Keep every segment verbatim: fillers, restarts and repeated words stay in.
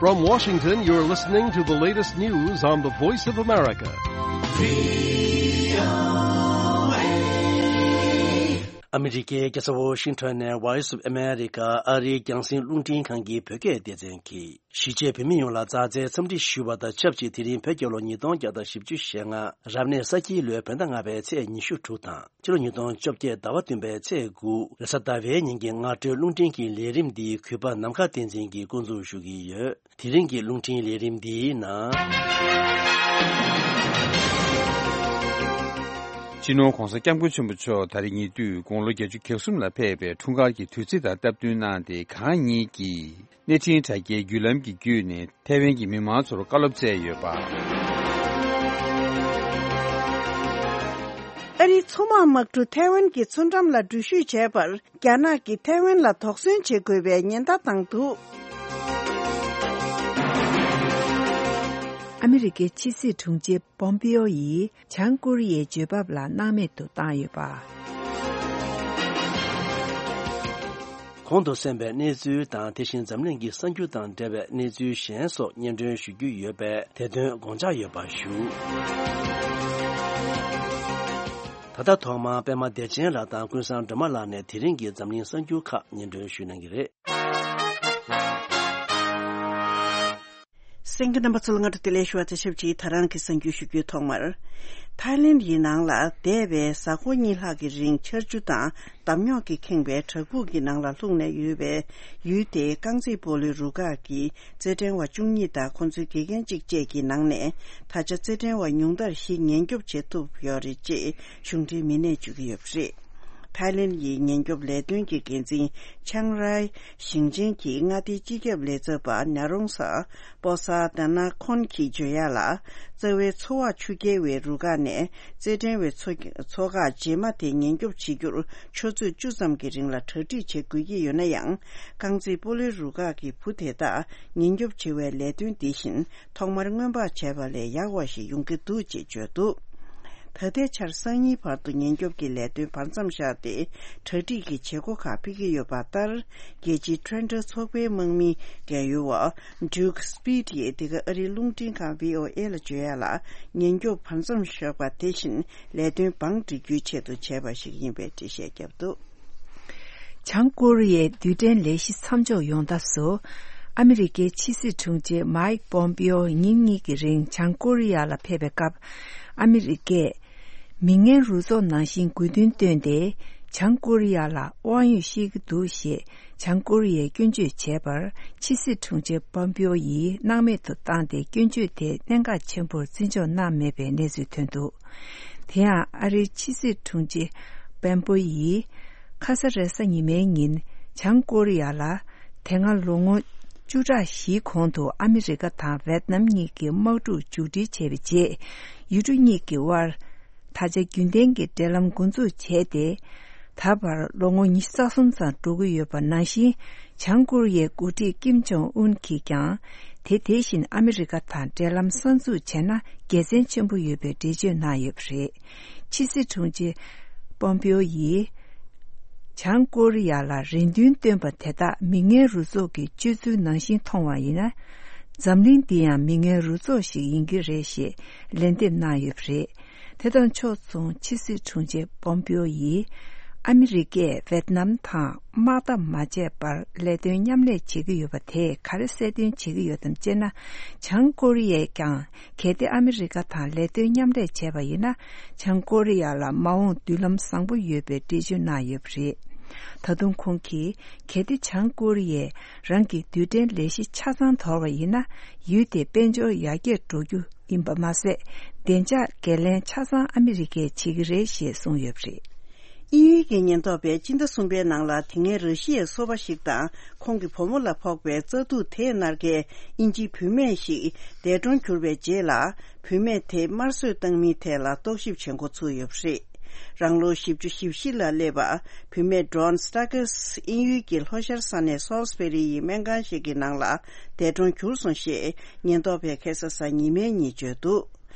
From Washington, you're listening to the latest news on the Voice of America. ཨ་མི་རི་ཀའི་རྒྱལ་ས་ཝོ་ཤིང་ཊོན་ནས་Voice of America ཨ་རིའི་རྒྱང་སྲིང་རླུང་འཕྲིན་ཁང་གི་བོད་སྐད་སྡེ་ཚན་གྱིས། གཞིས་བྱེས་བོད་མི་ཡོངས་ལ་མཛའ་བརྩེའི་འཚམས་འདྲི་ཞུ་བ་དང་ཆབས་ཅིག་དེ་རིང་བོད་རྒྱལ་ལོ་ཉིས་སྟོང་བརྒྱ་དང་བཞི་བཅུ་ཞེ་ལྔ། རབ་གནས་ས་ཁྱིའི་ལོའི་བོད་ཟླ་ལྔ་པའི་ཚེས་ཉི་ཤུ་དྲུག་དང་། ཕྱི་ལོ་ཉིས་སྟོང་བཅོ་བརྒྱད་ཟླ་བ་བདུན་པའི་ཚེས་དགུ། རེས་གཟའ་ཟླ་བའི་ཉིན་གྱི་སྔ་དྲོའི་རླུང་འཕྲིན་གྱི་ལས་རིམ་འདི་གུས་པ་ནམ་མཁའ་བསྟན་འཛིན་གྱིས་འགོ་འཛུགས་ཞུ་གི་ཡོད། དེ་རིང་གི་རླུང་འཕྲིན་ལས་རིམ་འདིའི་ནང་། སྤྱི་ནོར་༧གོང་ས་༧སྐྱབས་མགོན་ཆེན་པོ་མཆོག་ད་རེས་ཉེ་དུས་དགུང་ལོ་བརྒྱད་ཅུ་གྱ་གསུམ་ལ་ཕེབས་པའི་འཁྲུངས་སྐར་གྱི་དུས་ཚིགས་དང་སྟབས་བསྟུན་གནང་སྟེ། གང་ཉིད་ཀྱིས་གནས་འཕྲིན་དྲ་རྒྱའི་བརྒྱུད་ལམ་གྱི་བརྒྱུད་ནས་ཐའེ་ཝན་གྱི་མི་མང་ཚོར་བཀའ་སློབ་སྩལ་ཡོད་པ། ཨ་རིའི་མཚོ་དམག་དམག་གྲུ་ཐའེ་ཝན་གྱི་མཚོ་འགྲམ་ལ་འགྲུལ་བཞུད་བྱས་པར། རྒྱ་ནག་གིས་ཐའེ་ཝན་ལ་དོགས་ཟོན་བྱེད་དགོས་པའི་ཉེན་བརྡ་བཏང་འདུག་ཨ་མི་རི་ཀའི་ཕྱི་སྲིད་དྲུང་ཆེ་པོམ་པེའོ་ཡིས་བྱང་ཀོ་རི་ཡའི་བརྗོད་བབ་ལ་སྣང་མེད་དུ་བཏང་ཡོད་པ། གོང་དུ་གསན་པའི་གནས་ཚུལ་དང་། དེ་བཞིན་འཛམ་གླིང་གི་གསར་འགྱུར་དང་འབྲེལ་བའི་གནས་ཚུལ་གཞན་སོགས་སྙན་སྒྲོན་ཞུ་རྒྱུ་ཡོད་པས། དེ་དོན་དགོངས་འཇགས་ཡོད་པ་ཞུ། ད་ལྟ་ཐོག་མར་པད་མ་བདེ་ཆེན་ལགས་དང་ཀུན་བཟང་སྒྲོལ་མ་ལགས་ནས་དེ་རིང་གི་འཛམ་གླིང་གསར་འགྱུར་ཁག་སྙན་སྒྲོན་ཞུ་གནང་གི་རེད། གསན་མཁན་རྣམ་པ་ཚོ་ལ་སྔ་དྲོ་བདེ་ལེགས་ཞུ་བ་དང་ཆབས་ཅིག་ད་རང་གི་གསར་འགྱུར་ཞུ་རྒྱུའི་ཐོག་མར། ཐའི་ལེན་ཡི་ནང་ལ་འདས་པའི་གཟའ་འཁོར་གཉིས་ལྷག་གི་རིང་ཆར་ཆུ་དང་འདམ་རྙོག་གིས་ཁེངས་པའི་བྲག་ཕུག་གི་ནང་ལ་ལྷུང་ནས་ཡོད་པའི་ཡུལ་དེའི་རྐང་རྩེད་སྤོ་ལོའི་རུ་ཁག་གི་རྩེད་འགྲན་བ་བཅུ་གཉིས་དང་ཁོང་ཚོའི་དགེ་རྒན་གཅིག་བཅས་ཀྱི་ནང་ནས། ད་ཆ་རྩེད་འགྲན་བ་ཉུང་མཐར་བཞི་ཉེན་སྐྱོབ་བྱེད་ཐུབ་ཡོད་རེད་ཅེས་གཞུང་འབྲེལ་མི་སྣས་བརྗོད་ཀྱི་ཡོད་པ་རེད། ཐའི་ལེན་ཡི་ཉེན་སྐྱོབ་ལས་དོན་གྱི་འགན་འཛིན་ཆང་རའི་ཞིང་ཆེན་གྱི་མངའ་སྡེའི་སྤྱི་ཁྱབ་ལས་ཚབ་པ་ཉ་རོང་ས་པོ་ས་དེ་ན་ཁོན་གྱིས་བརྗོད་ཡག་ལ། རྩ་བའི་མཚོ་འོག་ཆུ་རྐྱལ་བའི་རུ་ཁག་ནས་རྩེད་འགྲན་བའི་མཚོ་མཚོ་ཁག་རྗེས་མ་དེ་ཉེན་སྐྱོབ་བྱེད་རྒྱུར་ཆུ་ཚོད་བཅུ་ཙམ་གྱི་རིང་ལ་གྲ་སྒྲིག་བྱེད་དགོས་ཀྱི་ཡོད་ན་ཡང་། རྐང་རྩེད་སྤོ་ལོའི་རུ་ཁག་གི་བུ་དེ་དག་ཉེན་སྐྱོབ་བྱེད་པའི་ལས་དོན་འདི་བཞིན་ཐོག་མར་སྔོན་དཔག་བྱས་པ་ལས་ཡག་པ་ཞིག་ཡོང་གི་འདུག་ཅེས་བརྗོད་འདུག་ད་ལྟའི་ཆར་སང་ཉིན་བར་དུ་ཉེན་སྐྱོབ་ཀྱི་ལས་དོན་བར་མཚམས་བཞག་སྟེ། གྲ་སྒྲིག་གི་བྱེད་སྒོ་ཁག་སྤེལ་གྱི་ཡོད་པ་ལྟར། རྒྱལ་སྤྱིའི་ཁྲོན་ཁྲ་ཚོགས་པའི་དམག་མིའི་རྒན་ཡོལ་བ་Duke Speed ཡིས་འདི་ག་ཨ་རིའི་རླུང་འཕྲིན་ཁང་བྷི་ཨོ་ཨེ་ལ་བརྗོད་ཡག་ལ། ཉེན་སྐྱོབ་བར་མཚམས་བཞག་པ་དེ་བཞིན་ལས་དོན་བང་སྒྲིག་རྒྱུའི་ཆེད་དུ་བྱས་པ་ཞིག་ཡིན་པའི་འགྲེལ་བཤད་བརྒྱབ་འདུག་བྱང་ཀོ་རི་ཡའི་རྡུལ་ཕྲན་ལས་གཞི་མཚམས་འཇོག་ཡོང་ཐབས་སུ། ཨ་མི་རི་ཀའི་ཕྱི་སྲིད་དྲུང་ཆེ་མའིག་པོམ་པེའོ་ཉིན་གཉིས་ཀྱི་རིང་བྱང་ཀོ་རི་ཡ་ལ་ཕེབས་པའི་སྐབས། ཨ་མི་རི་ཀས་མི་ངན་རུ་ཚོགས་ནང་བཞིན་དགོས་འདུན་བཏོན་ཏེ། བྱང་ཀོ་རི་ཡ་ལ་དབང་ཡོད་བཤད་ཀྱི་འདུག་ཞེས་བྱང་ཀོ་རི་ཡས་སྐྱོན་བརྗོད་བྱས་པར། ཕྱི་སྲིད་དྲུང་ཆེ་པོམ་པེའོ་ཡིས་སྣང་མེད་དུ་བཏང་སྟེ། སྐྱོན་བརྗོད་དེ་གནད་འགག་ཆེན་པོར་བརྩི་འཇོག་གནང་མེད་པའི་གནས་ཚུལ་ཐོན་འདུག་དེ་ཡང་ཨ་རིའི་ཕྱི་སྲིད་དྲུང་ཆེ་པོམ་པེའོ་ཡིས། ཁ་ས་རེས་གཟའ་ཉི་མའི་ཉིན་བྱང་ཀོ་རི་ཡ་ལ། དེ་སྔ་ལོ་ངོ་བཅུ་ཕྲག་བཞིའི་གོང་དུ་ཨ་མི་རི་ཀ་དང་ཝེད་ནམ་གཉིས་ཀྱི་དམག་འཁྲུག་མཇུག་སྒྲིལ་བྱས་པའི་རྗེས། ཡུལ་གྲུ་གཉིས་ཀྱི་དབར་ད་ཆ་རྒྱུན་ལྡན་གྱི་འབྲེལ་ལམ་འགོ་འཛུགས་བྱས་ཏེ། ད་བར་ལོ་ངོ་ཉི་ཤུ་རྩ་གསུམ་ཙམ་འགྲོ་གི་ཡོད་པ་ནང་བཞིན། བྱང་ཀོ་རི་ཡའི་འགོ་ཁྲིད་ཀིམ་ཇོང་ཨུན་གྱིས་ཀྱང་། དེ་དེ་བཞིན་ཨ་མི་རི་ཀ་དང་འབྲེལ་ལམ་གསར་འཛུགས་བྱས་ན་དགེ་མཚན་ཆེན་པོ་ཡོད་པའི་འགྲེལ་བརྗོད་གནང་ཡོད་པ་རེད། ཕྱི་སྲིད་དྲུང་ཆེ་པོམ་པེའོ་ཡིས། བྱང་ཀོ་རི་ཡ་ལ་རེ་འདུན་བཏོན་པ་དེ་དག་མི་ངན་རུ་ཚོགས་ཀྱི་སྤྱོད་ཚུལ་ནང་བཞིན་མཐོང་བ་ཡིན་ན། འཛམ་གླིང་འདི་ཡང་མི་ངན་རུ་ཚོགས་ཤིག་ཡིན་གྱི་རེད་ཞེས་ལན་འདེབས་གནང་ཡོད་པ་རེད། དེ་དང་ཕྱོགས་མཚུངས་ཕྱི་སྲིད་དྲུང་ཆེ་པོམ་པེའོ་ཡིས། ཨ་མི་རི་ཀས་ཝེད་ནམ་དང་དམག་འཐབ་མ་བྱས་པར་ལས་དོན་མཉམ་ལས་བྱེད་ཀྱི་ཡོད་པ་དེས་ག་རེ་གསལ་སྟོན་བྱེད་ཀྱི་ཡོད་དམ་ཅེ་ན། བྱང་ཀོ་རི་ཡས་ཀྱང་། གལ་ཏེ་ཨ་མི་རི་ཀ་དང་ལས་དོན་མཉམ་ལས་བྱས་པ་ཡིན་ན། བྱང་ཀོ་རི་ཡ་ལ་མ་འོངས་མདུན་ལམ་བཟང་པོ་ཡོད་པའི་འགྲེལ་བརྗོད་གནང་ཡོད་པ་རེད། ད་དུང་ཁོང་གིས། གལ་ཏེ་བྱང་ཀོ་རི་ཡས་རང་གི་རྡུལ་ཕྲན་ལས་གཞི་ཆ་ཚང་དོར་བ་ཡིན་ན། ཡུལ་དེ་དཔལ་འབྱོར་ཡར་རྒྱས་འགྲོ་རྒྱུ་ཡིན་པ་མ་ཟད། བདེ་འཇགས་འགན་ལེན་ཆ་ཚང་ཨ་མི་རི་ཀས་བྱེད་ཀྱི་རེད་ཞེས་གསུངས་ཡོད་པ་རེད། དབྱིན་ཡུལ་གྱི་ཉེན་རྟོག་པས་སྤྱི་ཟླ་གསུམ་པའི་ནང་ལ་དེ་སྔའི་ར་ཤི་ཡའི་སོ་པ་ཞིག་དང་ཁོང་གི་བུ་མོ་ལ་ཕོག་པའི་བཙག་འཐུ་དེའི་གནད་འགག་དབྱིན་ཇིའི་བུད་མེད་ཞིག་འདས་གྲོངས་གྱུར་བའི་རྗེས་ལ། བུད་མེད་དེ་དམར་གསོད་བཏང་མིན་ཐད་ལ་རྟོག་ཞིབ་བྱེད་འགོ་ཚུགས་ཡོད་པ་རེད། རང་ལོ་བཞི་བཅུ་ཞེ་བཞི་ལ་སླེབས་པ་བུད་མེད་Dawn Stackers དབྱིན་ཡུལ་གྱི་ལྷོ་ཤར་ས་གནས་Salisbury ཡི་སྨན་ཁང་ཞིག་གི་ནང་ལ་འདས་གྲོངས་གྱུར་སོང་ཞེས་ཉེན་རྟོག་པས་ཁ་སང་གཟའ་ཉི་མའི་ཉིན་བརྗོད་འདུག་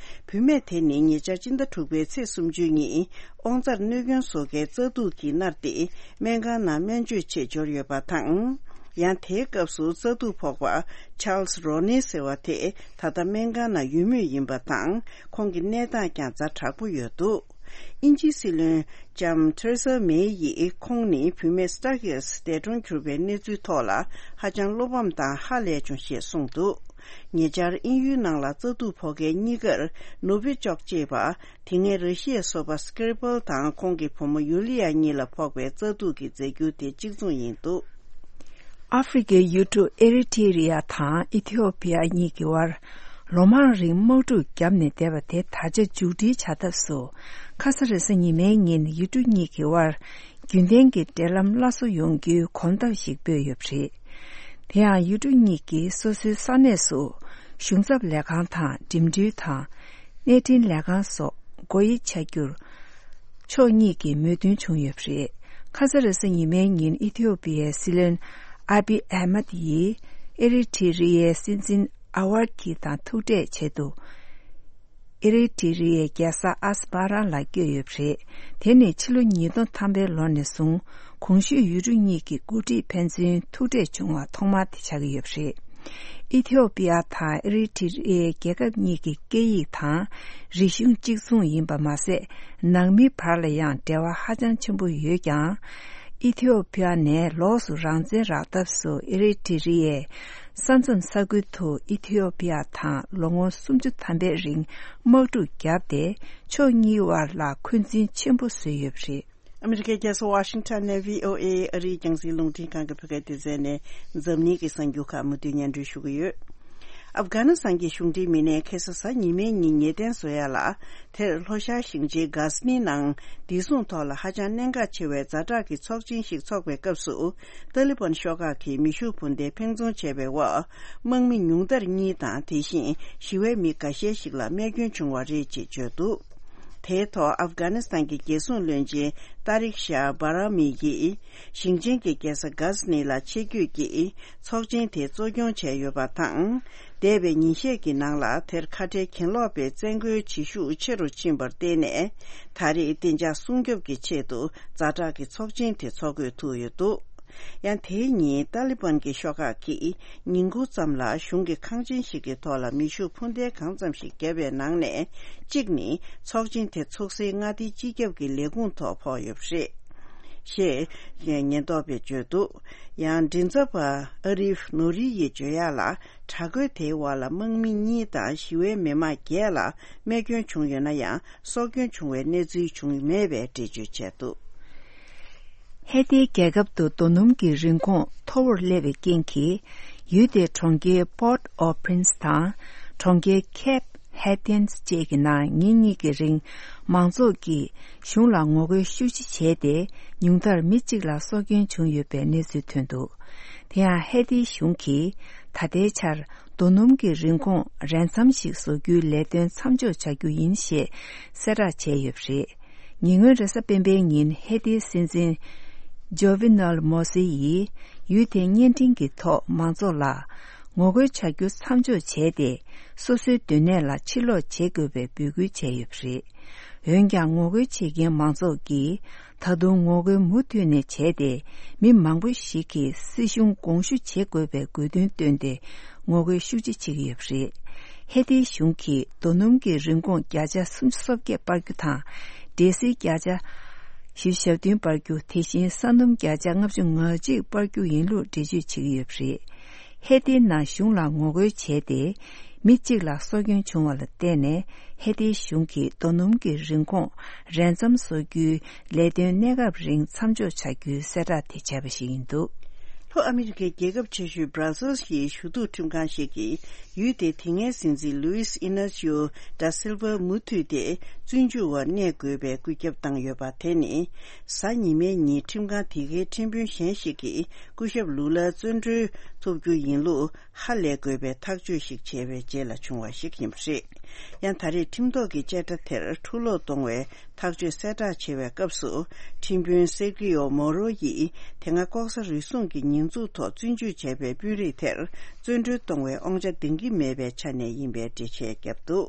བུད་མེད་དེ་ནི་ཉེ་ཆར་སྤྱི་ཟླ་དྲུག་པའི་ཚེས་སུམ་ཅུ་ཉིན་དབང་རྩར་གནོད་སྐྱོན་བཟོ་མཁན་བཙག་འཐུ་གིས་མནར་ཏེ་སྨན་ཁང་ནང་སྨན་བཅོས་ཆེད་འབྱོར་ཡོད་པ་དང་། ཡང་དེའི་སྐབས་སུ་རྩ་དུག་ཕོག་པ་Charles Roney ཟེར་བ་དེ་ད་ལྟ་སྨན་ཁང་ནང་ཡོད་མུས་ཡིན་པ་དང་། ཁོང་གི་གནས་སྟངས་ཀྱང་ཛ་དྲག་པོ་ཡོད་འདུག་དབྱིན་ཇིའི་སྲིད་བློན་ལྕམ་Theresa May ཡིས་ཁོང་ནི་བུད་མེད་Starkey འདས་གྲོངས་གྱུར་པའི་གནས་ཚུལ་ཐོག་ལ་ཧ་ཅང་བློ་ཕམ་དང་ཧ་ལས་བྱུང་ཞེས་གསུངས་འདུག་ཉེ་ཆར་དབྱིན་ཡུལ་ནང་ལ་རྩ་དུག་ཕོག་མཁན་གཉིས་ཀར་ནོ་བྷི་ཅོག་ཅེས་པ། དེ་སྔའི་ར་ཤི་ཡའི་སོ་པ་Skripal དང་ཁོང་གི་བུ་མོ་ཡུ་ལི་ཡ་གཉིས་ལ་ཕོག་པའི་རྩ་དུག་གི་རྫས་འགྱུར་དེ་གཅིག་མཚུངས་ཡིན་འདུག་ཨ་ཧྥེ་རི་ཁའི་ཡུལ་གྲུ་ཨེ་རི་ཐི་རི་ཡ་དང་ཨི་ཐི་ཡོ་པི་ཡ་གཉིས་ཀྱི་དབར་ལོ་མང་རིང་དམག་འཁྲུག་བརྒྱབ་ནས་བསྡད་པ་དེ་ད་ཆ་མཇུག་སྒྲིལ་བྱ་ཐབས་སུ། ཁ་ས་རེས་གཟའ་ཉི་མའི་ཉིན་ཡུལ་གྲུ་གཉིས་ཀྱི་དབར་རྒྱུན་ལྡན་གྱི་འབྲེལ་ལམ་སླར་གསོ་ཡོང་རྒྱུའི་གོམ་སྟབས་ཤིག་སྤོས་ཡོད་པ་རེད། དེ་ཡང་ཡུལ་གྲུ་གཉིས་ཀྱིས་སོ་སོའི་ས་གནས་སུ་གཞུང་ཚབ་ལས་ཁང་དང་འགྲིམ་འགྲུལ་དང་། གནས་འཕྲིན་ལས་ཁང་སོགས་སྒོ་དབྱེ་བྱ་རྒྱུར། ཕྱོགས་གཉིས་ཀྱིས་མོས་མཐུན་བྱུང་ཡོད་པ་རེད། ཁ་ས་རེས་གཟའ་ཉི་མའི་ཉིན་ཨི་ཐི་ཡོ་པི་ཡའི་སྲིད་བློན་ཨ་བི་ཨ་མད་ཡིས་ཨེ་རི་ཐི་རི་ཡའི་སྲིད་འཛིན་ཨ་ཝར་ཐི་དང་ཐུག་འཕྲད་ཆེད་དུ། ཨེ་རི་ཐི་རི་ཡའི་རྒྱལ་ས་ཨས་མ་ར་ལ་བསྐྱོད་ཡོད་པ་རེད། དེ་ནི་ཕྱི་ལོ་ཉིས་སྟོང་ཐམ་པའི་ལོ་ནས་བཟུང་གོང་ཞུས་ཡུལ་གྲུ་གཉིས་ཀྱི་འགོ་ཁྲིད་ཕན་ཚུན་ཐུག་འཕྲད་བྱུང་བ་ཐོག་མ་དེ་ཆགས་ཀྱི་ཡོད་པ་རེད། ཨི་ཐི་ཡོ་པི་ཡ་དང་ཨེ་རི་ཐི་རི་ཡའི་རྒྱལ་ཁབ་གཉིས་ཀྱི་སྐད་ཡིག་དང་རིག་གཞུང་གཅིག་མཚུངས་ཡིན་པ་མ་ཟད། ནང་མི་བར་ལ་ཡང་འབྲེལ་བ་ཧ་ཅང་ཆེན་པོ་ཡོད་ཀྱང་། ཨི་ཐི་ཡོ་པི་ཡ་ནས་ལོགས་སུ་རང་བཙན་རག་ཐབས་སུ་ཨེ་རི་ཐི་རི་ཡའི་ས་མཚམས་ས་ཁུལ་དུ་ཨི་ཐི་ཡོ་པི་ཡ་དང་ལོ་ངོ་སུམ་ཅུ་ཐམ་པའི་རིང་དམག་འཁྲུག་བརྒྱབ་སྟེ། ཕྱོགས་གཉིས་དབར་ལ་འཁོན་འཛིན་ཆེན་པོ་བཟོས་ཡོད་པ་རེད། ཨ་མི་རི་ཀའི་རྒྱལ་ས་ཝ་ཤིང་ཊོན་ནས་བྷི་ཨོ་ཨེ་ཨ་རིའི་རྒྱང་སྲིང་རླུང་འཕྲིན་ཁང་གི་བོད་སྐད་སྡེ་ཚན་ནས་འཛམ་གླིང་གི་གསར་འགྱུར་ཁག་མུ་མཐུད་སྙན་སྒྲོན་ཞུ་གི་ཡོད། ཨབ་གྷ་ནི་སི་ཐན་གྱི་གཞུང་འབྲེལ་མི་སྣས་ཁ་སང་གཟའ་ཉི་མའི་ཉིན་ཉེས་གཏན་བཟོ་ཡ་ལ། དེར་ལྷོ་ཤར་ཞིང་ཆེན་གྷ་ཟི་ནི་ནང་བདེ་སྲུང་ཐོག་ལ་ཧ་ཅང་གནད་འགག་ཆེ་བའི་ཛ་དྲག་གི་ཚོགས་ཆེན་ཞིག་འཚོགས་པའི་སྐབས་སུ། ཏཱ་ལི་བན་ཤོག་ཁག་གིས་མེ་ཤུགས་འཕུར་མདེལ་འཕེན་རྫོང་བྱས་པའི་འོག་དམག་མི་ཉུང་མཐར་གཉིས་དང་། དེ་བཞིན་ཞི་བའི་མི་འགའ་ཤས་ཤིག་ལ་རྨས་སྐྱོན་བྱུང་བ་རེད་ཅེས་བརྗོད་འདུག་དེའི་ཐོག་ཨབ་གྷ་ནི་སི་ཐན་གྱི་རྒྱལ་སྲུང་བློན་ཆེན་ཏཱ་རིག་ཤཱ་བྷ་ར་མི་ཡིས་ཞིང་ཆེན་གྱི་རྒྱལ་ས་གྷ་ཟི་ནི་ལ་ཆེད་བསྐྱོད་ཀྱིས་ཚོགས་ཆེན་དེ་གཙོ་སྐྱོང་བྱས་ཡོད་པ་དང་། འདས་པའི་ཉིན་ཤས་ཀྱི་ནང་ལ་དེར་ཁ་བྲལ་གྱེན་ལོག་པའི་བཙན་རྒོལ་བྱེད་ཤུགས་ཆེ་རུ་ཕྱིན་པར་བརྟེན་ནས། ད་རེས་བདེ་འཇགས་སྲུང་སྐྱོབ་ཀྱི་ཆེད་དུ་ཛ་དྲག་གི་ཚོགས་ཆེན་དེ་འཚོགས་དགོས་ཐུག་ཡོད་འདུག་ཡང་དེའི་ཉིན་ཏཱ་ལི་བན་གྱི་ཤོག་ཁག་གིས་ཉིན་གུང་ཙམ་ལ་གཞུང་གི་ཁང་ཆེན་ཞིག་གི་ཐོག་ལ་མེ་ཤུགས་འཕུར་མདེལ་གང་ཙམ་ཞིག་བརྒྱབ་པའི་ནང་ནས་གཅིག་ནི་ཚོགས་ཆེན་དེ་འཚོགས་སའི་མངའ་སྡེའི་སྤྱི་ཁྱབ་ཀྱི་ལས་ཁུངས་ཐོག་ཕོག་ཡོད་པ་རེད། ཞེས་ཉེན་རྟོག་པས་བརྗོད་འདུག་ཡང་མགྲིན་ཚབ་པ་ཨ་རིབ་ནོ་རི་ཡིས་བརྗོད་ཡག་ལ། དྲག་རྒོལ་དེའི་འོག་ལ་དམག་མི་གཉིས་དང་ཞི་བའི་མི་མང་བརྒྱད་ལ་རྨས་སྐྱོན་བྱུང་ཡོད་ན་ཡང་། སྲོག་སྐྱོན་བྱུང་བའི་གནས་ཚུལ་བྱུང་མེད་པའི་འགྲེལ་བརྗོད་བྱས་འདུག་ཧེ་ཏིའི་རྒྱལ་ཁབ་ཏུ་རྡོ་སྣུམ་གྱི་རིན་གོང་མཐོ་བོར་སླེབས་པའི་རྐྱེན་གྱིས། ཡུལ་དེའི་གྲོང་ཁྱེར་Port-au-Prince དང་གྲོང་ཁྱེར་Cap Haïtien བཅས་ཀྱི་ནང་ཉིན་གཉིས་ཀྱི་རིང་མང་ཚོགས་ཀྱིས་གཞུང་ལ་ངོ་རྒོལ་ཤུགས་ཆེ་བྱས་ཏེ། ཉུང་མཐར་མི་གཅིག་ལ་སྲོག་སྐྱོན་བྱུང་ཡོད་པའི་གནས་ཚུལ་ཐོན་འདུག་དེ་ཡང་ཧེ་ཏིའི་གཞུང་གིས་ད་ལྟའི་ཆར་རྡོ་སྣུམ་གྱི་རིན་གོང་རན་མཚམས་ཤིག་བཟོ་རྒྱུའི་ལས་དོན་མཚམས་འཇོག་བྱ་རྒྱུ་ཡིན་ཞེས་གསལ་བསྒྲགས་བྱས་ཡོད་པ་རེད། ཉེ་སྔོན་རེས་གཟའ་སྤེན་པའི་ཉིན་ཧེ་ཏིའི་སྲིད་འཛིན་Jovenel Moïse ཡིས་ཡུལ་དེའི་བརྙན་འཕྲིན་གྱི་ཐོག་མང་ཚོགས་ལ་ངོ་རྒོལ་བྱ་རྒྱུ་མཚམས་འཇོག་བྱས་ཏེ། སོ་སོའི་སྡོད་གནས་ལ་ཕྱིར་ལོག་བྱེད་དགོས་པའི་འབོད་སྐུལ་བྱས་ཡོད་པ་རེད། འོན་ཀྱང་ངོ་རྒོལ་བྱེད་མཁན་མང་ཚོགས་ཀྱིས་ད་དུང་ངོ་རྒོལ་མུ་མཐུད་ནས་བྱས་ཏེ། མི་མང་པོ་ཞིག་གིས་སྲིད་གཞུང་དགོངས་ཞུ་བྱེད་དགོས་པའི་དགོས་འདུན་བཏོན་ཏེ་ངོ་རྒོལ་ཤུགས་ཆེ་བྱེད་ཀྱི་ཡོད་པ་རེད། ཧེ་ཏིའི་གཞུང་གིས་རྡོ་སྣུམ་གྱི་རིན་གོང་བརྒྱ་ཆ་སུམ་ཅུ་སོ་བརྒྱད་སྤར་རྒྱུ་དང་། འབྲས་སིལ་བརྒྱ་ཆ་བཞི་བཅུ་ཞེ་བདུན་སྤར་རྒྱུ། དེ་བཞིན་ས་སྣུམ་བརྒྱ་ཆ་ལྔ་བཅུ་ང་གཅིག་སྤར་རྒྱུ་ཡིན་ལུགས་འགྲེལ་བརྗོད་བྱེད་ཀྱི་ཡོད་པ་རེད། ཧེ་ཏིའི་ནང་གཞུང་ལ་ངོ་རྒོལ་བྱས་ཏེ། མི་གཅིག་ལ་སྲོག་སྐྱོན་བྱུང་བ་ལ་བརྟེན་ནས། ཧེ་ཏིའི་གཞུང་གིས་རྡོ་སྣུམ་གྱི་རིན་གོང་རན་མཚམས་བཟོ་རྒྱུའི་ལས་དོན་གནས་སྐབས་རིང་མཚམས་འཇོག་བྱ་རྒྱུའི་གསལ་བསྒྲགས་དེ་བྱས་པ་ཞིག་ཡིན་འདུག་ལྷོ་ཨ་མི་རི་ཀའི་རྒྱལ་ཁབ་ཆེ་ཤོས་Brussels ཡི་ཞུ་གཏུག་ཁྲིམས་ཁང་ཞིག་གིས། ཡུལ་དེའི་དེ་སྔའི་སྲིད་འཛིན་Luis Inacio da Silva མུ་མཐུད་དེ་བཙོན་འཇུག་འོག་གནས་དགོས་པའི་བཀོད་ཁྱབ་བཏང་ཡོད་པ་དེ་ནི། གཟའ་ཉི་མའི་ཉིན་ཁྲིམས་ཁང་དེ་གའི་ཁྲིམས་དཔོན་གཞན་ཞིག་གིས་སྐུ་ཞབས་ལུ་ལ་བཙོན་གྲོལ་ཐོབ་རྒྱུ་ཡིན་ལུགས་ཧ་ལས་དགོས་པའི་ཐག་གཅོད་ཞིག་བྱས་པའི་རྗེས་ལ་བྱུང་བ་ཞིག་ཡིན་པ་རེད། ཡང་ད་རེས་ཁྲིམས་ཐོག་གི་བཅད་ཁྲ་དེར་འཁྲུ་སློག་གཏོང་བའི་ཐག་གཅོད་གསལ་བསྒྲགས་བྱེད་པའི་སྐབས་སུ། ཁྲིམས་དཔོན་Sergio Moro ཡིས་དེ་སྔ་ལྐོག་ཟ་རུལ་སུངས་ཀྱི་ཉེས་འཛུགས་ཐོག་བཙོན་འཇུག་བྱས་པའི་དཔོན་རིགས་དེར་བཙོན་གྲོལ་གཏོང་བའི་དབང་ཆ་འདང་གི་མེད་པའི་ཆ་ནས་ཡིན་པའི་འགྲེལ་བཤད་བརྒྱབ་འདུག་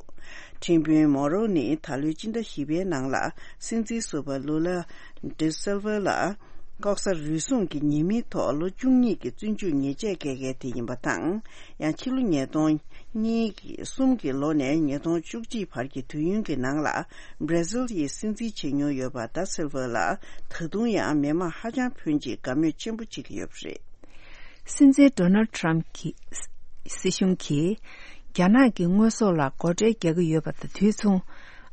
ཁྲིམས་དཔོན་Moro ནི་ད་ལོའི་སྤྱི་ཟླ་བཞི་པའི་ནང་ལ་སྲིད་འཛིན་ཟུར་པ་Lula da Silva ལ། ལྐོག་ཟ་རུལ་སུངས་ཀྱི་ཉེས་མིང་ཐོག་ལོ་བཅུ་གཉིས་ཀྱི་བཙོན་འཇུག་ཉེས་ཆད་བཀལ་མཁན་དེ་ཡིན་པ་དང་། ཡང་ཕྱི་ལོ་ཉིས་སྟོང་གཉིས་ཀྱི་གསུམ་གྱི་ལོ་ནས་ཉིས་སྟོང་བཅུ་གཅིག་བར་གྱི་དུས་ཡུན་གྱི་ནང་ལ། བྷར་ཛིལ་ཡི་སྲིད་འཛིན་བྱེད་མྱོང་ཡོད་པ་ད་སིལ་ཝ་ལ། ད་དུང་ཡང་མི་མང་ཧ་ཅང་ཕོན་ཆེས་དགའ་མོས་ཆེན་པོ་བྱེད་ཀྱི་ཡོད་པ་རེད། སྲིད་འཛིན་ཌོ་ནལ་ཌི་ཊརམ་གྱིས། སྲིད་གཞུང་གིས། རྒྱ་ནག་གི་དངོས་ཟོག་ལ་སྒོ་ཁྲལ་རྒྱག་གི་ཡོད་པ་དང་དུས་མཚུངས།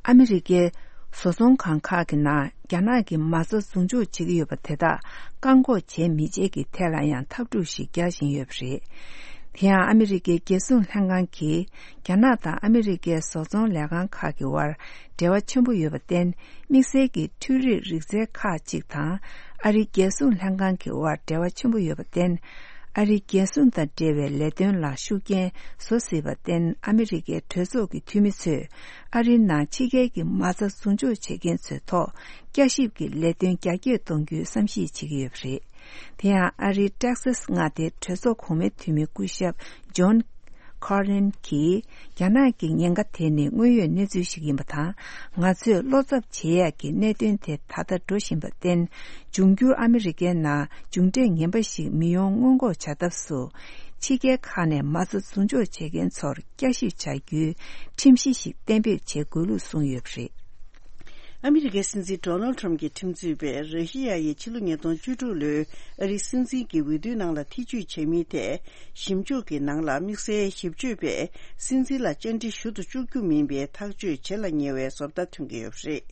ཨ་མི་རི་ཀའི་བཟོ་ཚོང་ཁང་ཁག་གི་ནང་རྒྱ་ནག་གི་མ་རྩ་བཟུང་འཇོག་བྱེད་ཀྱི་ཡོད་པ་དེ་དག་བཀག་འགོག་བྱེད་མི་བྱེད་ཀྱི་ཐད་ལ་ཡང་འཐབ་འཁྲུག་ཞིག་རྒྱག་བཞིན་ཡོད་པ་རེད། དེ་ཡང་ཨ་མི་རི་ཀའི་རྒྱལ་སྲུང་ལྷན་ཁང་གིས་རྒྱ་ནག་དང་ཨ་མི་རི་ཀའི་བཟོ་ཚོང་ལས་ཁང་ཁག་གི་དབར་འབྲེལ་བ་ཆེན་པོ་ཡོད་པར་བརྟེན། དམིགས་བསལ་གྱི་འཕྲུལ་རིག་རིག་རྩལ་ཁག་ཅིག་དང་ཨ་རིའི་རྒྱལ་སྲུང་ལྷན་ཁང་གི་དབར་འབྲེལ་བ་ཆེན་པོ་ཡོད་པར་བརྟེན། ཨ་རིའི་རྒྱལ་སྲུང་དང་འབྲེལ་བའི་ལས་དོན་ལ་ཤུགས་རྐྱེན་བཟོ་སྲིད་པར་བརྟེན། ཨ་མི་རི་ཀའི་གྲོས་ཚོགས་ཀྱི་འཐུས་མི་ཚོས་ཨ་རིའི་ནང་ཕྱི་རྒྱལ་གྱི་མ་རྩ་བཟུང་འཇོག་བྱེད་མཁན་ཚོའི་ཐོག་བསྐྱར་ཞིབ་ཀྱི་ལས་དོན་རྒྱ་སྐྱེད་གཏོང་རྒྱུའི་བསམ་གཞིག་བྱེད་ཀྱི་ཡོད་པ་རེད། དེ་ཡང་ཨ་རིའི་ཊེག་སཱས་མངའ་སྡེའི་གྲོས་ཚོགས་གོང་མའི་འཐུས་མི་སྐུ་ཞབས་ཇོན་ཁར་ལིན་གྱིས། རྒྱ་ནག་གི་ཉེན་ཁ་དེ་ནི་དངོས་ཡོད་གནས་ཚུལ་ཞིག་ཡིན་པ་དང་། ང་ཚོས་བློ་འཚབ་བྱེད་ཡག་གི་གནད་དོན་དེ་ད་ལྟ་འགྲོ་བཞིན་པར་བརྟེན། འབྱུང་འགྱུར་ཨ་མི་རི་ཀའི་ནང་མཇུག་འབྲས་ངན་པ་ཞིག་མི་ཡོང་སྔོན་འགོག་བྱ་ཐབས་སུ། ཕྱི་རྒྱལ་ཁག་ནས་མ་རྩ་བཟུང་འཇོག་བྱེད་མཁན་ཚོར་བསྐྱར་ཞིབ་བྱ་རྒྱུའི་ཁྲིམས་གཞི་ཞིག་གཏན་འབེབས་བྱེད་དགོས་ལུགས་གསུངས་ཡོད་པ་རེད། ཨ་མི་རི་ཀའི་སྲིད་འཛིན་ཌོ་ནལ་ཌི་ཊརམ་གྱི་ཁྲིམས་རྩོད་པས་ར་ཤི་ཡ་ཡིས་ཕྱི་ལོ་ཉིས་སྟོང་བཅུ་དྲུག་ལོའི་ཨ་རིའི་སྲིད་འཛིན་གྱི་འོས་བསྡུའི་ནང་ལ་ཐེ་བྱུས་བྱས་མིན་ཐད་ཞིབ་འཇུག་གི་ནང་ལ། དམིགས་བསལ་ཞིབ་དཔྱོད་པས་སྲིད་འཛིན་ལ་བཅར་འདྲི་ཞུ་དང་ཞུ་རྒྱུ་མིན་པའི་ཐག་གཅོད་བྱེད་ལ་ཉེ་བའི་བཟོ་ལྟ་ཐོན་གྱི་ཡོད་པ་རེད།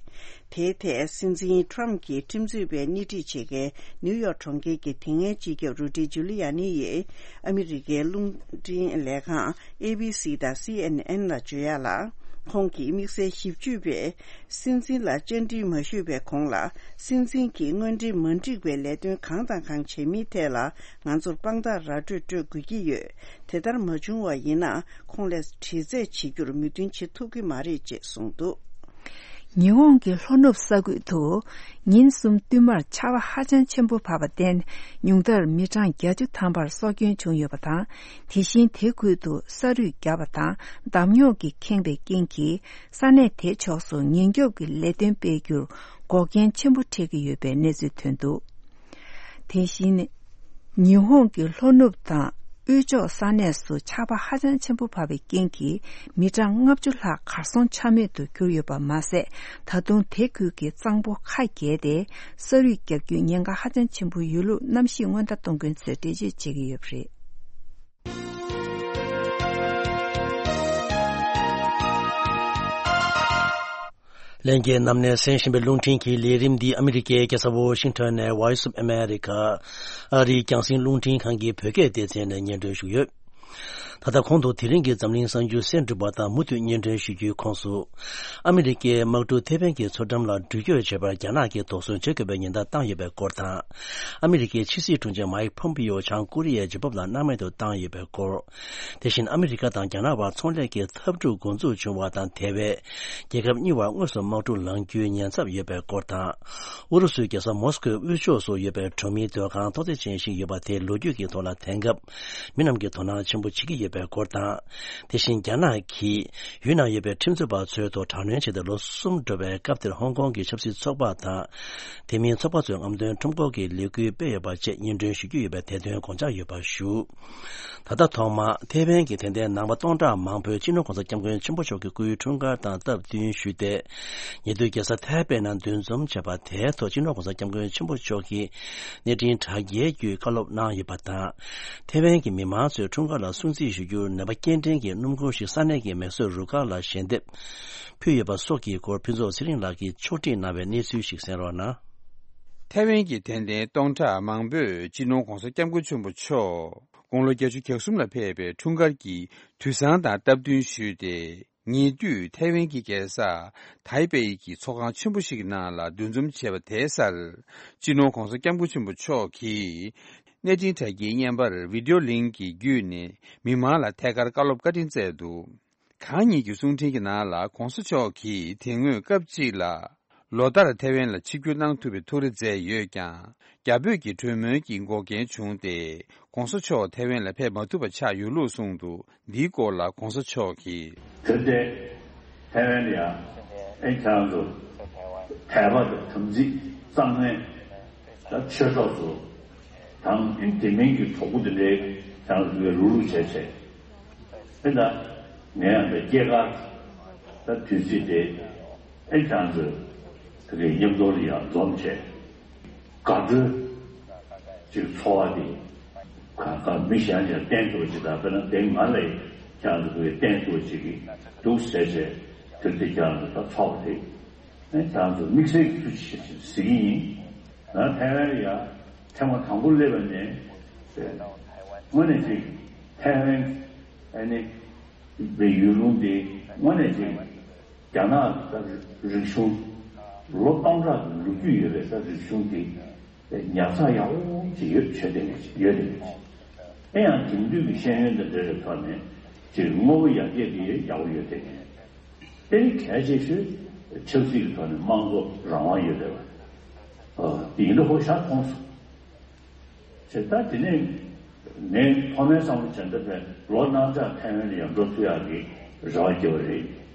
དེའི་ཐད་སྲིད་འཛིན་ཊརམ་གྱི་ཁྲིམས་རྩོད་པས་སྣེ་ཁྲིད་བྱེད་མཁན་ནིའུ་ཡོག་གྲོང་ཁྱེར་གྱི་དེ་སྔའི་སྤྱི་ཁྱབ་རུ་ཌི་ཇུ་ལི་ཡ་ནི་ཡིས་ཨ་མི་རི་ཀའི་རླུང་འཕྲིན་ལས་ཁང་ཨེ་བྷི་སི་དང་སི་ཨེན་ཨེན་ལ་བརྗོད་ཡག་ལ། ཁོང་གིས་དམིགས་བསལ་ཞིབ་དཔྱོད་པས་སྲིད་འཛིན་ལ་བཅར་འདྲི་མ་ཞུས་པའི་གོང་ལ། སྲིད་འཛིན་གྱིས་དངོས་འབྲེལ་མ་འགྲིག་པའི་ལས་དོན་གང་དང་གང་བྱས་མིན་ཐད་ལ་ང་ཚོར་དཔང་རྟགས་ར་སྤྲོད་སྤྲོད་དགོས་ཀྱི་ཡོད། དེ་ལྟར་མ་བྱུང་བ་ཡིན་ན། ཁོང་ལ་དྲི་རྩད་བྱེད་རྒྱུར་མོས་མཐུན་བྱེད་ཐུབ་ཀྱི་མ་རེད་ཅེས་གསུངས་འདུག། ཉི་ཧོང་གི་ལྷོ་ནུབ་ས་ཁུལ་དུ་ཉིན་གསུམ་བསྟུད་མར་ཆར་པ་ཧ་ཅང་ཆེན་པོ་བབས་པར་བརྟེན། ཉུང་མཐར་མི་གྲངས་བརྒྱད་ཅུ་ཐམ་པར་སྲོག་སྐྱོན་བྱུང་ཡོད་པ་དང་། དེ་བཞིན་དེ་ཁུལ་དུ་ས་རུད་བརྒྱབ་པ་དང་འདམ་རྙོག་གིས་ཁེངས་པའི་རྐྱེན་གྱིས། ས་གནས་དེ་ཕྱོགས་སུ་ཉེན་སྐྱོབ་ཀྱི་ལས་དོན་སྤེལ་རྒྱུར་འགོག་རྐྱེན་ཆེན་པོ་འཕྲད་ཀྱི་ཡོད་པའི་གནས་ཚུལ་ཐོན་འདུག། དེ་བཞིན། ཉི་ཧོང་གི་ལྷོ་ནུབ་དང་དབུས་ཕྱོགས་ས་གནས་སུ་ཆར་པ་ཧ་ཅང་ཆེན་པོ་བབས་པའི་རྐྱེན་གྱིས། མི་གྲངས་ལྔ་བཅུ་ལྷག་གར་སོང་ཆ་མེད་དུ་གྱུར་ཡོད་པ་མ་ཟད། ད་དུང་དེ་ཁུལ་གྱི་གཙང་པོ་ཁ་བརྒལ་ཏེ། ས་རུད་བརྒྱབ་རྒྱུའི་ཉེན་ཁ་ཧ་ཅང་ཆེན་པོ་ཡོད་ལུགས་གནམ་གཤིས་སྔོན་བརྡ་གཏོང་མཁན་ཚོས་འགྲེལ་བརྗོད་བྱེད་ཀྱི་ཡོད་པ་རེད། ལྷན་རྒྱས་རྣམས་ནས་གསན་བཞིན་པའི་རླུང་འཕྲིན་གྱི་ལས་རིམ་འདི་ཨ་མི་རི་ཀའི་རྒྱལ་ས་ཝོ་ཤིང་ཊོན་ནས་Voice of America ཨ་རིའི་རྒྱང་སྲིང་རླུང་འཕྲིན་ཁང་གི་བོད་སྐད་སྡེ་ཚན་ནས་སྙན་སྒྲོན་ཞུས་ཡོད། ད་ལྟ་གོང་དུ་དེ་རིང་གི་འཛམ་གླིང་གསར་འགྱུར་གསན་གྲུབ་པ་དང་མུ་མཐུད་སྙན་སྒྲོན་ཞུ་རྒྱུའི་ཁོངས་སུ། ཨ་མི་རི་ཀའི་དམག་གྲུ་ཐེ་ཝན་གྱི་མཚོ་འགྲམ་ལ་འགྲུལ་སྐྱོད་བྱེད་པར་རྒྱ་ནག་གིས་དོགས་ཟོན་བྱེད་དགོས་པའི་ཉེན་བརྡ་བཏང་ཡོད་པའི་སྐོར་དང་། ཨ་མི་རི་ཀའི་ཕྱི་སྲིད་དྲུང་ཆེ་མཱིག་ཕོམ་པིའོ་བྱང་ཀོ་རི་ཡའི་རྒྱལ་ཁབ་ལ་སྣང་མེད་དུ་བཏང་ཡོད་པའི་སྐོར། དེ་བཞིན་ཨ་མི་རི་ཀ་དང་རྒྱ་ནག་བར་ཚོང་ལས་ཀྱི་འཐབ་འཁྲུག་འགོ་འཛུགས་བྱུང་བ་དང་། དེ་བས་རྒྱལ་ཁབ་གཉིས་བར་དངོས་སུ་དམག་འཁྲུག་ལངས་རྒྱུའི་ཉེན་ཚབས་ཡོད་པའི་སྐོར་དང་། ཨུ་རུ་སུའི་རྒྱལ་ས་མོ་སི་ཀོའི་དབུས་ཕྱོགས་སུ་ཡོད་པའི་གྲོང་མིའི་སྡོད་ཁང་ཐོག་བརྩེགས་ཅན་ཞིག་ཡོད་པ་དེ་ལོ་རྒྱུས་ཀྱི་ཐོག་ལ་དེང་སྐབས་མི་རྣམས་ཀྱིས་དོ་སྣང་ཆེན་པོ་བྱེད་ཀྱི་ཡོད་པའི་སྐོར་དང་། དེ་བཞིན་རྒྱ་ནག་གིས་ཡུལ་ནང་ཡོད་པའི་ཁྲིམས་རྩོད་པ་ཚོའི་ཐོག་དྲག་གནོན་བྱས་ཏེ་ལོ་གསུམ་འགྲོ་བའི་སྐབས་དེར་ཧོང་ཀོང་གི་ཆབ་སྲིད་ཚོགས་པ་དང་། དེ་མིན་ཚོགས་པ་ཚོའི་རྔམ་སྟོན་ཁྲོམ་སྐོར་གྱི་ལས་འགུལ་སྤེལ་ཡོད་པ་བཅས་སྙན་སྒྲོན་ཞུ་རྒྱུ་ཡོད་པའི་དེ་དོན་དགོངས་འཇགས་ཡོད་པ་ཞུ། ད་ལྟ་ཐོག་མར་ཐེ་ཝན་གྱི་དད་ལྡན་ནང་པ་སྟོང་ཕྲག་མང་པོས་སྤྱི་ནོར་༸གོང་ས་༸སྐྱབས་མགོན་ཆེན་པོ་མཆོག་གི་སྐུའི་འཁྲུངས་སྐར་དང་སྟབས་བསྟུན་ཞུས་ཏེ། ཉེ་དུས་རྒྱལ་ས་ཐའེ་པེ་ནང་འདུ་འཛོམས་བྱས་པ་དེའི་ཐོག་སྤྱི་ནོར་༸གོང་ས་༸སྐྱབས་མགོན་ཆེན་པོ་མཆོག་གིས་གནས་འཕྲིན་དྲ་རྒྱའི་བརྒྱུད་བཀའ་སློབ་གནང་ཡོད་པ་དང་། ཐེ་ཝན་གྱི་མི་མང་ཚོས་འཁྲུངས་སྐར་ལ་སྲུང་བརྩི་ཞུ་རྒྱུར་ནད་པ་སྐྱེལ་འདྲེན་གྱི་སྣུམ་འཁོར་ཞིག་ས་གནས་ཀྱི་མེ་གསོད་རུ་ཁག་ལ་ཞལ་འདེབས་ཕུལ་ཡོད་པ་སོགས་ཀྱི་སྐོར་ཕུན་ཚོགས་ཚེ་རིང་ལགས་ཀྱིས་ཕྱོགས་སྒྲིག་གནང་བའི་གནས་ཚུལ་ཞིག་གསན་རོགས་གནང་། ཐའེ་ཝན་གྱི་དད་ལྡན་སྟོང་ཕྲག་མང་པོས་སྤྱི་ནོར་༸གོང་ས་༸སྐྱབས་མགོན་ཆེན་པོ་མཆོག་དགུང་ལོ་བརྒྱད་ཅུ་གྱ་གསུམ་ལ་ཕེབས་པའི་འཁྲུངས་སྐར་གྱི་དུས་བཟང་དང་སྟབས་བསྟུན་ཞུས་ཏེ། ཉེ་དུས་ཐའེ་ཝན་གྱི་རྒྱལ་ས་ཐའེ་པེ་ཡི་གི་ཚོགས་ཁང་ཆེན་པོ་ཞིག་གི་ནང་ལ་འདུ་འཛོམས་བྱས་པ་དེའི་སར། སྤྱི་ནོར་༸གོང་ས་༸སྐྱབས་མགོན་ཆེན་པོ་མཆོག་གིས་གནས་འཕྲིན་དྲ་རྒྱའི་བརྙན་པར་བི་ཌིའོ་ལིང་གི་བརྒྱུད་ནས་མི་མང་ལ་ཐད་ཀར་བཀའ་སློབ་བཀའ་དྲིན་སྩལ་འདུག། གང་ཉིད་ཀྱི་གསུང་འཕྲིན་གྱི་ནང་ལ་༸གོང་ས་མཆོག་གིས་དེ་སྔོན་སྐབས་གཅིག་ལ་ལོ་ལྟར་ཐའེ་ཝན་ལ་ཆིབས་བསྒྱུར་གནང་ཐུབ་པའི་ཐུགས་རེ་མཛད་ཡོད་ཀྱང་། རྒྱ་བོད་ཀྱི་གྲོས་མོལ་གྱི་འགོག་རྐྱེན་བྱུང་སྟེ། ༸གོང་ས་མཆོག་ཐའེ་ཝན་ལ་ཕེབས་མ་ཐུབ་པ་ཆགས་ཡོད་ལུགས་གསུངས་འདུག། འདིའི་སྐོར་ལ་༸གོང་ས་མཆོག་གིས། དེར་བརྟེན། ཐའེ་ཝན་ལ་ཡང་ཨེ་ཁྱེད་རང་ཚོ་དད་པ་དང་དམ་ཚིག་གཙང་མའི་ ད་ཆོས་གྲོགས་ཚོ་དང་ཨིན་དེ་མིན་གྱི་གྲོགས་པོ་དེ་འདྲའི་ཁྱེད་རང་ཚོ་གིས་རུག་རུག་བྱས་བྱས། ཨེ་ད་ངས་ཡང་ད་སྐྱེས་སྐར་ད་དུས་ཚིགས་དེ་ཨེ་ཁྱེད་རང་ཚོ་དེ་གའི་མཉམ་དུ་ལ་ཡང་འཛོམས་བྱས། དགའ་སྤྲོའི་ཅིག་འཚོ་བ་དེ་གང་ག་མི་གཞན་ལ་བསྟན་ཐུབ་ཅིག་དང་དཔེར་ན་དེ་ང་ལ་ཁྱེད་རང་ཚོ་གིས་བསྟན་ཐུབ་ཅིག་གི་འདུག་ཟེར་བྱས་དེ་དེ་ཁྱེད་རང་ཚོ་ད་ཚོགས་པ་དེ། ཨེ་ཁྱེད་རང་ཚོ་དམིགས་བསལ་གྱི་ཐུགས་རྗེ་ཆེ་ཞེས་ཟེར་གྱི་ཡིན། ང་ཐའེ་ཝན་ལ་ཡ་ཐེངས་མ་དང་པོ་སླེབས་པ་ནས་དངོས་གནས་ཅིག་ཐའེ་ཝན་ཨ་ནི་པའི་ཡུལ་ལུང་དེ་དངོས་གནས་ཅིག་རྒྱ་ནག་ད་རིག་གཞུང་ལོ་སྟོང་ཕྲག་གི་ལོ་རྒྱུས་ཡོད་པའི་ད་རིག་གཞུང་དེ་ཉར་ཚགས་ཡག་པོ་ཅིག་ཡོད་བྱས་བསྡད་ཡོད་བསྡད་ཡོད། ཨེ་ཡང་དེང་དུས་ཀྱི་ཤེས་ཡོན་དང་འབྲེལ་བའི་ཐོག་ནས་ཅིག་དངོས་པོ་ཡར་རྒྱས་དེ་ཡག་པོ་ཡོད་བསྡད་མཁན། དེ་ནི་གལ་ཆེ་ཤོས་ཆབ་སྲིད་ཀྱི་ཐོག་ནས་དམངས་གཙོ་རང་དབང་ཡོད་བསྡད་པ། ཨ་ཡིན་ན་ཧོ་ཤ་མཐོང་སོང་། བྱས་ད་དེ་ནས་ངས་ཐོག་མའི་བསམ་བློ་བྱས་ན་ད་ལོ་གནངས་ཚེ་ཐའེ་ཝན་ལ་ཡང་འགྲོ་ཐུབ་ཡག་གི་རེ་བ་བརྒྱབ་པ་རེད།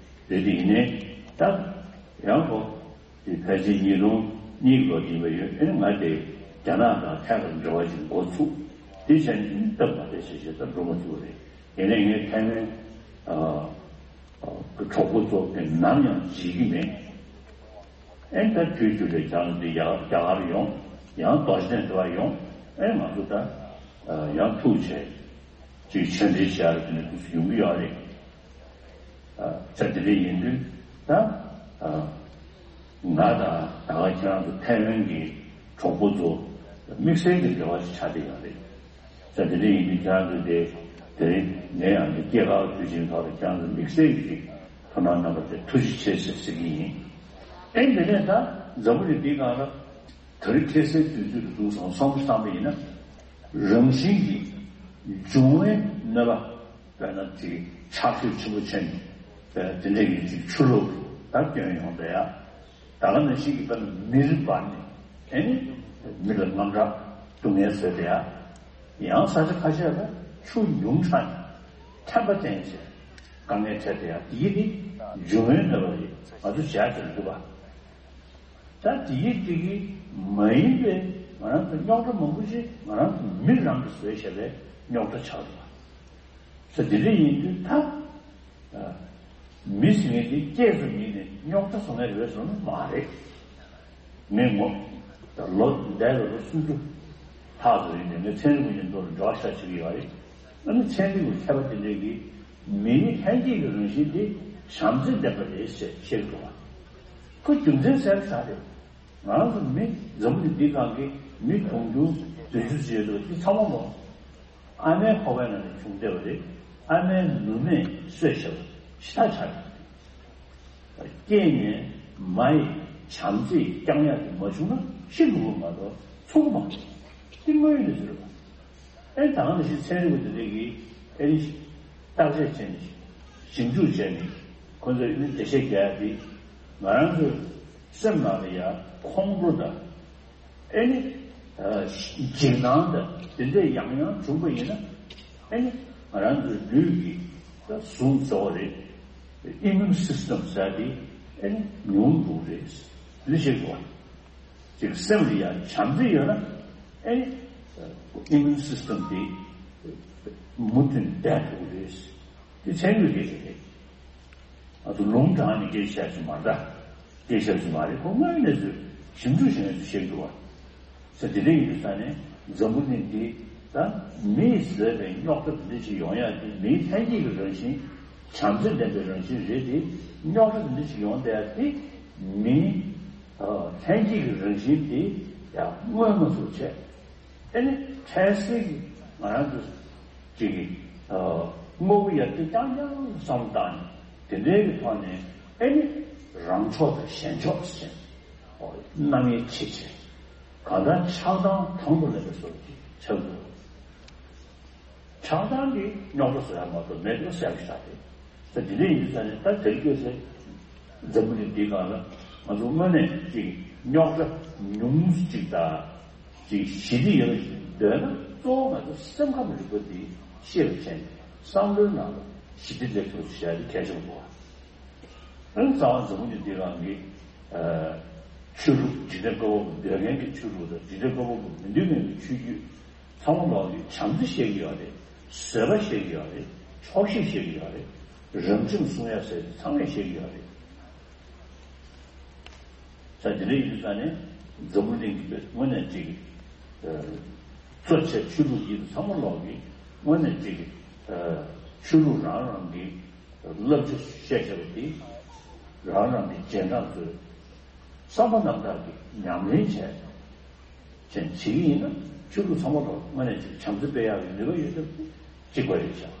རེད་དེ་ཡིན་ནའི་ད་ཡང་ཁོ། དེ་ཕལ་ཆེར་ཉིས་སྟོང་གཉིས་ལོ་ཡིན་པ་ཡོད། ཨེ་ང་དེ་རྒྱ་ནག་དང་ཐད་ཀར་འབྲེལ་བ་ཞིག་འགོ་ཚུགས། དེ་བྱས་ནས་སྟབས་མ་བདེ་ཞེ་ཞེ་ད་འགྲོ་མ་ཐུབ་པ་རེད། ཡིན་ནའི་ངས་ཐའེ་ཝན་གྱི་གྲོགས་པོ་ཚོ་དེ་ནམ་ཡང་བརྗེད་ཀྱི་མེད། ཨེ་ད་དུས་རྒྱུན་རེ་རྒྱང་འདི་ཡར་རྒྱ་གར་ཡོང་། ཡང་རྡོ་རྗེ་གདན་དུ་བ་ཡོང་། ཨེ་ང་ཚོ་ད་ཡང་ཐུག་བྱས་ཅིག་ཆོས་འབྲེལ་བྱས་རེ་དེ་ནས་དུས་སུ་ཡོང་གི་ཡོད་རེད། ཨ་ད་དེ་འདྲ་ཡིན་དུས་ད་ཨ་ང་དང་ད་ག་ཁྱེད་རང་ཚོ་ཐའེ་ཝན་གྱི་གྲོགས་པོ་ཚོ་དམིགས་བསལ་གྱི་འབྲེལ་བ་ཞིག་ཆགས་བསྡད་ཡོད་རེད། ད་དེ་འདྲ་ཡིན་དུས་ཁྱེད་རང་ཚོ་དེ་དེ་རིང་ངས་ཡང་འདི་སྐྱེས་སྐར་དུས་ཆེན་ཐོག་ལ་ཁྱེད་རང་ཚོ་དམིགས་བསལ་གྱི་ཐུགས་སྣང་གནང་བ་དེ་ཐུགས་རྗེ་ཆེ་ཟེར་ཟེར་གྱི་ཡིན། ཨེ་འདི་ནས་ད་འཛམ་བུ་གླིང་འདིའི་སྒང་ལ་དེ་རིང་ཁ་སང་དུས་ཚོད་དུ་འདུག་སོང་བསམ་བསམ་པ་ཡིན་ན། རང་བཞིན་གྱིས་འབྱུང་བའི་གནོད་པ། དཔེར་ན་ཅིག་ཆར་ཞོད་ཆེན་པོ་ཕྱིན་ནས་དེ་འདྲ་ཡིན་ཅིག་ཆུ་ལོག་ད་སྐྱོན་ཡོང་བསྡད་ཡ། ད་ག་ནང་བཞིན་གྱི་དཔེར་ན་མེ་རི་འབར་ནས་ཨེ་ནི་མི་ལ་དངངས་སྐྲག་སྡུག་བསྔལ་བཟོས་བསྡད་ཡ། ཡང་ས་ཆ་ཁ་ཤས་ལ་ཆུ་ཉུང་དྲགས་ནས་ཐན་པ་བསྟན་བྱས་དཀའ་ངལ་འཕྲད་བསྡད་ཡ། དེ་ནི་འབྱུང་བའི་གནོད་པ་རེད། ང་ཚོ་བྱས་ཀྱི་འདུག་པ། ད་དེའི་སྟེང་གི་མ་ཡིན་པའི་ང་རང་ཚོ་རྙོག་དྲ་མང་པོ་ཞིག་ང་རང་ཚོ་མི་རང་གིས་བཟོས་བཞག་པའི་རྙོག་དྲ་ཆགས་འདུག་པ། ས་དེ་འདྲ་ཡིན་དུས་ད་མི་ཟེར་མཁན་དེ་སྐྱེས་ཙམ་ཡིན་ནས་རྙོག་དྲ་བཟོ་མཁན་རེད་བཟོ་ནི་མ་རེད། ངས་ངོ་ད་ལོ་འདས་ལ་ལོ་སུམ་ཅུ་ལྷག་ཙམ་ཡིན་ནས་ངས་ཚན་རིག་པ་ཡིན་མདོག་ལ་འབྲེལ་བ་ཤ་ཆེ་གི་ཡོད་རེད། ཨ་ནི་ཚན་རིག་པའི་མཁས་པ་དེ་འདྲས་ཀྱིས་མིའི་ལྷན་སྐྱེས་ཀྱི་རང་བཞིན་དེ་བྱམས་བརྩེ་ལྡན་པ་རེད་ཅེས་བཤད་འདུག་པ། ཁོ་རྒྱུ་མཚན་གསལ་པོ་ཆགས་རེད། ང་རང་ཚོ་མི་འཛམ་བུ་གླིང་འདིའི་སྒང་གི་མི་དུང་ཕྱུར་བདུན་ཅུ་ཙམ་ཡོད་འདུག་འདི་ཚང་མ་མོ། ཨ་མའི་ཁོག་པའི་ནང་ནས་བྱུང་བསྡད་པ་རེད། ཨ་མའི་ནུ་མས་གསོས་བཞག་པ་ཞེ་དྲག་ཆགས་ཡོད། སྐྱེས་ནས་མ་ཡི་བྱམས་བརྩེས་བསྐྱངས་ཡག་དེ་མ་བྱུང་ན་ཤི་འགྲོ་གི་མ་གཏོགས་ཚུགས་མ་ཐུབ། འདི་དངོས་ཡོད་གནས་ཚུལ་རེད་པ། ཨེ་ད་ག་ནང་བཞིན་ཚན་རིག་པ་དེ་འདྲས་ཀྱིས་ཨེ་ནི་བརྟག་དཔྱད་བྱས་ནས་ཞིབ་འཇུག་བྱས་ནས་ཁོ་ཚོས་ཨེ་ནི་འགྲེལ་བཤད་རྒྱག་ཡ་དེ་ང་རང་ཚོའི་སེམས་ནང་ལ་ཡ་ཁོང་ཁྲོ་དང་ཨེ་ནི་འཇིགས་སྣང་དང་དེ་འདྲས་ཡང་ཡང་བྱུང་པ་ཡིན་ན་ཨེ་ནི་ང་རང་ཚོའི་ལུས་ཀྱི་ད་ཟུངས་གཙོ་བོ་རེད། Immune system ཟེར་དེ་ཨེ་ནི་ཉུང་འགྲོ་རེད། འདི་ཤེས་དགོས། ཅིག་སེམས་ལ་ཡང་བྱམས་བརྩེ་ཡོད་ན་ཨེ་ནི་immune system དེ་མུ་མཐུད་བསྡད་ཐུབ་ཀྱི་རེད། དེ་ཚན་རིག་སྐད་ཆ་རེད། ང་ཚོ་ལུང་དྲངས་ནས་སྐད་ཆ་བཤད་ཀྱི་མ་རེད། སྐད་ཆ་བཤད་ཀྱི་མ་རེད། ཁོ་དངོས་ཡོད་གནས་ཚུལ་ཞིབ་འཇུག་བྱས་ནས་བཤད་འདུག་པ། ས་དེ་འདྲ་ཡིན་དུས་ས་ནས་འཛམ་བུ་གླིང་འདི་ད་མིས་བཟོས་པའི་རྙོག་དྲ་འདི་འདྲ་ཞིག་ཡོང་ཡ་དེ་མིའི་ལྷན་སྐྱེས་ཀྱི་རང་བཞིན་བྱམས་བརྩེ་ལྡན་པའི་རང་བཞིན་རེད་དེ། རྙོག་དྲ་འདི་འདྲ་ཞིག་ཡོང་བསྡད་ཡ་དེ་མིའི་ལྷན་སྐྱེས་ཀྱི་རང་བཞིན་དེ་ཡང་མངོན་མ་ཐུབ་བྱས། ཨེ་ནི་འཕྲལ་སེལ་གྱི་ང་རང་ཚོ་ཅིག་གི་དངོས་པོ་ཡར་རྒྱས་རྐྱང་རྐྱང་བསམ་བཏང་ནས་དེ་འདྲའི་གི་ཐོག་ནས་ཨེ་ནི་རང་ཕྱོགས་དང་གཞན་ཕྱོགས་ཟེར་ནས་རྣམ་དབྱེ་ཕྱེ་བྱས་གང་ལྟར་ཆགས་སྡང་དང་དུ་ལེན་པའི་བཟོ་ཅིག་ཆགས་འདུག་ཆགས་སྡང་གིས་རྙོག་དྲ་བཟོ་ཡ་མ་གཏོགས་མེད་འགྲོ་ཟེར་གྱི་ཆགས་ཏེ། ད་དེ་འདྲ་ཡིན་དུས་ས་ནས་ད་དེར་བསྐྱོད་ཚེ་འཛམ་བུ་གླིང་འདིའི་སྒང་ལ་ང་ཚོ་དངོས་གནས་ཅིག་རྙོག་དྲ་ཉུང་ཅིག་དང་ཅིག་ཞི་བདེ་ཡོད་པ་ཞིག་འདོད་ན་གཙོ་བོ་ང་ཚོ་སེམས་ཁམས་རིག་པ་འདི་ཤེས་པ་བྱས་ནས་བསམ་བློའི་ནང་ལ་ཞི་བདེ་སླེབས་ཐུབ་ཅིག་བྱ་ཡ་དེ་གལ་ཆེན་པོ་འདུག་བ། ཨ་ནི་རྩ་བ་འཛམ་བུ་གླིང་འདིའི་སྒང་གི་ཨ་ ཆོས་ལུགས། འཇིག་རྟེན་བཀའ་བབས་འདོད་མཁན་གྱི་ཆོས་ལུགས་དང་། འཇིག་རྟེན་བཀའ་བབས་མི་འདོད་མཁན་གྱི་ཆོས་བརྒྱུད་ཚང་མ་ལོག་གིས་བྱམས་བརྩེ་བཤད་ཀྱི་ཡོད་རེད། བཟོད་པ་བཤད་ཀྱི་ཡོད་རེད། ཆོག་ཤེས་བཤད་ཀྱི་ཡོད་རེད། རང་ཁྲིམས་སྲུང་ཡ་ཟེར་ཚང་མས་བཤད་ཀྱི་ཡོད་རེད། ས་དེ་འདྲ་ཡིན་དུས་ཙང་ནས་འཛམ་བུ་གླིང་གི་དངོས་གནས་ཅིག་གཙོ་ཆེ་ཆོས་ལུགས་ཡིན་ཚང་མ་ལོག་གིས་དངོས་གནས་ཅིག་ཆོས་ལུགས་རང་རང་གི་བསླབ་བྱ་བཤད་བྱ་བ་དེ་རང་རང་གི་རྗེས་འབྲང་ཚོས་བསམ་པ་རྣམ་དག་གིས་ཉམས་ལེན་བྱས། ཅན་བྱེད་ཀྱི་ཡིན་ན་ཆོས་ལུགས་ཚང་མ་ལ་དངོས་གནས་ཅིག་བྱམས་བརྩེ་སྤེལ་ཡག་གི་ནུས་པ་ཡོད་སྟབས་གཅིག་པ་རེད་ཤག་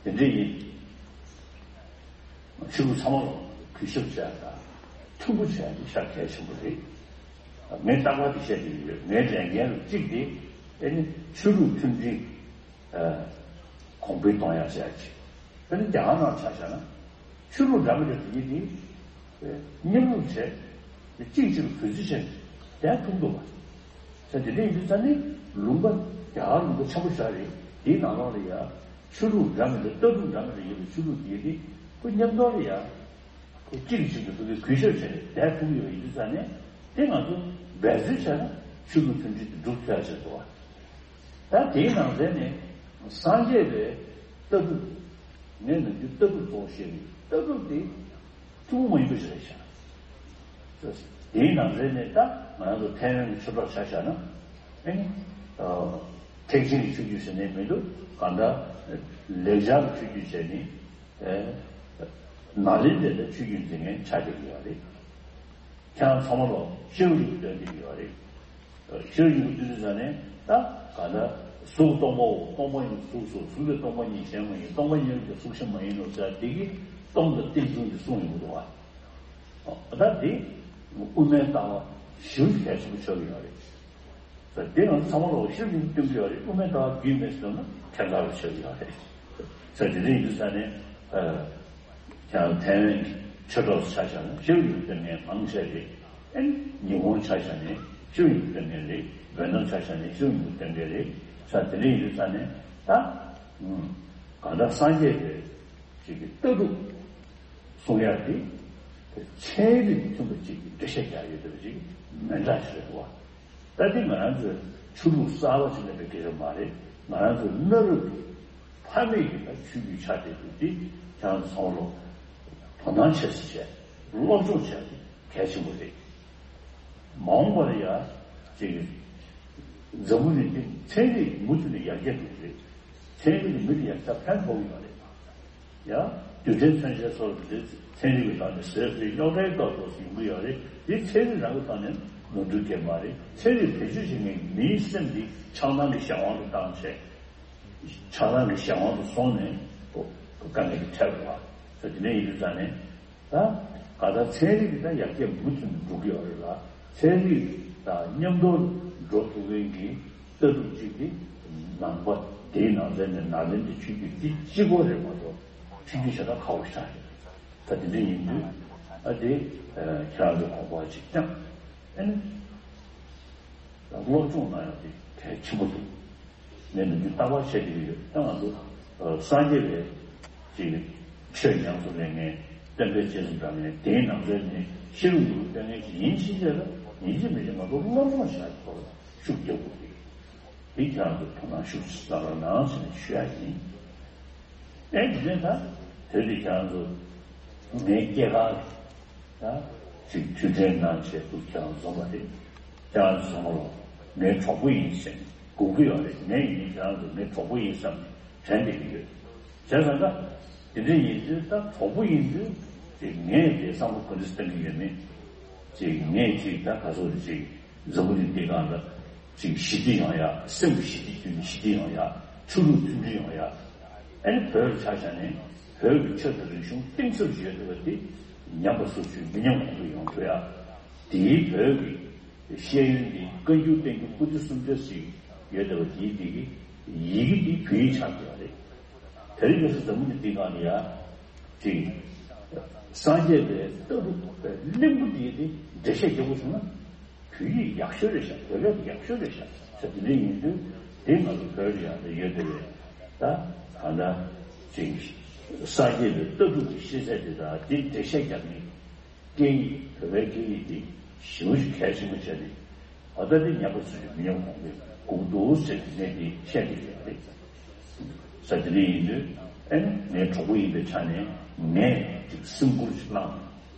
དེ་འདྲ་ཡིན། ཆོས་ལུགས་ཚང་མ་ལ་གུས་ཞབས་བྱས་དང་མཐུན་པོ་བྱས་ཏེ་ཤར་གལ་ཆེན་པོ་རེད། ངས་རྟག་པར་དེ་བཤད་ཀྱི་ཡོད། ངའི་ལས་འགན་རུ་གཅིག་དེ་ཨེ་ནི་ཆོས་ལུགས་མཐུན་སྒྲིལ་གོང་འཕེལ་གཏོང་ཡག་བྱས་ཀྱི། དཔེར་ན་རྒྱ་གར་ནང་ཆ་བཞག་ན་ཆོས་ལུགས་འདྲ་མི་འདྲ་དེ་ཉིད་དེ་མཉམ་རུབ་བྱས་ཏེ་གཅིག་གཅིག་ལ་གུས་བརྩི་བྱས་ནས་བསྡད་ཐུབ་འདུག་བ། ས་དེ་འདྲ་ཡིན་དུས་ཙང་ནི་ལུང་པ་རྒྱ་གར་ལུང་པ་ཆེན་པོ་ཞིག་རེད། དེའི་ནང་ལོགས་ལ་ཡ་ཆོས་ལུགས་འདྲ་མི་འདྲ་ལྟ་གྲུབ་འདྲ་མི་འདྲ་ཡོད་པའི་ཆོས་ལུགས་དེ་དེ་ཁོ་མཉམ་དུ་ལ་ཡ་ཁོ་གཅིག་གིས་གཅིག་ལ་ཐུག་གི་གུས་ཞབས་བྱས་ནས་བསྡད་ཐུབ་ཀྱི་ཡོད་པ་ཡིན་དུས་ཙང་ནས་དེ་ང་ཚོ་འབད་བརྩོན་བྱས་ན་ཆོས་ལུགས་མཐུན་སྒྲིལ་དེ་འགྲུབ་ཐུབ་ཡ་ཆེད་དུ་བ། ད་དེའི་ནང་ཚན་ནས་སངས་རྒྱས་པའི་ལྟ་གྲུབ། ངས་ནམ་རྒྱུན་ལྟ་གྲུབ་གཙོ་བོ་བཤད་ཀྱི་ཡོད། ལྟ་གྲུབ་དེ་ཐུན་མོང་མ་ཡིན་པ་ཞིག་རེད་ཤག་དེའི་ནང་ཚན་ནས་ད་ང་རང་ཚོ་ཐའེ་ཝན་གྱི་ཆོས་གྲོགས་ཆ་བཞག་ན་ཨེ་ནི་ཨ་ཐེག་ཆེན་གྱི་ཆོས་བརྒྱུད་ཟེར་ནས་མི་འདུག་གང་ལྟར་ལེགས་སྦྱར་གྱི་ཆོས་བརྒྱུད་བྱས་ནས་ཨེ་ནཱ་ལེནྡྲའི་ཆོས་བརྒྱུད་འཛིན་མཁན་ཆགས་བསྡད་ཀྱི་ཡོད་རེད། ཁྱེད་རང་ཚང་མ་ལོ་ཤེའུ་རིགས་སྟོན་གྱི་ཡོད་རེད། ཤེའུ་རིགས་སྟོན་དུས་ཙང་ནས་ད་ག་ད་གཟུགས་སྟོང་པའོ། སྟོང་པ་ཉིད་གཟུགས་སོ། གཟུགས་ལས་སྟོང་པ་ཉིད་གཞན་མ་ཡིན། སྟོང་པ་ཉིད་ཀྱང་གཟུགས་གཞན་མ་ཡིན་ནོ་ཟེར་དེ་གི་སྟོང་དང་རྟེན་འབྱུང་གི་གསུང་ཡོང་གི་འདུག་བ། ད་དེ་དབུ་མའི་ལྟ་བ་ཞེ་པོ་གལ་ཆེན་པོ་ཆགས་ཀྱི་ཡོད་རེད། དེ་ཡང་ཚང་མ་ལོ་ཤེའུ་རིགས་སྟོན་གྱི་ཡོད་རེད། དབུ་མའི་ལྟ་བ་རྒྱུས་མེད་ཟེར་ན་ཁྱད་མཚར་བ་ཆགས་ཀྱི་ཡོད་རེད། ས་དེ་འདྲ་ཡིན་དུས་ཙང་ནས་ཨ། ཡང་ཐའེ་ཝན་གྱི་ཆོས་གྲོགས་ཆ་བཞག་ན་ཤེའུ་ཡིན་སྟོན་མཁན་མང་ཆེ་རེད། ཨེ་ནི་ཉི་ཧོང་ཆ་བཞག་ནས་ཤེའུ་ཡིན་སྟོན་མཁན་རེད། ཝེ་ནམ་ཆ་བཞག་ནས་ཤེའུ་ཡིན་སྟོན་མཁན་རེད། ས་དེ་འདྲ་ཡིན་དུས་ཙང་ནས་ད་གང་ལྟར་སངས་རྒྱས་པའི་ཅིག་གི་ལྟ་གྲུབ་གསུང་ཡག་དེ་ཚན་རིག་མཐུན་པ་ཅིག་གི་འགྲེལ་བཤད་རྒྱག་ཡོད་པ་ཅིག་མི་འདྲ་ཞིག་རེད་བ། ད་དེ་ང་རང་ཚོའི་ཆོས་ལུགས་གསར་པ་ཞིག་མེད་པའི་སྐད་ཆ་མ་རེད། ང་རང་ཚོའི་གནའ་རབས་ཀྱི་ཕ་མེས་ཀྱི་ད་ཆོས་བརྒྱུད་ཆགས་བསྡད་འདུག་དེ་ཁྱེད་རང་ཚོ་ཚང་མ་ལོ་དོ་སྣང་ཆེ་ཙམ་བྱས། སློབ་སྦྱོང་བྱས་ཏེ་གལ་ཆེན་པོ་རེད། མ་འོངས་པ་ལ་ཡ་ཅིག་འཛམ་བུ་གླིང་འདི་ཚན་རིག་མུ་མཐུད་ནས་ཡར་རྒྱས་འགྲོ་གི་རེད། ཚན་རིག་གིས་མི་ལ་ཡང་ད་ཕན་ཐོགས་ཀྱི་ཡོད་རེད། ཡང་རྡུལ་ཕྲན་མཚོན་ཆའི་སོགས་ཀྱི་ཚན་རིག་གི་ཐོག་ནས་བཟོས་པའི་རྙོག་དྲའི་རྟགས་སོགས་སུ་ཡོང་གི་ཡོད་རེད། འདི་ཚན་རིག་རང་གི་ཐོག་ནས་ནོར་འཁྲུལ་གྱི་མ་རེད། ཚན་རིག་བེད་སྤྱོད་བྱེད་མཁན་གྱི་མིའི་སེམས་འདི་ཆགས་སྡང་གི་གཞན་དབང་དུ་བཏང་བྱས། ཆགས་སྡང་གི་གཞན་དབང་དུ་སོང་ནས་དཀའ་ངལ་གྱི་འཕྲད་པ་ད་དེ་འདྲ་ཡིན་དུས་ཙང་ནས། ད་ག་ད་ཚན་རིག་གི་ད་ཡར་རྒྱས་མུ་མཐུད་ནས་འགྲོ་གི་ཡོད་རེད་ལ། ཚན་རིག་དང་མཉམ་དུ་འགྲོ་ཐུབ་མཁན་གྱི་ལྟ་གྲུབ་ཅིག་དེ་ནང་པ་དེའི་ནང་ཚན་ནས་ནཱ་ལེནྡྲའི་ཆོས་བརྒྱུད་འདི་གཅིག་པོ་རེད་མ་གཏོགས་ཆོས་བརྒྱུད་གཞན་དག་ཁག་པོ་ཞིག་རེད། ད་དེ་འདྲ་ཡིན་དུས་ཨ་དེ་ཁྱེད་རང་ཚོ་དགོངས་པ་ཅིག་བཅངས། ཨ་ནི། སློབ་སྦྱོང་གནང་ཡག་དེ་གལ་ཆེན་པོ་འདུག་ངས་འདི་ལྟ་བ་བཤད་ཀྱི་ཡོད། ད་ང་ཚོ་སངས་རྒྱས་པའི་ཅིག་ཆོས་ཉམས་སུ་ལེན་མཁན་སྟོན་པའི་རྗེས་སུ་འབྲང་མཁན་དེའི་ནང་ཚན་ནས་ཤེས་རབ་ཡོངས་སུ་སྟོན་མཁན་ཞིག་ཡིན་ཕྱིན་ཆད་ལ་ཡིན་གཅིག་མིན་གཅིག་ང་ཚོ་སློབ་སྦྱོང་བྱ་ཡག་སྐོར་ཤུགས་རྒྱག་དགོས་རེད། འདི་ཁྱེད་རང་ཚོ་དོ་སྣང་ཤུགས་ཆེ་གནང་རོགས་གནང་ཟེར་ནས་ཞུ་ཡག་ཡིན། ཨེ་འདི་ནས་ད་དེ་དུས་ཁྱེད་རང་ཚོ་ངའི་སྐྱེས་སྐར་ད་ཅིག་མཐུན་འབྲེལ་གནང་བྱས་འདུག་ཁྱེད་རང་ཚོ་འཛོམས་པ་རེད། ཁྱེད་རང་ཚོ་ཚང་མ་ལ་ངའི་གྲོགས་པོ་ཡིན་ཟེར་ནས་སྒུག་གི་ཡོད་རེད། ངས་ཡིན་ཁྱེད་རང་ཚོ་ངའི་གྲོགས་པོ་ཡིན་བསམ་ནས་དྲན་བསྡད་ཀྱི་ཡོད། བྱས་ཙང་ད་དེ་འདྲ་ཡིན་དུས་ད་གྲོགས་པོ་ཡིན་དུས་ཅིག་ངས་དེ་བསམ་བློ་ག་འདྲ་ཞིག་གཏོང་གི་ཡོད་མེད། ཅིག་ངས་ཅིག་ད་ག་ཚོད་ཅིག་འཛམ་བུ་གླིང་འདི་སྒང་ལ་ཅིག་ཞི་བདེ་ཡོང་ཡ། སེམས་ཀྱི་ཞི་བདེ་བརྒྱུད་ནས་ཞི་བདེ་ཡོང་ཡ། ཆོས་ལུགས་མཐུན་སྒྲིལ་ཡོང་ཡ། ཨ་ནི་བོད་ལ་ཆ་བཞག་ནས་བོད་ཀྱི་ཆོས་དང་རིག་གཞུང་གཏིང་ཟབ་ཡོད་བསྡད་པ་དེ་ཉམས་པ་སོར་ཆུད་མི་ཉམས་གོང་འཕེལ་ཡོང་ཐུབ་ཡ། དེའི་བོད་ཀྱི་ཤེས་ཡོན་འདི་བཀའ་འགྱུར་བསྟན་འགྱུར་པོ་ཏི་སུམ་བརྒྱ་ཞིག་ཡོད་བསྡད་པ་དེའི་འདི་གི་ཡི་གེ་འདི་བོད་ཡིག་ཆགས་ཀྱི་ཡོད་རེད། དེ་རིང་ཁ་སང་འཛམ་བུ་གླིང་འདི་སྒང་ལ་ཡ་ཅིག་སངས་རྒྱས་པའི་ལྟ་གྲུབ་པའི་གླིང་བུ་འདི་དེ་འགྲེལ་བཤད་རྒྱག་དགོས་བྱུང་ན། བོད་ཡིག་ཡག་ཤོས་རེད་ཤག་བོད་སྐད་ཡག་ཤོས་རེད་ཤག་ས་དེ་འདྲ་ཡིན་དུས་དེ་ང་ཚོ་བོད་ལ་ཡང་དེ་ཡོད་དེ་རེད། ད་གང་ལྟར་ཅིག་སངས་རྒྱས་པའི་ལྟ་གྲུབ་ཀྱི་ཤེས་ཚད་དེ་དང་དེ་འགྲེལ་བཤད་རྒྱག་མཁན་སྐད་ཡིག་བོད་པའི་སྐད་ཡིག་དེ་ ཞེ་པོ་ཞིག་གལ་ཆེན་པོ་བྱས་ཏེ། ད་ལྟ་དེ་ཉམས་པ་ཚོས་མི་ཉམས་གོང་འཕེལ་དགོས་འདུག་ཟེར་ནས་དེ་བཤད་ཀྱི་ཡོད་རེད། ས་དེ་འདྲ་ཡིན་དུས་ཨ་ནི་ངའི་གྲོགས་པོ་ཡིན་པའི་ཆ་ནས་ངས་ཅིག་སེམས་ཁུར་ཅིག་བླངས་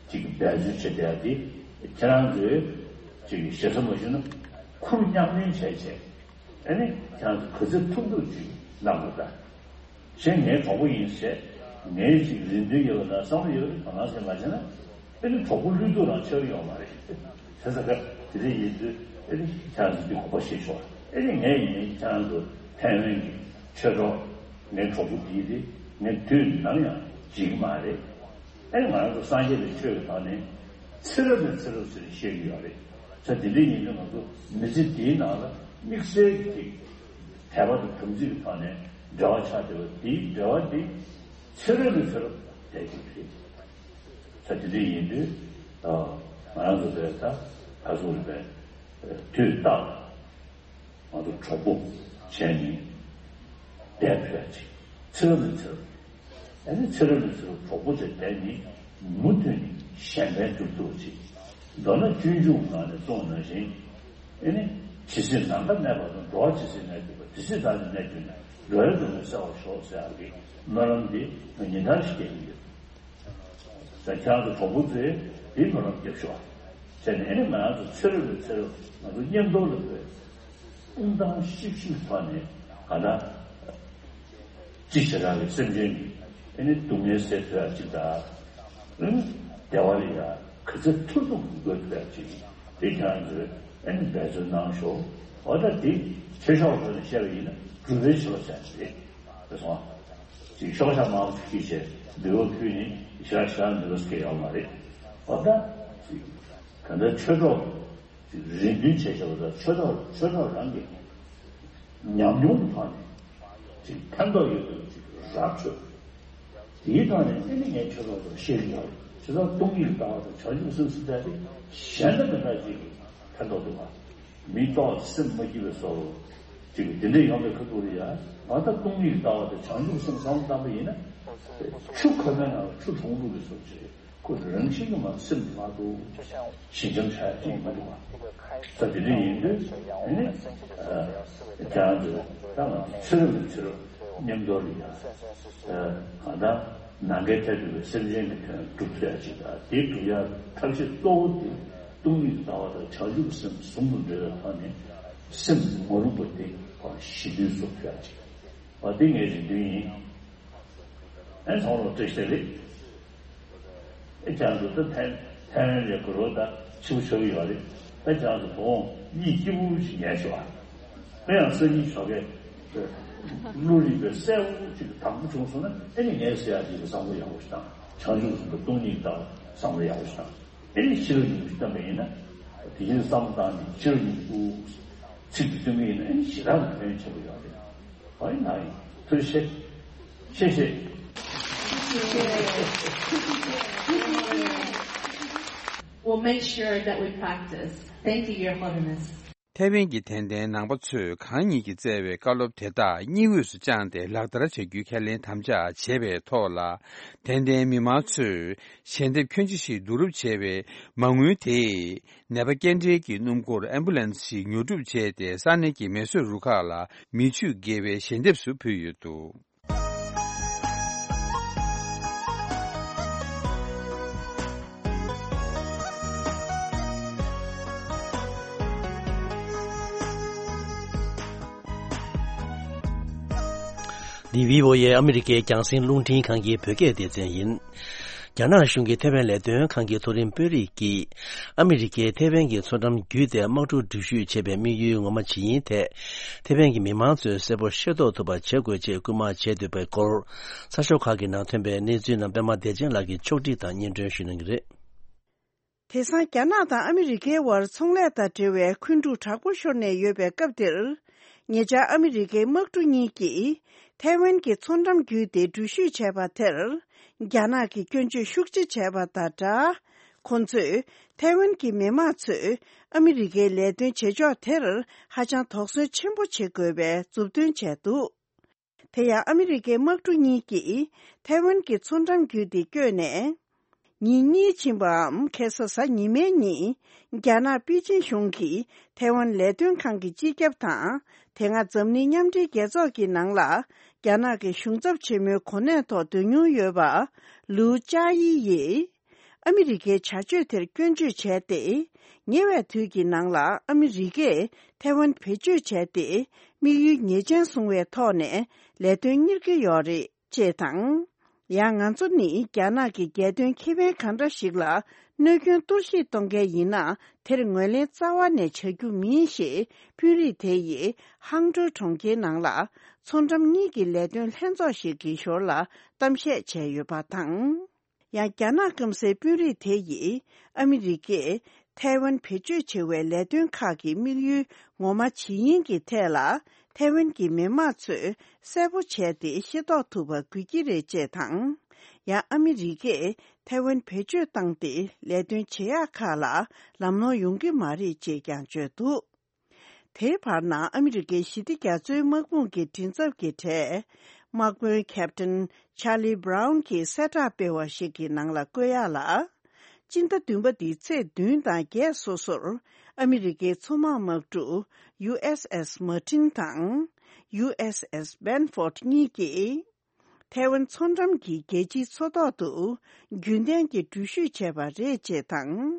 ཅིག་འབད་རྩོལ་བྱེད་བསྡད་དེ་ཁྱེད་རང་ཚོས་ཅིག་ཞེ་ས་མ་ཞུས་ན་ཁུར་མཉམ་ལེན་བྱས་བྱས་ཨ་ནི་ཁྱེད་རང་ཚོ་ག་ཚོད་ཐུབ་ཐུབ་ཅིག་གནང་དགོས་ད། གཞན་ངའི་གྲོགས་པོ་ཡིན་ཟེར། ངའི་ཅིག་རེ་འདུན་ཡོད་པ་དང་བསམ་བློ་ཡོད་པ་དང་ཟེར་མ་བྱས་ན། ཨེ་ནི་གྲོགས་པོ་བློས་གཏོང་རང་ཆགས་ཡོང་མ་རེད། དེ་ཚོ་ག་དེ་འདྲ་ཡིན་དུས་ཨེ་ནི་ཁྱེད་རང་ཚོ་འདི་གོ་བ་ཤེས་ཆོག་ཨེ་ནི་ངས་ཡིན་ནའི་ཁྱེད་རང་ཚོ་ཐའེ་ཝན་གྱི་ཆོས་གྲོགས་ངའི་གྲོགས་པོ་འདི་དེ་ངས་དུས་ནམ་ཡང་བརྗེད་ཀྱི་མ་རེད། ཨེ་ང་རང་ཚོ་སངས་རྒྱས་པའི་ཆོས་ཀྱི་ཐོག་ནས་ཚེ་རབས་ནས་ཚེ་རབས་ཟེར་ནས་བཤད་ཀྱི་ཡོད་རེད། ས་དེ་འདྲ་ཡིན་དུས་ང་ཚོ་མི་ཚེ་འདིའི་ནང་ལ་དམིགས་བསལ་གྱི་དད་པ་དང་དམ་ཚིག་གི་ཐོག་ནས་འབྲེལ་བ་ཆགས་བསྡད་པ་དེའི་འབྲེལ་བ་དེ་ཚེ་རབས་ནས་ཚེ་རབས་བསྡད་ཀྱི་རེད། ས་དེ་འདྲ་ཡིན་དུས་ང་རང་ཚོ་བས་ད་ད་གཟོད་རེད་པས་དུས་རྟག་ང་ཚོ་གྲོགས་པོ་བྱས་ནས་བསྡད་ཕོད་ཅིག་ཚེ་རབས་ནས་ཚེ་རབས། ཨ་ནི་ཚེ་རབས་ནས་ཚེ་རབས་གྲོགས་པོ་བྱས་བསྡད་ནས་མུ་མཐུད་ནས་གཞན་ཕན་སྒྲུབ་ཐུབ་ཅིག་མདོར་ན་སྤྱོད་འཇུག་ནང་ནས་གསུངས་ནང་བཞིན། ཨ་ནི་ཇི་སྲིད་ནམ་མཁའ་གནས་པ་དང་། འགྲོ་བ་ཇི་སྲིད་གནས་གྱུར་པ། དེ་སྲིད་བདག་ནི་གནས་གྱུར་ནས། འགྲོ་བའི་སྡུག་བསྔལ་སེལ་བར་ཤོག་ཟེར་ཡག་གི་སྨོན་ལམ་འདི་ང་ཉིན་ལྟར་ཞིག་སྐྱེ་གི་ཡོད། ད་ཁྱེད་རང་ཚོ་གྲོགས་པོ་ཚོས་འདིའི་སྨོན་ལམ་རྒྱབ་ཤོག་ཟེར་ནས། ཨ་ནི་ང་རང་ཚོ་ཚེ་རབས་ནས་ཚེ་རབས་ང་ཚོ་མཉམ་དུ་ལ་འགྲོ་བའི་དཔུང་ཐང་ཤིག་ཤིག་ཐོག་ནས་ག་ད་ཅི་བྱེ་བྲག་གི་སེམས་ཅན་གྱི་ཨ་ནི་སྡུག་བསྔལ་སེལ་ཐུབ་ཡག་ཅིག་དང་། ཨ་ནི་བདེ་བ་ལ་ཡ་ག་ཚོད་ཐུབ་ཐུབ་འགོད་ཐུབ་ཡག་ཅིག་དེ་ཁྱེད་རང་ཚོས་ཨ་ནི་འབད་རྩོལ་གནང་ཤོག་འོ་ད་དེ་ཆོས་ཕྱོགས་ཐོག་ནས་བཤད་པ་ཡིན་ན་སྒྲུབ་པའི་བྱེད་པ་ཟེར་ཡག་ཅིག་རེད། དེ་སོང་། ཅིག་ཤོག་བྱ་མང་པོ་ཞིག་བྱས་འབུལ་བ་ཕུལ་ནས་ཞག་ཞག་འབུལ་བ་སྐྱེ་ཡོང་མ་རེད། འོ་ད་ཅིག་ག་འདྲ་ཆོས་གྲོགས་ཅིག་རེ་འདུན་བྱས་བྱས་པ་དང་། ཆོས་གྲོགས་ཆོས་གྲོགས་རང་གི་ཉམས་མྱོང་གི་ཐོག་ནས་ཅིག་ཕན་ཐོགས་ཡོད་པའི་ཅིག་ར་ཆོས་དེའི་ཐོག་ནས་ཨ་ནི་ངས་ཆོས་གྲོགས་ཚོར་བཤད་ཀྱི་ཡོད་རེད། བྱས་ཙང་སྟོང་ཉིད་ཀྱི་ལྟ་བ་དང་བྱང་ཆུབ་སེམས་ཟེར་ཡག་དེ་གཞན་དང་མི་འདྲ་ཅིག་གི་ཕན་ཐོགས་འདུག་བ། མི་ལྟོགས་སེམས་མ་སྐྱིད་པའི་བཟོ་འདྲ་ཅིག་དེ་འདྲ་ཡོང་བའི་ཁ་ཐུག་ལ་ཡ། ང་ད་སྟོང་ཉིད་ཀྱི་ལྟ་བ་དང་བྱང་ཆུབ་སེམས་བསམ་བློ་བཏང་པ་ཡིན་ན། ཆུ་ཁོལ་པའི་ནང་ལ་ཆུ་གྲང་འདུག་པའི་བཟོ་ཅིག་ཁོ་རང་བཞིན་གྱིས་མར་སེམས་མ་སྡུག་ཞི་འཇམ་ཆགས་ཡག་ཅིག་མི་འདུག་བ། ད་དེ་འདྲ་ཡིན་དུས་ཨ་ནི་ཁྱེད་རང་ཚོས་ད་ང་ཚོ་ཚེ་རབས་ནས་ཚེ་རབས་མཉམ་དུ་ལ་ཡ། གང་ལྟར་ནམ་མཁའི་མཐས་གྲུབ་པའི་སེམས་ཅན་གྱི་དོན་སྒྲུབ་ཐུབ་ཡག་ཅིག་དང་། དེ་སྒྲུབ་ཡག་ཐབས་ཤེས་གཙོ་བོ་དེ་སྟོང་ཉིད་ཀྱི་ལྟ་བ་དང་བྱང་ཆུབ་སེམས་ཟུང་དུ་འབྲེལ་བའི་ཐོག་ནས་སེམས་མ་རུངས་པ་དེ་ཕར་ཞི་དུལ་བཟོ་ཐུབ་ཡག་ཅིག་འོ་དེ་ངའི་རེ་འདུན་ཡིན། ཨེ་ཚང་མ་བཀྲ་ཤིས་བདེ་ལེགས། ཨེ་ཁྱེད་རང་ཚོ་ད་ཐའེ་ཐའེ་ཝན་ལ་གོ་རོ་ད་ཆེ་བོ་ཆགས་ཀྱི་ཡོད་རེད། ད་ཁྱེད་རང་ཚོ་དགོང་གཉིད་སྐྱིད་པོ་ཞིག་ཉལ་ཤོག་ཨ། ད་ཡང་སང་ཉིན་ཞོགས་ཀས་བློ་རིག་པའི་གསལ་བོ་ཅིག་དྭངས་པོ་བྱུང་སོང་ན། ཨེ་ནི་ངས་ཟེར་ཡག་ཅིག་གི་བསམ་བློ་ཡག་པོ་ཞིག་བཏང་། བྱང་ཆུབ་སེམས་དང་སྟོང་ཉིད་ཀྱི་ལྟ་བ་བསམ་བློ་ཡག་པོ་ཞིག་བཏང་། ཨེ་ནི་ཕྱི་རོལ་ཉིན་མོ་ཞིག་བཏོན་པ་ཡིན་ན། དེ་བཞིན་བསམ་བློ་བཏང་ནས་ཕྱི་རོལ་ཉིན་མོ་ཚིག་ཅིག་བཏོན་པ་ཡིན་ན། ཨེ་ནི་ཞེ་དྲག་གི་ཕན་ཆེན་པོ་ཡོད་རེད། ཨ་ནི་ན་ཡིན། ཐུགས་རྗེ་ཆེ། ཆེ་ཆེ། We'll make sure that we practice. Thank you, Your Holiness. ཐའེ་ཝན་གྱི་དད་ལྡན་ནང་པ་ཚོས་གང་ཉིད་ཀྱིས་བསྩལ་བའི་བཀའ་སློབ་དེ་དག་སྙིང་དབུས་སུ་བཅངས་ཏེ་ལག་བསྟར་བྱ་རྒྱུའི་ཁས་ལེན་དམ་བཅའ་བྱས་པའི་ཐོག་ལ། དད་ལྡན་མི་མང་ཚོས་ཞལ་འདེབས་ཁྱོན་ཆེ་ཞིག་བསྡུ་རུབ་བྱས་པའི་མ་དངུལ་དེས་ནད་པ་སྐྱེལ་འདྲེན་གྱི་སྣུམ་འཁོར་ཨེམ་བུ་ལན་སི་ཞིག་ཉོ་སྒྲུབ་བྱས་ཏེ། ས་གནས་ཀྱི་མེ་གསོད་རུ་ཁག་ལ་མི་ཆུས་བརྒལ་བའི་ཞལ་འདེབས་སུ་ཕུལ་ཡོད་འདུག། འདི་བྷི་ཨོ་ཨེ་ཨ་མི་རི་ཀའི་རྒྱང་སྲིང་རླུང་འཕྲིན་ཁང་གི་བོད་སྐད་སྡེ་ཚན་ཡིན། རྒྱ་ནག་གཞུང་གི་ཐའེ་ཝན་ལས་དོན་ཁང་གི་མཐོ་རིམ་དཔོན་རིགས་ཀྱིས། ཨ་མི་རི་ཀས་ཐའེ་ཝན་གྱི་མཚོ་འགྲམ་བརྒྱུད་དེ་དམག་གྲུ་འགྲུལ་བཞུད་བྱེད་པའི་དམིགས་ཡུལ་ངོ་མ་ཇི་ཡིན་ཐད། ཐའེ་ཝན་གྱི་མི་མང་ཚོས་གསལ་པོ་ཤེས་རྟོགས་ཐུབ་པ་བྱེད་དགོས་ཅེས་སྐུལ་མ་བྱས་འདུག་པའི་སྐོར། གསར་ཤོག་ཁག་གི་ནང་ཐོན་པའི་གནས་ཚུལ་རྣམས་པད་མ་བདེ་ཆེན་ལགས་ཀྱིས་ཕྱོགས་སྒྲིག་དང་སྙན་སྒྲོན་ཞུ་གནང་གི་རེད། དེང་སང་རྒྱ་ནག་དང་ཨ་མི་རི་ཀའི་དབར་ཚོང་ལས་དང་འབྲེལ་བའི་འཁོན་འཁྲུག་དྲག་པོ་ཤོར་ནས་ཡོད་པའི་སྐབས་འདིར། ཉེ་ཆར་ཨ་མི་རི་ཀའི་དམག་གྲུ་གཉིས་ཀྱིས་ཐའེ་ཝན་གྱི་མཚོ་འགྲམ་བརྒྱུད་དེ་འགྲུལ་བཞུད་བྱས་པ་དེར། རྒྱ་ནག་གིས་སྐྱོན་བརྗོད་ཤུགས་ཆེ་བྱས་པ་དང་སྦྲགས། ཁོང་ཚོས་ཐའེ་ཝན་གྱི་མི་མང་ཚོས་ཨ་མི་རི་ཀའི་ལས་དོན་བྱེད་ཕྱོགས་དེར་ཧ་ཅང་དོགས་ཟོན་ཆེན་པོ་བྱེད་དགོས་པའི་མཛུབ་སྟོན་བྱས་འདུག། དེ་ཡང་ཨ་མི་རི་ཀའི་དམག་གྲུ་གཉིས་ཀྱིས་ཐའེ་ཝན་གྱི་མཚོ་འགྲམ་བརྒྱུད་དེ་བསྐྱོད་ནས། ཉིན་གཉིས་ཕྱིན་པའམ་ཁ་སང་གཟའ་ཉི་མའི་ཉིན། རྒྱ་ནག་པེ་ཅིན་གཞུང་གིས་ཐའེ་ཝན་ལས་དོན་ཁང་གི་སྤྱི་ཁྱབ་དང་། དེ་སྔ་འཛམ་གླིང་མཉམ་འབྲེལ་རྒྱལ་ཚོགས་ཀྱི་ནང་ལ། རྒྱ་ནག་གི་གཞུང་ཚབ་ཆེན་མོའི་གོ་གནས་ཐོག་སྡོད་མྱོང་ཡོད་པ། ལུའུ་ཅཱ་ཡི་ཡིས། ཨ་མི་རི་ཀའི་བྱ་སྤྱོད་དེར་སྐྱོན་བརྗོད་བྱས་ཏེ། ཉེ་བའི་དུས་ཀྱི་ནང་ལ་ཨ་མི་རི་ཀས་ཐའེ་ཝན་བེད་སྤྱོད་བྱས་ཏེ། དམིགས་ཡུལ་ཉེས་ཅན་བཟུང་བའི་ཐོག་ནས་ལས་དོན་གཉེར་གྱི་ཡོད་རེད། ཅེས་དང་། ཡང་ང་ཚོ་ནི་རྒྱ་ནག་གི་རྒྱལ་དོན་ཁེ་ཕན་གང་འདྲ་ཞིག་ལ་གནོད་སྐྱོན་གཏོར་བཤིག་གཏོང་མཁན་ཡིན་ན། དེར་ངོས་ལེན་རྩ་བ་ནས་བྱ་རྒྱུ་མིན་ཞེས། དཔོན་རིགས་དེ་ཡིས་ཧང་ཀྲོའུ་གྲོང་ཁྱེར་ནང་ལ་མཚོ་འགྲམ་གཉིས་ཀྱི་ལས་དོན་ལྷན་ཚོགས་ཤིག་གི་ཞོར་ལ་གཏམ་བཤད་བྱས་ཡོད་པ་དང་། ཡང་རྒྱ་ནག་སྐམ་སའི་དཔོན་རིགས་དེ་ཡིས་ཨ་མི་རི་ཀས་ཐའེ་ཝན་བེད་སྤྱོད་བྱེད་པའི་ལས་དོན་ཁག་གི་དམིགས་ཡུལ་ངོ་མ་ཇི་ཡིན་གྱི་ཐད་ལ། ཐའེ་ཝན་གྱི་མི་དམངས་ཚོས་གསལ་པོ་བྱས་ཏེ་ཤེས་རྟོགས་ཐུབ་པ་དགོས་ཀྱི་རེད། ཅེས་དང་། ཡང་ཨ་མི་རི་ཀས་ཐའེ་ཝན་བེད་སྤྱོད་བཏང་སྟེ་ལས་དོན་བྱེད་ཡག་ཁག་ལ་ལམ་ལྷོང་ཡོང་གི་མ་རེད། ཅེས་ཀྱང་བརྗོད་འདུག་དེའི་བར་ན་ཨ་མི་རི་ཀའི་ཞི་བདེ་རྒྱ་མཚོའི་དམག་དཔུང་གི་མགྲིན་ཚབ་ཀྱི་གྲས། དམག་དཔོན་ཁེབ་ཏིན་ཆཱ་ལི་བྷ་རའུན་གྱིས་གསལ་བསྒྲགས་སྤེལ་བ་ཞིག་གི་ནང་ལ་བཀོད་ཡག་ལ། སྤྱི་ཟླ་བདུན་པ་འདིའི་ཚེས་བདུན་དང་བརྒྱད་སོ་སོར་ཨ་མི་རི་ཀའི་མཚོ་དམག་དམག་གྲུ་ཡུ་ཨེས་ཨེས་མར་ཏིན་དང་ཡུ་ཨེས་ཨེས་སྦན་ཧྥོར་ཌི་གཉིས་ཀྱིས། ཐའེ་ཝན་མཚོ་འགྲམ་གྱི་རྒྱལ་སྤྱིའི་མཚོ་ཐོག་ཏུ་རྒྱུན་ལྡན་གྱི་འགྲུལ་བཞུད་བྱས་པ་རེད། ཅེས་དང་།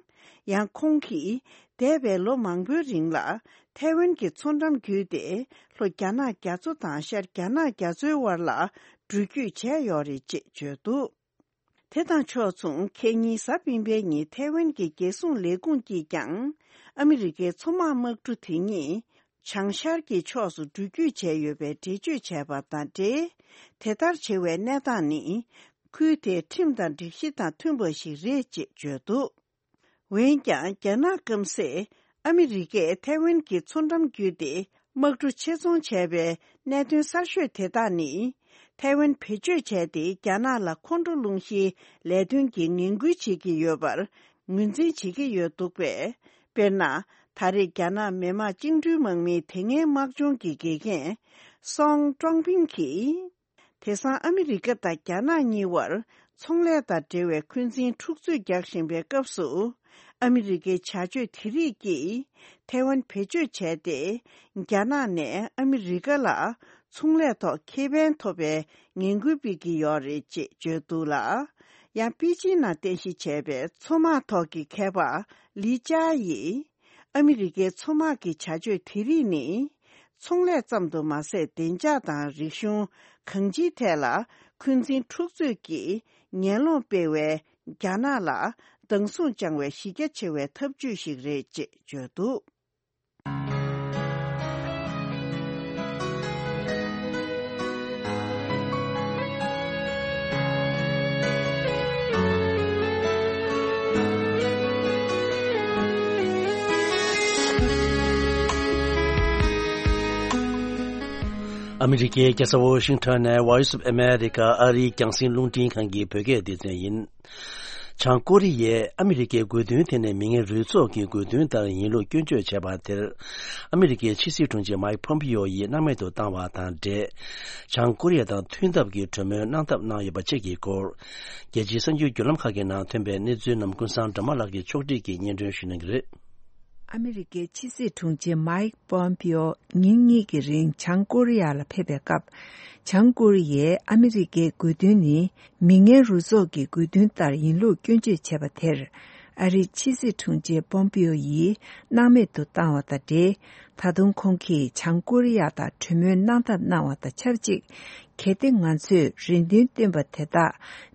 ཡང་ཁོང་གིས་འདས་པའི་ལོ་མང་པོའི་རིང་ལ་ཐའེ་ཝན་གྱི་མཚོ་འགྲམ་བརྒྱུད་དེ་ལྷོ་རྒྱ་ནག་རྒྱ་མཚོ་དང་ཤར་རྒྱ་ནག་རྒྱ་མཚོའི་བར་ལ་འགྲུལ་སྐྱོད་བྱས་ཡོད་རེད། ཅེས་བརྗོད་འདུག་དེ་དང་ཕྱོགས་མཚུངས་ཁེ་ཉིན་གཟའ་སྤེན་པའི་ཉིན་ཐའེ་ཝན་གྱི་རྒྱལ་སྲུང་ལས་ཁུངས་ཀྱིས་ཀྱང་ཨ་མི་རི་ཀའི་མཚོ་དམག་དམག་གྲུ་དེ་ཉིད། བྱང་ཤར་གྱི་ཕྱོགས་སུ་འགྲུལ་སྐྱོད་བྱས་ཡོད་པའི་འགྲེལ་བརྗོད་བྱས་པ་དང་འབྲེལ། དེ་ལྟར་བྱེད་པའི་གནས་སྟངས་ནི། ཁུལ་དེའི་ཁྲིམས་དང་སྒྲིག་གཞི་དང་མཐུན་པ་ཞིག་རེད། ཅེས་བརྗོད་འདུག་འོན་ཀྱང་རྒྱ་ནག་སྐམ་སས་ཨ་མི་རི་ཀས་ཐའེ་ཝན་གྱི་མཚོ་འགྲམ་བརྒྱུད་དེ་དམག་གྲུ་ཆེད་རྫོང་བྱས་པའི་གནད་དོན་གསར་ཤོས་དེ་དག་ནི། ཐའེ་ཝན་བེད་སྤྱོད་བྱས་ཏེ་རྒྱ་ནག་ལ་ཁོང་ཁྲོ་སློང་གཞིའི་ལས་དོན་གྱི་ངན་སྐུལ་བྱེད་ཀྱི་ཡོད་པར་ངོས་འཛིན་བྱེད་ཀྱི་ཡོད་འདུག་པས། དཔེར་ན། ད་རེས་རྒྱ་ནག་མི་དམངས་བཅིངས་འགྲོལ་དམག་མིའི་དེ་སྔའི་དམག་སྦྱོང་གི་དགེ་རྒན་སོང་ཀྲོང་ཕིང་གིས། དེང་སང་ཨ་མི་རི་ཀ་དང་རྒྱ་ནག་གཉིས་བར་ཚོང་ལས་དང་འབྲེལ་བའི་འཁོན་འཛིན་འཁྲུག་རྩོད་རྒྱག་བཞིན་པའི་སྐབས་སུ། ཨ་མི་རི་ཀའི་བྱ་སྤྱོད་དེ་རིགས་ཀྱིས་ཐའེ་ཝན་བེད་སྤྱོད་བྱས་ཏེ། རྒྱ་ནག་ནས་ཨ་མི་རི་ཀ་ལ་ཚོང་ལས་ཐོག་ཁེ་ཕན་ཐོབ་པའི་ངན་སྐུལ་སྤེལ་གྱི་ཡོད་རེད། ཅེས་བརྗོད་འདུག་ལ། ཡང་པེ་ཅིན་ནང་རྟེན་གཞི་བྱས་པའི་མཚོ་དམག་ཐོག་གི་མཁས་པ་ལི་ཅཱ་ཡིས། ཨ་མི་རི་ཀའི་མཚོ་དམག་གི་བྱ་སྤྱོད་དེ་རིགས་ནི། ཚོང་ལས་ཙམ་དུ་མ་ཟད་བདེ་འཇགས་དང་རིག་གཞུང་གང་ཅིའི་ཐད་ལ་འཁོན་འཛིན་འཁྲུག་རྩོད་ཀྱིས་ངན་སློང་སྤེལ་བས་རྒྱ་ནག་ལ་སྡང་ཟུག་བཅངས་བའི་གཞི་རྒྱ་ཆེ་བའི་ཐབས་ཇུས་ཤིག་རེད། ཅེས་བརྗོད་འདུག་ཨ་མི་རི་ཀའི་རྒྱལ་ས་ཝོ་ཤིང་ཊོན་ནས་Voice of America ཨ་རིའི་རྒྱང་སྲིང་རླུང་འཕྲིན་ཁང་གི་བོད་སྐད་སྡེ་ཚན་ཡིན། བྱང་ཀོ་རི་ཡས་ཨ་མི་རི་ཀའི་དགོས་འདུན་དེ་ནི་མི་ངན་རུས་ཚོགས་ཀྱི་དགོས་འདུན་ལྟར་ཡིན་ལུགས་སྐྱོན་བརྗོད་བྱས་པ་དེར། ཨ་མི་རི་ཀའི་ཕྱི་སྲིད་དྲུང་ཆེ་མའིག་ཕོམ་པིའོ་ཡིས་སྣང་མེད་དུ་བཏང་བ་དང་འབྲེལ། བྱང་ཀོ་རི་ཡ་དང་མཐུན་ཐབས་ཀྱི་གྲོས་མོལ་གནང་ཐབས་གནང་ཡོད་པ་བཅས་ཀྱི་སྐོར། རྒྱལ་སྤྱིའི་གསར་འགྱུར་བརྒྱུད་ལམ་ཁག་གི་ནང་ཐོན་པའི་གནས་ཚུལ་རྣམས་ཀུན་བཟང་སྒྲོལ་མ་ལགས་ཀྱིས་ཕྱོགས་སྒྲིག་གིས་སྙན་སྒྲོན་ཞུ་གནང་གི་རེད། ཨ་མི་རི་ཀའི་ཕྱི་སྲིད་དྲུང་ཆེ་མའིག་པོམ་པིའོ་ཉིན་གཉིས་ཀྱི་རིང་བྱང་ཀོ་རི་ཡ་ལ་ཕེབས་པའི་སྐབས། བྱང་ཀོ་རི་ཡས་ཨ་མི་རི་ཀའི་དགོས་འདུན་ནི་མི་ངན་རུས་ཚོགས་ཀྱི་དགོས་འདུན་ལྟར་ཡིན་ལུགས་སྐྱོན་བརྗོད་བྱས་པ་དེར། ཨ་རིའི་ཕྱི་སྲིད་དྲུང་ཆེ་པོམ་པིའོ་ཡིས་སྣང་མེད་དུ་བཏང་བ་དང་འབྲེལ། ད་དུང་ཁོང་གིས་བྱང་ཀོ་རི་ཡ་དང་གྲོས་མོལ་གནང་ཐབས་གནང་བ་དང་ཆབས་ཅིག་གལ་ཏེ་ང་ཚོས་རེ་འདུན་བཏོན་པ་དེ་དག་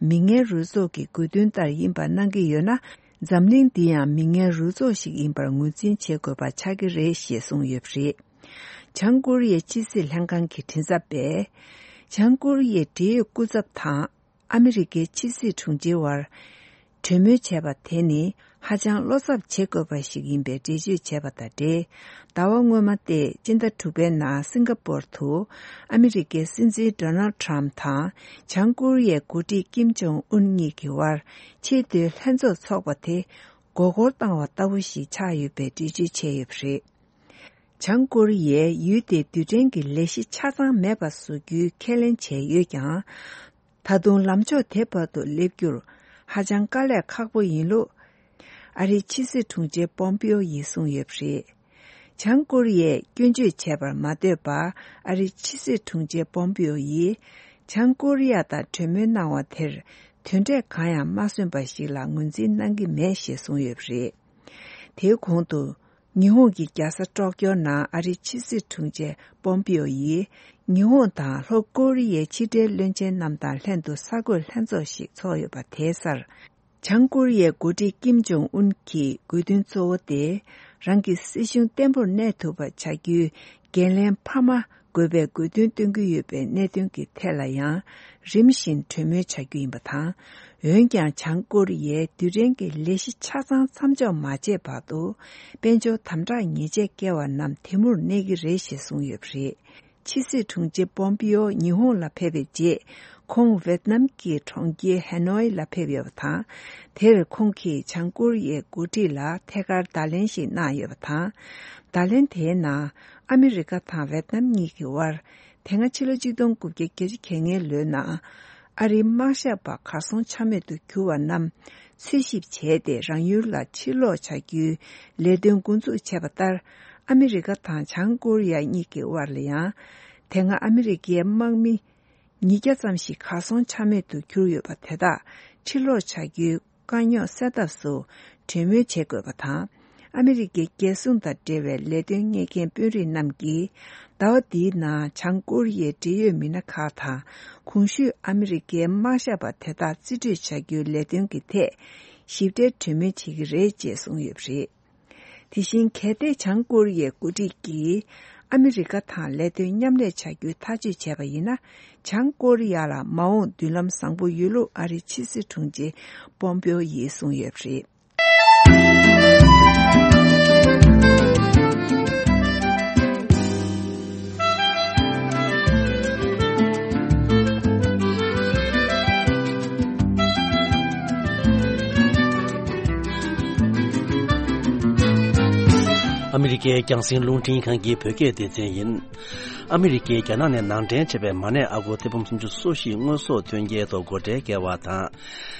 མི་ངན་རུས་ཚོགས་ཀྱི་དགོས་འདུན་ལྟར་ཡིན་པ་གནང་གི་ཡོད་ན། འཛམ་གླིང་འདི་ཡང་མི་ངན་རུས་ཚོགས་ཤིག་ཡིན་པར་ངོས་འཛིན་བྱེད་དགོས་པ་ཆགས་ཀྱི་རེད་ཞེས་གསུངས་ཡོད་པ་རེད། བྱང་ཀོ་རི་ཡའི་ཕྱི་སྲིད་ལྷན་ཁང་གི་མགྲིན་ཚབ་པས། བྱང་ཀོ་རི་ཡའི་འབྲེལ་ཡོད་སྐུ་ཚབ་དང་ཨ་མི་རི་ཀའི་ཕྱི་སྲིད་དྲུང་ཆེའི་བར་གྲོས་མོལ་བྱས་པ་དེ་ནི་ཧ་ཅང་བློ་འཚབ་བྱེད་དགོས་པ་ཞིག་ཡིན་པའི་འགྲེལ་བརྗོད་བྱས་པ་དང་འབྲེལ། ཟླ་བ་སྔོན་མ་སྟེ་སྤྱི་ཟླ་དྲུག་པའི་ནང་སིང་ག་པོར་དུ་ཨ་མི་རི་ཀའི་སྲིད་འཛིན་ཌོ་ནལ་ཊམ་དང་བྱང་ཀོ་རི་ཡའི་འགོ་ཁྲིད་ཀིམ་ཇོང་ཨུན་གཉིས་ཀྱི་བར་ཆེས་མཐོའི་ལྷན་ཚོགས་འཚོགས་པ་དེ་མགོ་སྐོར་བཏང་བ་ལྟ་བུ་ཞིག་ཆགས་ཡོད་པའི་འགྲེལ་བརྗོད་བྱས་ཡོད་པ་རེད། བྱང་ཀོ་རི་ཡས་ཡུལ་དེའི་རྡུལ་ཕྲན་གྱི་ལས་གཞི་ཆ་ཚང་མེད་པ་བཟོ་རྒྱུའི་ཁས་ལེན་བྱས་ཡོད་ཀྱང་། ད་དུང་ལམ་ཕྱོགས་དེ་བར་དུ་སླེབས་རྒྱུར་ ཧ་ཅང་དཀའ་ལས་ཁག་པོ་ཡིན་ལུགས། ཨ་རིའི་ཕྱི་སྲིད་དྲུང་ཆེ་པོམ་པིའོ་ཡིས་གསུངས་ཡོད་པ་རེད། བྱང་ཀོ་རི་ཡས་སྐྱོན་བརྗོད་བྱས་པར་མ་ལྟོས་པར། ཨ་རིའི་ཕྱི་སྲིད་དྲུང་ཆེ་པོམ་པིའོ་ཡིས་བྱང་ཀོ་རི་ཡ་དང་གྲོས་མོལ་གནང་བ་དེར་དོན་འབྲས་གང་ཡང་མ་སོན་པ་ཞིག་ལ་ངོས་འཛིན་གནང་གི་མེད་ཞེས་གསུངས་ཡོད་པ་རེད། དེའི་གོང་དུ། ཉི་ཧོང་གི་རྒྱལ་ས་ཀྲོག་ཀྱོ་ནང་ཨ་རིའི་ཕྱི་སྲིད་དྲུང་ཆེ་པོམ་པིའོ་ཡིས། ཉི་ཧོང་དང་ལྷོ་ཀོ་རི་ཡའི་ཕྱི་འབྲེལ་བློན་ཆེན་རྣམས་དང་ལྷན་དུ་གསར་འགོད་ལྷན་ཚོགས་ཤིག་ཚོགས་ཡོད་པ་དེའི་སར། བྱང་ཀོ་རི་ཡའི་འགོ་ཁྲིད་ཀིམ་ཇོང་ཨུན་གྱི་དགོས་འདུན་གཙོ་བོ་དེ། རང་གི་སྲིད་གཞུང་བརྟན་པོར་གནས་ཐུབ་པ་བྱ་རྒྱུའི་འགན་ལེན་འཕར་མ་དགོས་པའི་དགོས་འདུན་བཏོན་གྱི་ཡོད་པའི་གནད་དོན་གྱི་ཐད་ལ་ཡང་། རིམ་བཞིན་གྲོས་མོལ་བྱ་རྒྱུ་ཡིན་པ་དང་། འོན་ཀྱང་། བྱང་ཀོ་རི་ཡས་རྡུལ་ཕྲན་གྱི་ལས་གཞི་ཆ་ཚང་མཚམས་འཇོག་མ་བྱས་བར་དུ། དཔལ་འབྱོར་དམ་དྲག་ཉེས་ཆད་བཀལ་བ་རྣམས་དེ་མུར་གནས་ཀྱི་རེད་ཞེས་གསུངས་ཡོད་པ་རེད། ཕྱི་སྲིད་དྲུང་ཆེ་པོམ་པིའོ་ཉི་ཧོང་ལ་ཕེབས་པའི་རྗེས། ཁོང་ཝེད་ནམ་གྱི་གྲོང་ཁྱེར་ཧེ་ནོའི་ལ་ཕེབས་ཡོད་པ་དང་། དེར་ཁོང་གིས་བྱང་ཀོ་རི་ཡའི་འགོ་ཁྲིད་ལ་ཐད་ཀར་བརྡ་ལན་ཞིག་གནང་ཡོད་པ་དང་། བརྡ་ལན་དེའི་ནང་། ཨ་མི་རི་ཀ་དང་ཝེད་ནམ་གཉིས་ཀྱི་དབར། དེ་སྔ་ཕྱི་ལོ་གཅིག་སྟོང་དགུ་བརྒྱ་བརྒྱད་ཅུ་གྱ་ལྔའི་ལོའི་ནང་། ཨ་རིའི་དམག་ཞབས་པ་གར་སོང་ཆ་མེད་དུ་གྱུར་བ་རྣམས་འཚོལ་ཞིབ་བྱས་ཏེ། རང་ཡུལ་ལ་ཕྱིར་ལོག་བྱ་རྒྱུའི་ལས་དོན་འགོ་འཛུགས་བྱས་པ་ལྟར། ཨ་མི་རི་ཀ་དང་བྱང་ཀོ་རི་ཡ་གཉིས་ཀྱི་དབར་ལ་ཡང་། དེ་སྔ་ཨ་མི་རི་ཀའི་དམག་མི་ཉིས་བརྒྱ་ཙམ་ཞིག་གར་སོང་ཆ་མེད་དུ་གྱུར་ཡོད་པ་དེ་དག་ཕྱིར་ལོག་བྱ་རྒྱུའི་དཀའ་རྙོག་སེལ་ཐབས་སུ་གྲོས་མོལ་བྱེད་དགོས་པ་དང་། ཨ་མི་རི་ཀའི་རྒྱལ་སྲུང་དང་འབྲེལ་བའི་ལས་དོན་གཉེར་མཁན་དཔོན་རིགས་རྣམས་ཀྱིས། ཟླ་བ་འདིའི་ནང་བྱང་ཀོ་རི་ཡའི་འབྲེལ་ཡོད་མི་སྣ་ཁག་དང་། གོང་ཞུས་ཨ་མི་རི་ཀའི་དམག་ཞབས་པ་དེ་དག་རྩིས་སྤྲོད་བྱ་རྒྱུའི་ལས་དོན་གྱི་ཐད་ཞིབ་ཕྲའི་གྲོས་མོལ་བྱེད་ཀྱི་རེད་ཅེས་གསུངས་ཡོད་པ་རེད། དེ་བཞིན། གལ་ཏེ་བྱང་ཀོ་རི་ཡའི་འགོ་ཁྲིད་ཀྱིས་ཨ་མི་རི་ཀ་དང་ལས་དོན་མཉམ་ལས་བྱ་རྒྱུའི་ཐག་གཅོད་བྱས་པ་ཡིན་ན། བྱང་ཀོ་རི་ཡ་ལ་མ་འོངས་མདུན་ལམ་བཟང་པོ་ཡོད་ལུགས་ཨ་རིའི་ཕྱི་སྲིད་དྲུང་ཆེ་པོམ་པིའོ་ཡིས་གསུངས་ཡོད་པ་རེད། ཨ་མི་རི་ཀའི་རྒྱང་སྲིང་རླུང་འཕྲིན་ཁང་གི་བོད་སྐད་སྡེ་ཚན་ཡིན། ཨ་མི་རི་ཀས་རྒྱ་ནག་ནས་ནང་འདྲེན་བྱས་པའི་མ་ནས་ཨ་སྒོར་ཐེར་འབུམ་སུམ་ཅུ་སོ་བཞི་དངོས་ཟོག་ཐོན་སྐྱེལ་ཐོག་སྒོ་ཁྲལ་བཀལ་བ་དང་།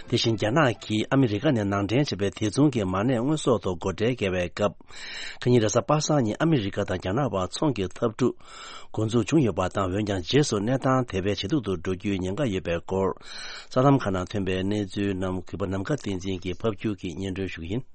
དེ་བཞིན་རྒྱ་ནག་གིས་ཨ་མི་རི་ཀ་ནས་ནང་འདྲེན་བྱས་པའི་དེ་མཚུངས་ཀྱི་མ་ནས་དངོས་ཟོག་ཐོག་སྒོ་ཁྲལ་བཀལ་བའི་སྐབས། ཁ་ཉིན་རེས་གཟའ་པ་སངས་ཉིན་ཨ་མི་རི་ཀ་དང་རྒྱ་ནག་བར་ཚོང་གི་འཐབ་འཁྲུག་འགོ་འཛུགས་བྱུང་ཡོད་པ་དང་། འོན་ཀྱང་རྗེས་སུ་གནས་སྟངས་དེ་བས་ཇེ་སྡུག་ཏུ་འགྲོ་རྒྱུའི་ཉེན་ཁ་ཡོད་པའི་སྐོར། གསར་ལམ་ཁག་ནང་ཐོན་པའི་གནས་ཚུལ་རྣམས་གུས་པ་ནམ་མཁའ་བསྟན་འཛིན་གྱིས་ཕབ་སྒྱུར་གྱིས་སྙན་སྒྲོན་ཞུ་གི་ཡིན།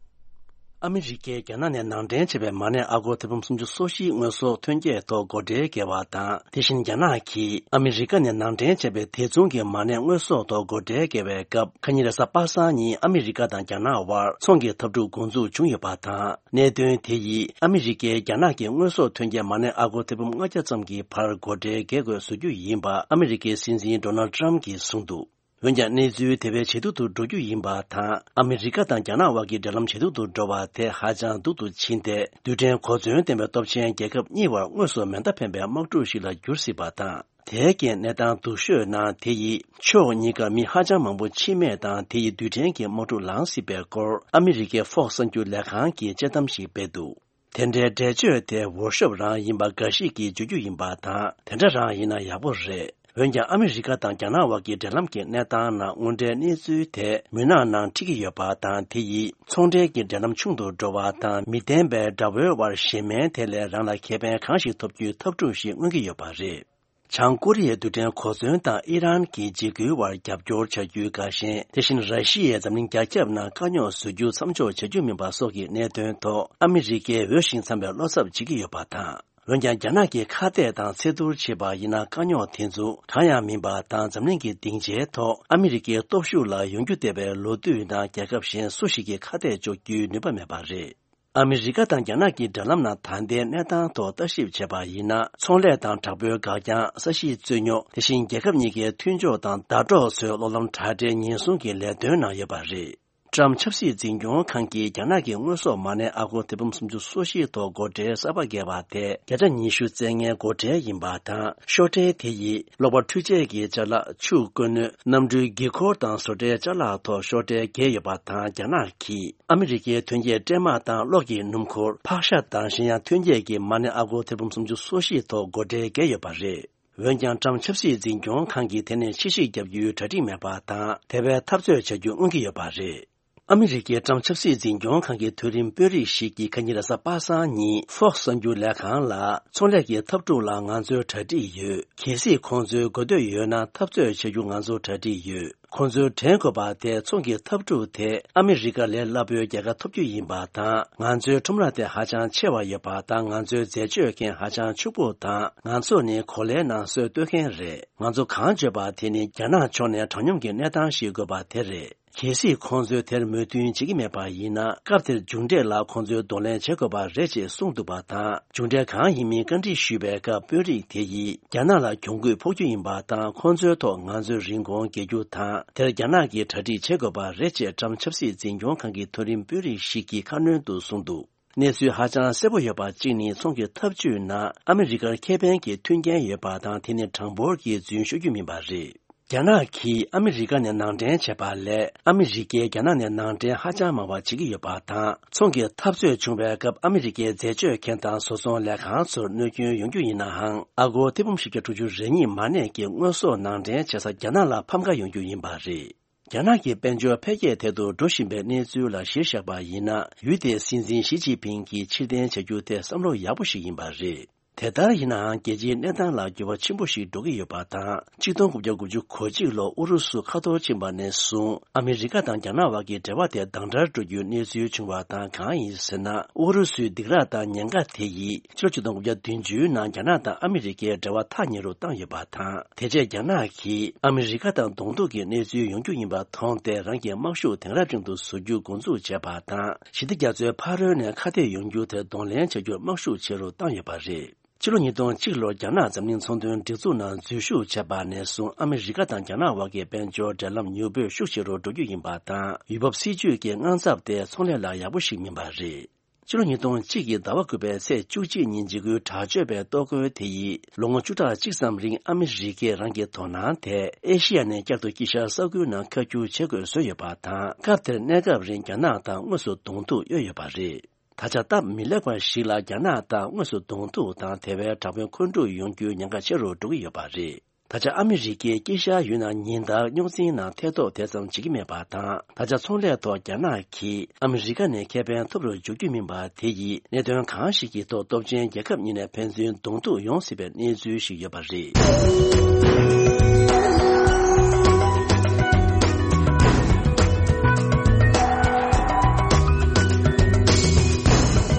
ཨ་མི་རི་ཀས་རྒྱ་ནག་ནས་ནང་འདྲེན་བྱས་པའི་མ་ནས་ཨ་སྒོར་ཐེར་འབུམ་སུམ་ཅུ་སོ་བཞིའི་དངོས་ཟོག་ཐོན་སྐྱེད་ཐོག་སྒོ་ཁྲལ་བཀལ་བ་དང་། དེ་བཞིན་རྒྱ་ནག་གིས་ཨ་མི་རི་ཀ་ནས་ནང་འདྲེན་བྱས་པའི་དེ་མཚུངས་ཀྱི་མ་ནས་དངོས་ཟོག་ཐོག་སྒོ་ཁྲལ་བཀལ་བའི་སྐབས། ཁ་ཉིན་རེས་གཟའ་པ་སངས་ཉིན་ཨ་མི་རི་ཀ་དང་རྒྱ་ནག་དབར་ཚོང་གི་འཐབ་འཁྲུག་འགོ་འཛུགས་བྱུང་ཡོད་པ་དང་། གནད་དོན་དེ་ཡིས་ཨ་མི་རི་ཀས་རྒྱ་ནག་གི་དངོས་ཟོག་ཐོན་སྐྱེད་མ་ནས་ཨ་སྒོར་ཐེར་འབུམ་ལྔ་བརྒྱ་ཙམ་གྱི་བར་སྒོ་ཁྲལ་བཀལ་དགོས་བཟོ་རྒྱུ་ཡིན་པ་ཨ་མི་རི་ཀའི་སྲིད་འཛིན་ཌོ་ནལ་ཏྲམ་གྱིས་གསུངས་འདུག། འོན་ཀྱང་། གནས་ཚུལ་དེ་བས་ཇེ་སྡུག་ཏུ་འགྲོ་རྒྱུ་ཡིན་པ་དང་། ཨ་མི་རི་ཀ་དང་རྒྱ་ནག་དབར་གྱི་འབྲེལ་ལམ་ཇེ་སྡུག་ཏུ་འགྲོ་བ་དེ་ཧ་ཅང་སྡུག་ཏུ་ཕྱིན་ཏེ། རྡུལ་ཕྲན་གོ་མཚོན་ལྡན་པའི་སྟོབས་ཆེན་རྒྱལ་ཁབ་གཉིས་བར་དངོས་སུ་མེ་མདའ་འཕེན་པའི་དམག་འཁྲུག་ཞིག་ལ་འགྱུར་སྲིད་པ་དང་། དེའི་རྐྱེན། གནས་སྟངས་སྡུག་ཤོས་ནང་། དེ་ཡིས་ཕྱོགས་གཉིས་ཀ་མི་ཧ་ཅང་མང་པོ་འཆི་རྨས་དང་། དེ་ཡིས་རྡུལ་ཕྲན་གྱི་དམག་འཁྲུག་ལངས་སྲིད་པའི་སྐོར། ཨ་མི་རི་ཀའི་ཧྥོག་གསར་འགྱུར་ལས་ཁང་གིས་དཔྱད་གཏམ་ཞིག་སྤེལ་འདུག། དེ་འདྲའི་འགྲེལ་བརྗོད་དེ་འོར་ཤོབ་རང་ཡིན་པ་འགའ་ཞིག་གིས་བརྗོད་རྒྱུ་ཡིན་པ་དང་། དེ་འདྲ་རང་ཡིན་ན་ཡག་པོ་རེད། འོན་ཀྱང་། ཨ་མི་རི་ཀ་དང་རྒྱ་ནག་དབར་གྱི་འབྲེལ་ལམ་གྱི་གནས་སྟངས་ནང་། དངོས་འབྲེལ་གནས་ཚུལ་དེ་མུན་ནག་ནང་འཁྲིད་ཀྱི་ཡོད་པ་དང་། དེ་ཡིས་ཚོང་འབྲེལ་གྱི་འབྲེལ་ལམ་ཆུང་དུ་འགྲོ་བ་དང་། མི་བདེན་པའི་དགྲ་བོའི་དབར་ཞེན་མེད་དེ་ལས་རང་ལ་ཁེ་ཕན་གང་ཞིག་ཐོབ་རྒྱུའི་འཐབ་འཁྲུག་ཞིག་མངོན་གྱི་ཡོད་པ་རེད། བྱང་ཀོ་རི་ཡའི་རྡུལ་ཕྲན་གོ་མཚོན་དང་ཨི་རན་གྱི་འཇིགས་སྐུལ་བར་རྒྱབ་སྐྱོར་བྱ་རྒྱུའི་དགའ་ཞེན། དེ་བཞིན་ར་ཤི་ཡས་འཛམ་གླིང་རྒྱ་ཁྱབ་ནང་དཀའ་རྙོག་བཟོ་རྒྱུ་མཚམས་འཇོག་བྱ་རྒྱུ་མིན་པ་སོགས་ཀྱི་གནད་དོན་ཐོག་ཨ་མི་རི་ཀས་འོས་ཤིང་འཚམ་པའི་བློ་འཚབ་བྱེད་ཀྱི་ཡོད་པ་དང་། འོན་ཀྱང་། རྒྱ་ནག་གིས་ཁ་གཏད་དང་ཚད་བསྡུར་བྱས་པ་ཡིན་ན། དཀའ་རྙོག་དེ་ཚོ་གང་ཡང་མིན་པ་དང་། འཛམ་གླིང་གི་སྡིངས་ཆའི་ཐོག་ཨ་མི་རི་ཀའི་སྟོབས་ཤུགས་ལ་ཡོང་རྒྱུ་བལྟས་པའི་ལོ་དུས་ནང་། རྒྱལ་ཁབ་གཞན་སུ་ཞིག་གིས་ཁ་གཏད་གཅོག་རྒྱུའི་ནུས་པ་མེད་པ་རེད། ཨ་མི་རི་ཀ་དང་རྒྱ་ནག་གི་འབྲེལ་ལམ་ནང་ད་ལྟའི་གནས་སྟངས་ཐོག་ལྟ་ཞིབ་བྱས་པ་ཡིན་ན། ཚོང་ལས་དང་དྲག་པོའི་འགག་རྐྱང་། ས་གཤིས་རྩོད་རྙོག་དེ་བཞིན་རྒྱལ་ཁབ་གཉིས་ཀའི་མཐུན་ཕྱོགས་དང་ཟླ་གྲོགས་ཚོའི་སློབ་ལམ་དྲ་སྦྲེལ་ཉེན་སྲུང་གི་ལས་དོན་ནང་ཡོད་པ་རེད། ཀྲམ་ཆབ་སྲིད་འཛིན་སྐྱོང་ཁང་གིས་རྒྱ་ནག་གི་དངོས་ཟོག་མ་ནས་ཨ་སྒོར་ཐེར་འབུམ་སུམ་ཅུ་སོ་བཞི་ཐོག་སྒོ་ཁྲལ་གསར་པ་བཀལ་བ་དེ་བརྒྱ་ཆ་ཉི་ཤུ་རྩ་ལྔའི་སྒོ་ཁྲལ་ཡིན་པ་དང་། ཤོག་ཁྲལ་དེ་ཡིས་གློག་པར་འཕྲུལ་ཆས་ཀྱི་ཅ་ལག་ཆུ་བཀོལ་སྣོད། གནམ་གྲུའི་འགན་འཁུར་དང་བཟོ་གྲྭའི་ཅ་ལག་ཐོག་ཤོག་ཁྲལ་བཀལ་ཡོད་པ་དང་། རྒྱ་ནག་གིས་ཨ་མི་རི་ཀའི་ཐོན་སྐྱེད་སྲན་མ་དང་གློག་གི་སྣུམ་འཁོར། ཕག་ཤ་དང་གཞན་ཡང་ཐོན་སྐྱེད་ཀྱི་མ་ནས་ཨ་སྒོར་ཐེར་འབུམ་སུམ་ཅུ་སོ་བཞི་ཐོག་སྒོ་ཁྲལ་བཀལ་ཡོད་པ་རེད། འོན་ཀྱང་ཀྲམ་ཆབ་སྲིད་འཛིན་སྐྱོང་ཁང་གིས་དེ་ནས་ཕྱིར་བཤིག་བརྒྱབ་རྒྱུའི་གྲ་སྒྲིག་མེད་པ་དང་། དེ་བས་འཐབ་རྩོད་བྱ་རྒྱུ་མངོན་གྱི་ཡོད་པ་རེད། ཨ་མི་རི་ཀའི་ཀྲམ་ཆབ་སྲིད་འཛིན་སྐྱོང་ཁང་གི་མཐོ་རིམ་དཔོན་རིགས་ཤིག་གིས་ཁ་ཉིན་རེས་གཟའ་པ་སངས་ཉིན་Fox་གསར་འགྱུར་ལས་ཁང་ལ། ཚོང་ལས་ཀྱི་འཐབ་འཁྲུག་ལ་ང་ཚོའི་གྲ་སྒྲིག་ཡོད། གལ་སྲིད་ཁོང་ཚོའི་དགོས་འདོད་ཡོད་ན། འཐབ་རྩོད་བྱ་རྒྱུ་ང་ཚོར་གྲ་སྒྲིག་ཡོད། ཁོང་ཚོའི་དྲན་དགོས་པ་དེ། ཚོང་གི་འཐབ་འཁྲུག་དེ་ཨ་མི་རི་ཀ་ལས་སླ་པོའི་རྒྱལ་ཁ་ཐོབ་རྒྱུ་ཡིན་པ་དང་། ང་ཚོའི་ཁྲོམ་ར་དེ་ཧ་ཅང་ཆེ་བ་ཡོད་པ་དང་། ང་ཚོའི་འཛད་སྤྱོད་མཁན་ཧ་ཅང་ཕྱུག་པོ་དང་། ང་ཚོ་ནི་གོ་ལའི་ནང་སྲོལ་གཏོད་མཁན་རེད། ང་ཚོ་གང་བརྗོད་པ་དེ་ནི། རྒྱ་ནག་ཕྱོགས་ནས་དྲང་སྙོམས་ཀྱི་གནས་སྟངས་ཤིག་དགོས་པ་དེ་རེད། གལ་སྲིད་ཁོང་ཚོས་དེར་མོས་མཐུན་བྱེད་ཀྱི་མེད་པ་ཡིན་ན། སྐབས་དེར་མཇུག་འབྲས་ལ་ཁོང་ཚོས་གདོང་ལེན་བྱེད་དགོས་པ་རེད་ཅེས་གསུངས་འདུག་པ་དང་། མཇུག་འབྲས་གང་ཡིན་མིན་བཀའ་འདྲི་ཞུས་པའི་སྐབས། དཔོན་རིགས་དེ་ཡིས། རྒྱ་ནག་ལ་གྱོང་གུད་ཕོག་རྒྱུ་ཡིན་པ་དང་། ཁོང་ཚོའི་ཐོག་ང་ཚོས་རིན་གོང་འགེལ་རྒྱུ་དང་། དེར་རྒྱ་ནག་གིས་གྲ་སྒྲིག་བྱེད་དགོས་པ་རེད་ཅེས་ཀྲམ་ཆབ་སྲིད་འཛིན་སྐྱོང་ཁང་གི་མཐོ་རིམ་དཔོན་རིགས་ཤིག་གིས་ཁ་སྣོན་དུ་གསུངས་འདུག་གནས་ཚུལ་ཧ་ཅང་གསལ་པོ་ཡོད་པ་གཅིག་ནི། ཚོང་གི་འཐབ་ཇུས་ནང་ཨ་མི་རི་ཀར་ཁེ་ཕན་གྱི་མཐུན་རྐྱེན་ཡོད་པ་དང་། དེ་ནི་གྲངས་འབོར་གྱིས་རྫུན་ཤོད་རྒྱུ་མིན་པ་རེད། རྒྱ་ནག་གིས་ཨ་མི་རི་ཀ་ནས་ནང་འདྲེན་བྱས་པ་ལས། ཨ་མི་རི་ཀས་རྒྱ་ནག་ནས་ནང་འདྲེན་ཧ་ཅང་མང་བ་བྱེད་ཀྱི་ཡོད་པ་དང་། ཚོང་གི་འཐབ་རྩོད་བྱུང་བའི་སྐབས། ཨ་མི་རི་ཀའི་འཛད་སྤྱོད་མཁན་དང་བཟོ་ཚོང་ལས་ཁང་ཚོར་གནོད་སྐྱོན་ཡོང་རྒྱུ་ཡིན་ནའང་། ཨ་སྒོར་ཐེར་འབུམ་བཞི་བརྒྱ་དྲུག་ཅུ་རེ་གཉིས་མ་གནས་ཀྱི་དངོས་ཟོག་ནང་འདྲེན་བྱེད་ས་རྒྱ་ནག་ལ་ཕམ་ཁ་ཡོང་རྒྱུ་ཡིན་པ་རེད། རྒྱ་ནག་གི་དཔལ་འབྱོར་འཕེལ་རྒྱས་ཐད་དུ་འགྲོ་བཞིན་པའི་གནས་ཚུལ་ལ་གཞིར་བཞག་པ་ཡིན་ན། ཡུལ་དེའི་སྲིད་འཛིན་ཞི་ཅིན་ཕིང་གིས་ཕྱིར་འཐེན་བྱ་རྒྱུ་དེ་བསམ་བློ་ཡག་པོ་ཞིག་ཡིན་པ་རེད། དེ་ལྟར་ཡིན་ནའང་། རྒྱལ་སྤྱིའི་གནས་སྟངས་ལ་འགྱུར་བ་ཆེན་པོ་ཞིག་འགྲོ་གི་ཡོད་པ་དང་། ཆིག་སྟོང་དགུ་བརྒྱ་དགུ་བཅུ་གོ་གཅིག་ལོར་ཨུ་རུ་སུ་ཁ་འཐོར་ཕྱིན་པ་ནས་བཟུང་། ཨ་མི་རི་ཀ་དང་རྒྱ་ནག་བར་གྱི་འབྲེལ་བ་དེ་དྭངས་བཀྲལ་འགྲོ་རྒྱུའི་གནས་ཚུལ་བྱུང་བ་དང་། གང་ཡིན་ཟེར་ན། ཨུ་རུ་སུའི་སྡིགས་ར་དང་ཉེན་ཁ་དེ་ཡིས། ཕྱི་ལོ་ཆིག་སྟོང་དགུ་བརྒྱ་བདུན་ཅུའི་ནང་རྒྱ་ནག་དང་ཨ་མི་རི་ཀའི་འབྲེལ་བ་ཐག་ཉེ་རུ་བཏང་ཡོད་པ་དང་། དེ་རྗེས་རྒྱ་ནག་གིས་ཨ་མི་རི་ཀ་དང་གདོང་ཐུག་གི་གནས་ཚུལ་ཡོང་རྒྱུ་ཡིན་པ་མཐོང་སྟེ། རང་གི་དམག་ཤུགས་དེང་རབས་ཅན་དུ་བཟོ་རྒྱུ་འགོ་འཛུགས་བྱས་པ་དང་། ཞི་བདེ་རྒྱ་མཚོའི་ཕ་རོལ་ནས་ཁ་གཏད་ཡོང་རྒྱུ་དེར་གདོང་ལེན་བྱ་རྒྱུར་དམག་ཤུགས་ཆེ་རུ་བཏང་ཡོད་པ་རེད། ཕྱི་ལོ་ཉིས་སྟོང་གཅིག་ལོར་རྒྱ་ནག་འཛམ་གླིང་ཚོང་དོན་སྒྲིག་འཛུགས་ནང་འཛུལ་ཞུགས་བྱས་པ་ནས་བཟུང་། ཨ་མི་རི་ཀ་དང་རྒྱ་ནག་དབར་གྱི་དཔལ་འབྱོར་འབྲེལ་ལམ་མྱུར་པོས་ཤུགས་ཆེ་རུ་འགྲོ་རྒྱུ་ཡིན་པ་དང་། ཡུལ་བབ་སྲིད་ཇུས་ཀྱི་དངངས་འཚབ་དེ་ཚོང་ལས་ལ་ཡག་པོ་ཞིག་མིན་པ་རེད། ཕྱི་ལོ་ཉིས་སྟོང་གཅིག་གི་ཟླ་བ་དགུ་པའི་ཚེས་བཅུ་གཅིག་ཉིན་འཇིགས་སྐུལ་དྲག་སྤྱོད་པའི་གཏོར་རྒོལ་དེ་ཡིས། ལོ་ངོ་བཅུ་ཕྲག་གཅིག་ཙམ་རིང་ཨ་མི་རི་ཀས་རང་གི་དོ་སྣང་དེ་ཨེ་ཤི་ཡ་ནས་བསྐྱར་དུ་དཀྱིལ་ཤར་ས་ཁུལ་ནང་ཁ་བསྒྱུར་བྱེད་དགོས་བཟོས་ཡོད་པ་དང་། སྐབས་དེར་གནས་སྐབས་རིང་རྒྱ་ནག་དང་དངོས་སུ་གདོང་ཐུག་གཡོལ་ཡོད་པ་རེད། ད་ཆ་སྟབས་མི་ལེགས་པ་ཞིག་ལ་རྒྱ་ནག་དང་དངོས་སུ་གདོང་ཐུག་དང་། དེ་བས་དྲག་པོའི་འཁོན་འཁྲུག་ཡོང་རྒྱུའི་ཉེན་ཁ་ཆེ་རུ་འགྲོ་གི་ཡོད་པ་རེད། ད་ཆ་ཨ་མི་རི་ཀས་དཀྱིལ་ཤར་ཡུལ་ནང་ཉིན་ལྟར་རྙོག་འཛིང་ནང་ཐེ་གཏོགས་དེ་ཙམ་བྱེད་ཀྱི་མེད་པ་དང་། ད་ཆ་ཚོང་ལས་ཐོག་རྒྱ་ནག་གིས་ཨ་མི་རི་ཀ་ནས་ཁེ་ཕན་ཐོབ་རུ་འཇུག་རྒྱུ་མིན་པ་དེ་ཡིས། གནད་དོན་གང་ཞིག་གི་ཐོག་སྟོབས་ཆེན་རྒྱལ་ཁབ་གཉིས་ནས་ཕན་ཚུན་གདོང་ཐུག་ཡོང་སྲིད་པའི་གནས་ཚུལ་ཞིག་ཡོད་པ་རེད།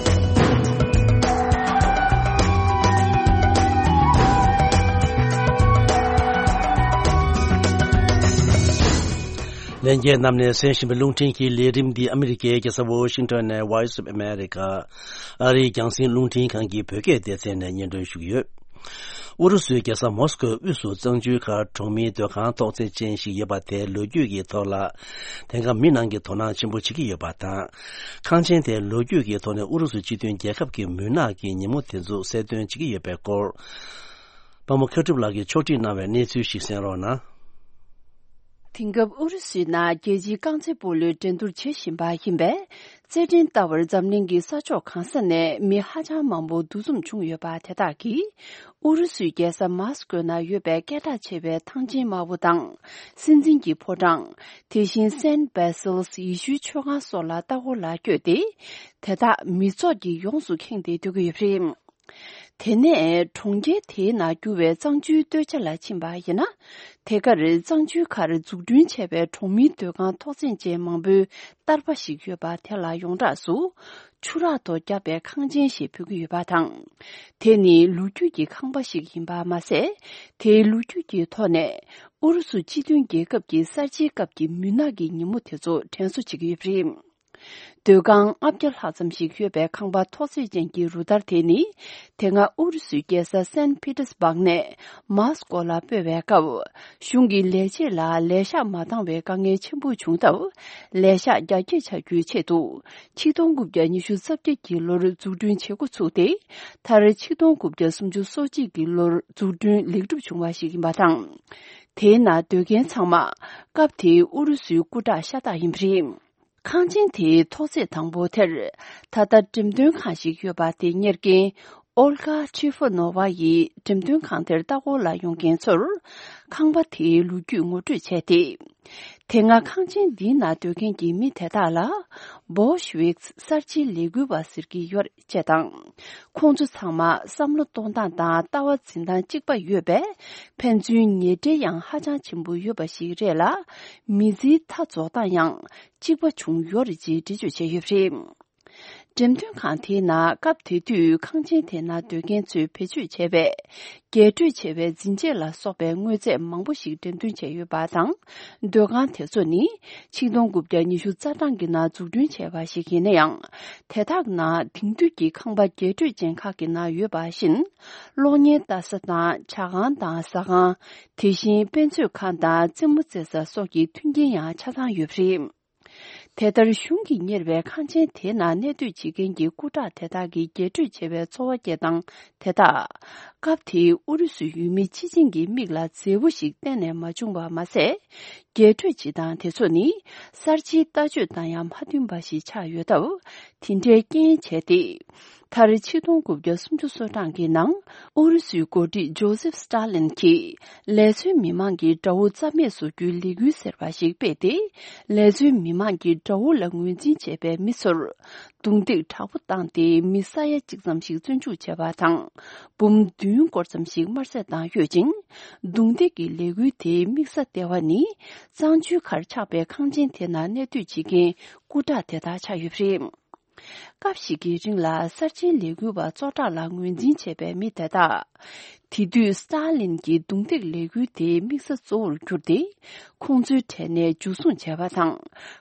ལྷན་རྒྱས་རྣམས་ནས་གསན་བཞིན་པའི་རླུང་འཕྲིན་གྱི་ལས་རིམ་འདི་ཨ་མི་རི་ཀའི་རྒྱལ་ས་ཝོ་ཤིང་ཊོན་ནས་Voice of America ཨ་རིའི་རྒྱང་སྲིང་རླུང་འཕྲིན་ཁང་གི་བོད་སྐད་སྡེ་ཚན་ནས་སྙན་སྒྲོན་ཞུ་གི་ཡོད། ཨུ་རུ་སུའི་རྒྱལ་ས་མོ་སི་ཀོའི་དབུས་སུ་གཙང་ཆུའི་ཁར་གྲོང་མིའི་སྡོད་ཁང་ཐོག་བརྩེགས་ཅན་ཞིག་ཡོད་པ་དེ་ལོ་རྒྱུས་ཀྱི་ཐོག་ལ། དེང་སྐབས་མི་རྣམས་ཀྱིས་དོ་སྣང་ཆེན་པོ་བྱེད་ཀྱི་ཡོད་པ་དང་། ཁང་ཆེན་དེ་ལོ་རྒྱུས་ཀྱི་ཐོག་ནས་ཨུ་རུ་སུ་སྤྱི་མཐུན་རྒྱལ་ཁབ་ཀྱི་མུན་ནག་གི་ཉིན་མོ་དེ་ཚོ་གསལ་སྟོན་བྱེད་ཀྱི་ཡོད་པའི་སྐོར། པ་མོ་མཁས་གྲུབ་ལགས་ཀྱིས་ཕྱོགས་སྒྲིག་གནང་བའི་གནས་ཚུལ་ཞིག་གསན་རོགས་གནང་། དེང་སྐབས་ཨུ་རུ་སུའི་ནང་རྒྱལ་སྤྱིའི་རྐང་རྩེད་སྤོ་ལོའི་འགྲན་བསྡུར་བྱེད་བཞིན་པ་ཡིན་པས། རྩེད་འགྲན་ལྟ་བར་འཛམ་གླིང་གི་ས་ཕྱོགས་གང་ས་ནས་མི་ཧ་ཅང་མང་པོ་འདུ་འཛོམས་བྱུང་ཡོད་པ་དེ་དག་གིས། ཨུ་རུ་སུའི་རྒྱལ་ས་མཱ་སི་ཀོ་ནང་ཡོད་པའི་སྐད་གྲགས་ཆེ་བའི་ཐང་ཆེན་དམར་པོ་དང་། སྲིད་འཛིན་གྱི་ཕོ་བྲང་། དེ་བཞིན་སན་བེ་སིལ་ཡེ་ཤུའི་མཆོད་ཁང་སོགས་ལ་ལྟ་སྐོར་ལ་བསྐྱོད་དེ། དེ་དག་མི་ཚོགས་ཀྱིས་ཡོངས་སུ་ཁེངས་ཏེ་སྡོད་ཀྱི་ཡོད་པ་རེད། དེ་ནས་གྲོང་ཁྱེར་དེའི་ནང་རྒྱུ་བའི་གཙང་ཆུའི་སྟོད་ཆ་ལ་ཕྱིན་པ་ཡིན་ན། དེ་གར་གཙང་ཆུའི་ཁར་འཛུགས་སྐྲུན་བྱས་པའི་གྲོང་མིའི་སྡོད་ཁང་ཐོག་བརྩེགས་ཅན་མང་པོའི་བསྟར་པ་ཞིག་ཡོད་པ་དེ་ལ་ཡོངས་གྲགས་སུ། ཆུ་རགས་ཐོག་བརྒྱབ་པའི་ཁང་ཆེན་ཞེས་འབོད་ཀྱི་ཡོད་པ་དང་། དེ་ནི་ལོ་རྒྱུས་ཀྱི་ཁང་པ་ཞིག་ཡིན་པ་མ་ཟད། དེའི་ལོ་རྒྱུས་ཀྱི་ཐོག་ནས་ཨུ་རུ་སུ་སྤྱི་མཐུན་རྒྱལ་ཁབ་ཀྱི་གསར་བརྗེའི་སྐབས་ཀྱི་མུན་ནག་གི་ཉིན་མོ་དེ་ཚོ་དྲན་གསོ་བྱེད་ཀྱི་ཡོད་པ་རེད། སྡོད་ཁང་ལྔ་བརྒྱ་ལྷག་ཙམ་ཞིག་ཡོད་པའི་ཁང་པ་ཐོག་བརྩེགས་ཅན་གྱི་རུ་སྟར་དེ་ནི། དེ་སྔ་ཨུ་རུ་སུའི་རྒྱལ་ས་སན་ཕི་ཏེར་སྦག་ནས་མཱ་སི་ཀོ་ལ་སྤོས་པའི་སྐབས། གཞུང་གིས་ལས་བྱེད་ལ་ལས་ཤག་མ་འདང་བའི་དཀའ་ངལ་ཆེན་པོ་བྱུང་སྟབས། ལས་ཤག་རྒྱ་སྐྱེད་བྱ་རྒྱུའི་ཆེད་དུ། ཆིག་སྟོང་དགུ་བརྒྱ་ཉི་ཤུ་རྩ་བརྒྱད་ཀྱི་ལོར་འཛུགས་སྐྲུན་བྱེད་འགོ་ཚུགས་ཏེ། མཐར་ཆིག་སྟོང་དགུ་བརྒྱ་སུམ་ཅུ་སོ་གཅིག་གི་ལོར་འཛུགས་སྐྲུན་ལེགས་གྲུབ་བྱུང་བ་ཞིག་ཡིན་པ་དང་། དེའི་ནང་སྡོད་མཁན་ཚང་མ། སྐབས་དེའི་ཨུ་རུ་སུའི་སྐུ་དྲག་ཤ་སྟག་ཡིན་པ་རེད། ཁང་ཆེན་དེའི་ཐོག་བརྩེགས་དང་པོ་དེར། ད་ལྟ་འགྲེམས་སྟོན་ཁང་ཞིག་ཡོད་པ་དེ་གཉེར་མཁན། ཨོལ་གྷ་ཁྲི་ཧྥོ་ནོ་ཝ་ཡིས་འགྲེམས་སྟོན་ཁང་དེར་ལྟ་སྐོར་ལ་ཡོང་མཁན་ཚོར་ཁང་པ་དེའི་ལོ་རྒྱུས་ངོ་སྤྲོད་བྱས་ཏེ། དེ་སྔ་ཁང་ཆེན་འདིའི་ནང་སྡོད་མཁན་གྱི་མི་དེ་དག་ལ་Bolsheviks གསར་བརྗེའི་ལས་འགུལ་བ་ཟེར་གྱི་ཡོད་ཅེས་དང་། ཁོང་ཚོ་ཚང་མ་བསམ་བློ་གཏོང་སྟངས་དང་ལྟ་བ་འཛིན་སྟངས་གཅིག་པ་ཡོད་པས། ཕན་ཚུན་ཉེ་འབྲེལ་ཡང་ཧ་ཅང་ཆེན་པོ་ཡོད་པ་ཞིག་རེད་ལ། མི་ཚེའི་མཐའ་རྫོགས་སྟངས་ཡང་གཅིག་པ་བྱུང་ཡོད་རེད་ཅེས་འགྲེལ་བརྗོད་བྱས་ཡོད་པ་རེད། འགྲེམས་སྟོན་ཁང་དེའི་ནང་སྐབས་དེ་དུས་ཁང་ཆེན་དེ་ནང་སྡོད་མཁན་ཚོས་བེད་སྤྱོད་བྱས་པའི་རྒྱས་སྤྲོས་ཆེ་བའི་འཛིན་ཆས་ལ་སོགས་པའི་དངོས་རྫས་མང་པོ་ཞིག་འགྲེམས་སྟོན་བྱས་ཡོད་པ་དང་། སྡོད་ཁང་དེ་ཚོ་ནི་ཆིག་སྟོང་དགུ་བརྒྱ་ཉི་ཤུ་རྩ་གྲངས་ཀྱི་ནང་འཛུགས་སྐྲུན་བྱས་པ་ཞིག་ཡིན་ན་ཡང་། དེ་དག་ནང་དེང་དུས་ཀྱི་ཁང་པ་རྒྱས་སྤྲོས་ཅན་ཁག་གི་ནང་ཡོད་པ་བཞིན། གློག་བརྙན་ལྟ་ས་དང་ཇ་ཁང་དང་ཟ་ཁང་། དེ་བཞིན་དཔེ་མཛོད་ཁང་དང་རྩེད་མོ་རྩེ་ས་སོགས་ཀྱི་མཐུན་རྐྱེན་ཡང་ཆ་ཚང་ཡོད་པ་རེད། དེ་ལྟར་གཞུང་གིས་གཉེར་བའི་ཁང་ཆེན་དེ་ནང་གནས་སྡོད་བྱེད་མཁན་གྱི་སྐུ་དྲག་དེ་དག་གིས་རྒྱས་སྤྲོས་ཆེ་བའི་འཚོ་བ་སྐྱེལ་སྟངས་དེ་དག་སྐབས་དེའི་ཨུ་རུ་སུའི་ཡུལ་མི་སྤྱི་བྱིངས་ཀྱི་མིག་ལ་མཛེས་པོ་ཞིག་གཏན་ནས་མ་བྱུང་བ་མ་ཟད། རྒྱས་སྤྲོས་བྱེད་སྟངས་དེ་ཚོ་ནི་གསར་བརྗེའི་ལྟ་སྤྱོད་དང་ཡང་མ་མཐུན་པ་ཞིག་ཆགས་ཡོད་སྟབས། དེ་འདྲའི་རྐྱེན་བྱས་ཏེ། མཐར་ཆིག་སྟོང་དགུ་བརྒྱ་སུམ་ཅུ་སོ་གྲངས་ཀྱི་ནང་ཨུ་རུ་སུའི་འགོ་ཁྲིད་ཇོ་སེབ་སི་ཏཱ་ལིན་གྱིས་ལས་བཟོའི་མི་མང་གི་དགྲ་བོ་རྩ་མེད་བཟོ་རྒྱུའི་ལས་འགུལ་ཟེར་བ་ཞིག་སྤེལ་ཏེ། ལས་བཟོའི་མི་མང་གི་དགྲ་བོ་ལ་ངོས་འཛིན་བྱས་པའི་མི་ཚོར་རྡུང་རྡེག་དྲག་པོ་བཏང་སྟེ། མི་ས་ཡ་གཅིག་ཙམ་ཞིག་བཙོན་འཇུག་བྱས་པ་དང་། འབུམ་བདུན་སྐོར་ཙམ་ཞིག་དམར་གསོད་བཏང་ཡོད་ཅིང་། རྡུང་རྡེག་གི་ལས་འགུལ་དེའི་དམིགས་ས་ལྟེ་བ་ནི་གཙང་ཆུའི་ཁར་ཆགས་པའི་ཁང་ཆེན་དེ་ནང་གནས་སྡོད་བྱེད་མཁན་སྐུ་དྲག་དེ་དག་ཆགས་ཡོད་པ་རེད། སྐབས་ཤིག་གི་རིང་ལ་གསར་བརྗེའི་ལས་འགུལ་བ་གཙོ་དྲག་ལ་ངོས་འཛིན་བྱས་པའི་མི་དེ་དག་དེ་དུས་སི་ཏཱ་ལིན་གྱི་རྡུང་རྡེག་ལས་འགུལ་དེའི་དམིགས་ས་གཙོ་བོར་གྱུར་ཏེ། ཁོང་ཚོའི་གྲས་ནས་འཇུ་བཟུང་བྱས་པ་དང་།